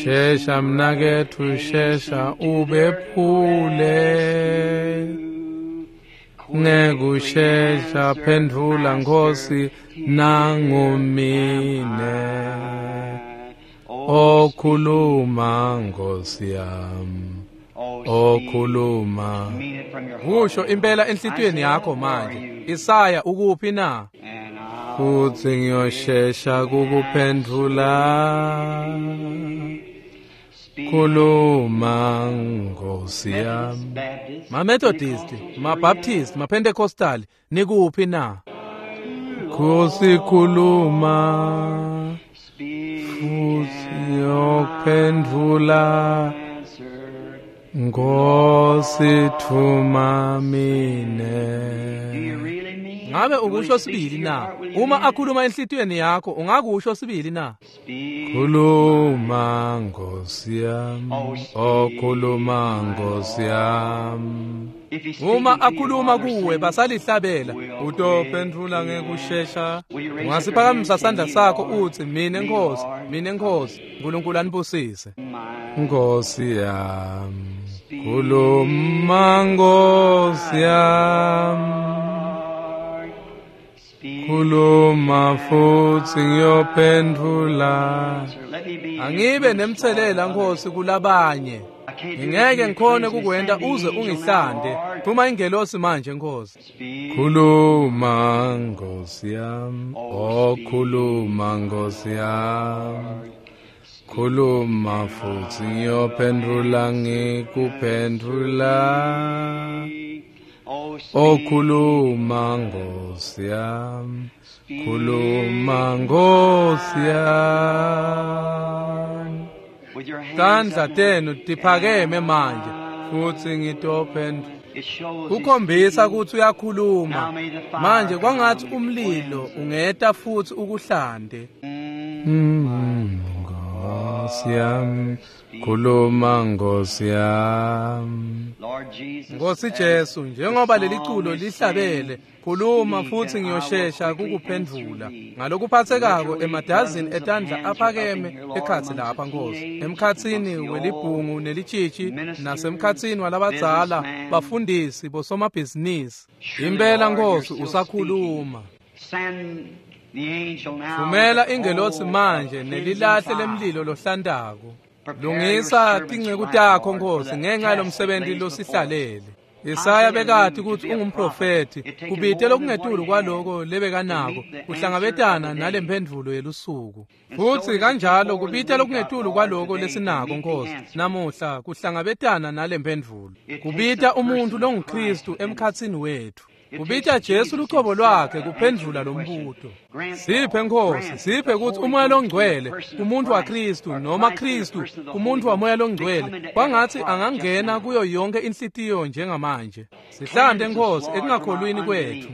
Shesha mnaketfu shesha ubephule. Ngekushesha phendvula Nkosi nangumine. Okhuluma Nkosi yami, okhuluma. Kusho impela enhlitiyweni yakho manje. Isaya ukuphi na? Futsi ngiyoshesha kukuphendvula. Khuluma Nkosi yami. Ma-Methodist, ma-Baptist, ma-Pentecostal, nikuphi na? Nkosi khuluma. Futsi yophendvula Nkosi thuma mine. Ngabe ukusho sibili na? Uma akhuluma enhlitiyweni yakho ungakusho sibili na? Khuluma Nkosi yami, okhuluma Nkosi yami. Uma akhuluma kuwe basalihlabela utophendvula ngekushesha. Ungasiphakamisa sandla sakho utsi mine Nkosi, mine Nkosi. uNkulunkulu anibusise. Nkosi yami, khuluma Nkosi yami, khuluma futsi ngiyophendvula. Angibe nemtselela Nkosi kulabanye. Ngingeke ngikhone kukwenta uze ungihlande. Thuma ingelosi manje Nkosi. Khuluma Nkosi yami, okhuluma Nkosi yami, khuluma futsi ngiyophendvula ngikuphendvula. Okhuluma Nkosi yami, khuluma Nkosi yami. Tandla tenu tiphakeme manje futsi ngitophendvula. Kukhombisa kutsi uyakhuluma manje kwangathi umlilo ungeta futsi ukuhlande. Nkosi yami, khuluma Nkosi yami. Nkosi Jesu, njengoba leli culo lihlabele, khuluma futsi ngiyoshesha kukuphendvula. Ngalokuphathekako emadazini etandla aphakeme ekhatsi lapha Nkosi, emkhatsini welibhungu nelitshitshi nasemkhatsini walabadzala, bafundisi, bosomabhizinisi. Impela Nkosi usakhuluma. Thumela ingelosi manje nelilahle lemlilo lohlantako. Lungisa tinceku takho Nkosi ngenxa yalomsebenzi losihlalele. Isaya bekati kutsi ungumprofethi, kubite lokungetulu kwaloko lebekanako kuhlangabetana nalemphendvulo yelusuku. Futsi kanjalo kubite lokungetulu kwaloko lesinako Nkosi namuhla kuhlangabetana nalemphendvulo. Kubita umuntu longuKristu emkhatsini wethu. Kubita Jesu lucobo lwakhe kuphendvula lombuto. Siphe Nkosi, siphe kutsi uMoya loNgcwele kumuntu waKristu noma Kristu kumuntu waMoya loNgcwele kwangatsi angangena kuyo yonke inhlitiyo njengamanje. Sihlante Nkosi ekungakholwini kwethu.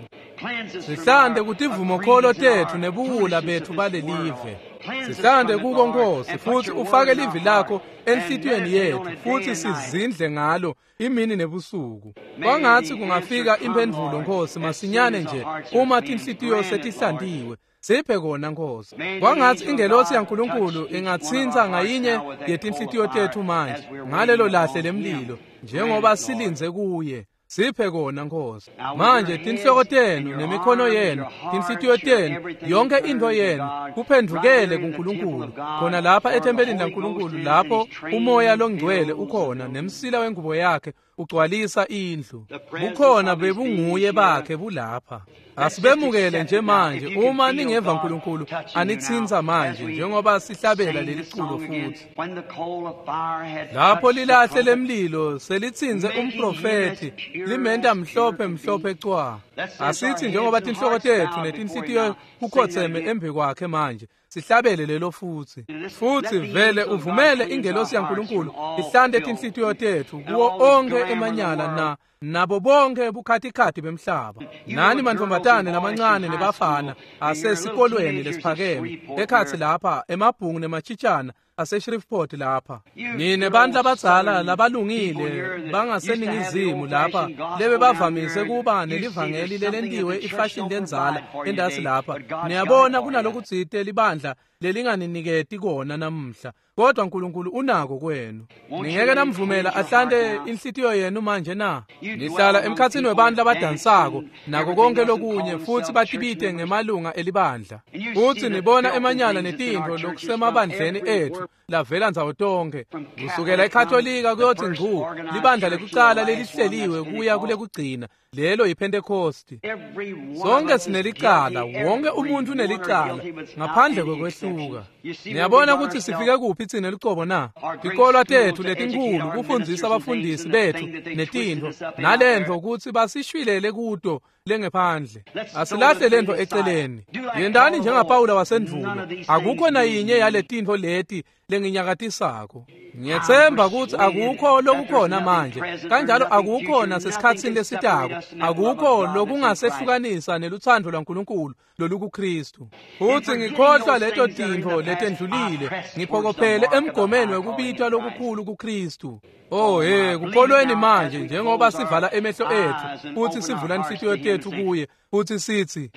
Sihlante kutivumokholo tetfu nebuwula betfu balelive. Sihlante kuko Nkosi, futsi ufake livi lakho enhlitiyweni yetfu futsi sizindle ngalo imini nebusuku. Kwangatsi kungafika imphendvulo Nkosi masinyane nje uma tinhlitiyo setihlantiwe. Siphe kona Nkosi. Kwangatsi ingelosi yaNkulunkulu ingatsintsa ngayinye yetinhlitiyo tetfu manje ngalelo lahle lemlilo njengoba silindze kuye. Siphe kona Nkosi. Manje tinhloko tenu nemikhono yenu, tinhlitiyo tenu, yonke into yenu kuphendvukele kuNkulunkulu. Khona lapha ethempelini laNkulunkulu lapho uMoya loNgcwele ukhona nemsila wengubo yakhe ugcwalisa indlu. Bukhona bebunguye bakhe bulapha. Asibemukele nje manje uma ningeva uNkulunkulu anitsintsa manje njengoba sihlabela leli culo futhi. Lapho lilahle lemlilo selitsintse umprofethi limenta mhlophe mhlophe cwa. Asithi njengoba tinhloko tetfu netinhlitiyo kukhotseme embi kwakhe manje sihlabele lelo futhi. Futhi vele uvumele ingelosi yaNkulunkulu ihlante tinhlitiyo tetfu kuwo onkhe emanyala na nabo bonke bukhatikhathi bemhlaba. Nani mantfombatane lamancane nebafana asesikolweni lesiphakeme ekhatsi lapha emabhungu nemachitshana ase-Shreveport lapha. Nine bantu abadzala labalungile bangaseningizimu lapha lebe bavamise kuba nelivangeli lelentiwe ifashini lenzala endasi lapha. Niyabona kunalokutsite libandla lelinganiniketi kona namuhla, kodwa uNkulunkulu unako kwenu. Ningeke namvumela ahlante inhlitiyo yenu manje na? Nihlala emkhatsini webantu labadansako nako konke lokunye futhi batibite ngemalunga elibandla. Futhi nibona emanyala netintfo lokusemabandleni ethu lavela ndzawo tonke kusukela eKatolika kuyothi ngcu libandla lekucala lelihleliwe kuya kulekugcina lelo yiPentecost. Sonke sinelicala, wonke umuntu unelicala ngaphandle kokwehluka. Niyabona ukuthi sifike kuphi tsine lucobo na? Tikolwa tetfu letinkhulu kufundzisa abafundisi betfu netintfo nalentfo kutsi basishwilele kuto lengephandle. Asilahle lentfo eceleni. Yentani njengaPawula wasendvulo. Akukho nayinye yaletintfo leti lenginyakatisako. Ngiyetsemba kutsi akukho lokukhona manje, kanjalo akukho nasesikhatsini lesitako, akukho lokungasehlukanisa nelutsandvo lwaNkulunkulu lolukuKristu. Futsi ngikhohlwa leto tintfo letendlulile, ngiphokophele emgomeni wekubitwa lokukhulu kuKristu. Oh hey, kukholweni manje njengoba sivala emehlo etfu futhi sivula inhlitiyo tetfu kuye futhi sithi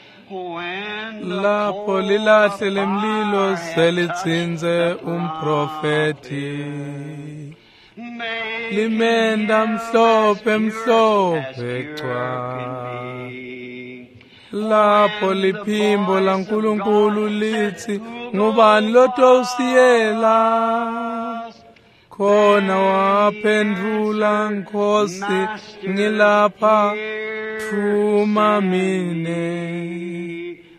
lapho lilahle lemlilo selitsintse umprofethi limenda mhlophe mhlophe cwa. Lapho liphimbo laNkulunkulu lithi ngubani lotosiyela? Khona waphendvula Nkosi ngilapha thuma mine.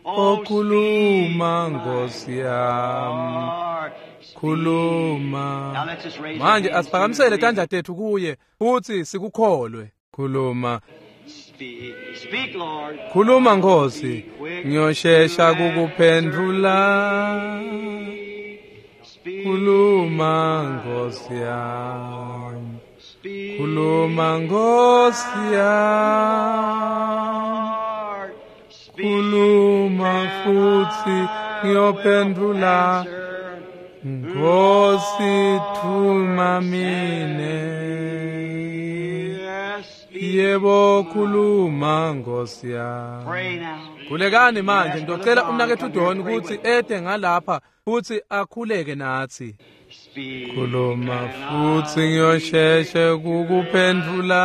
Okhuluma Nkosi yami, khuluma. Manje asiphakamisele tandla tetfu kuye futhi sikukholwe. Khuluma. Khuluma Nkosi, ngiyoshesha kukuphendvula. Khuluma Nkosi yami, khuluma Nkosi yami, khuluma futhi ngiyophendvula. Nkosi thuma mine. Yebo khuluma Nkosi yami. Khulekani manje, ngizocela umnaketfu Don ukuthi ede ngalapha futhi akhuleke nathi. Khuluma futhi ngiyosheshe kukuphendvula.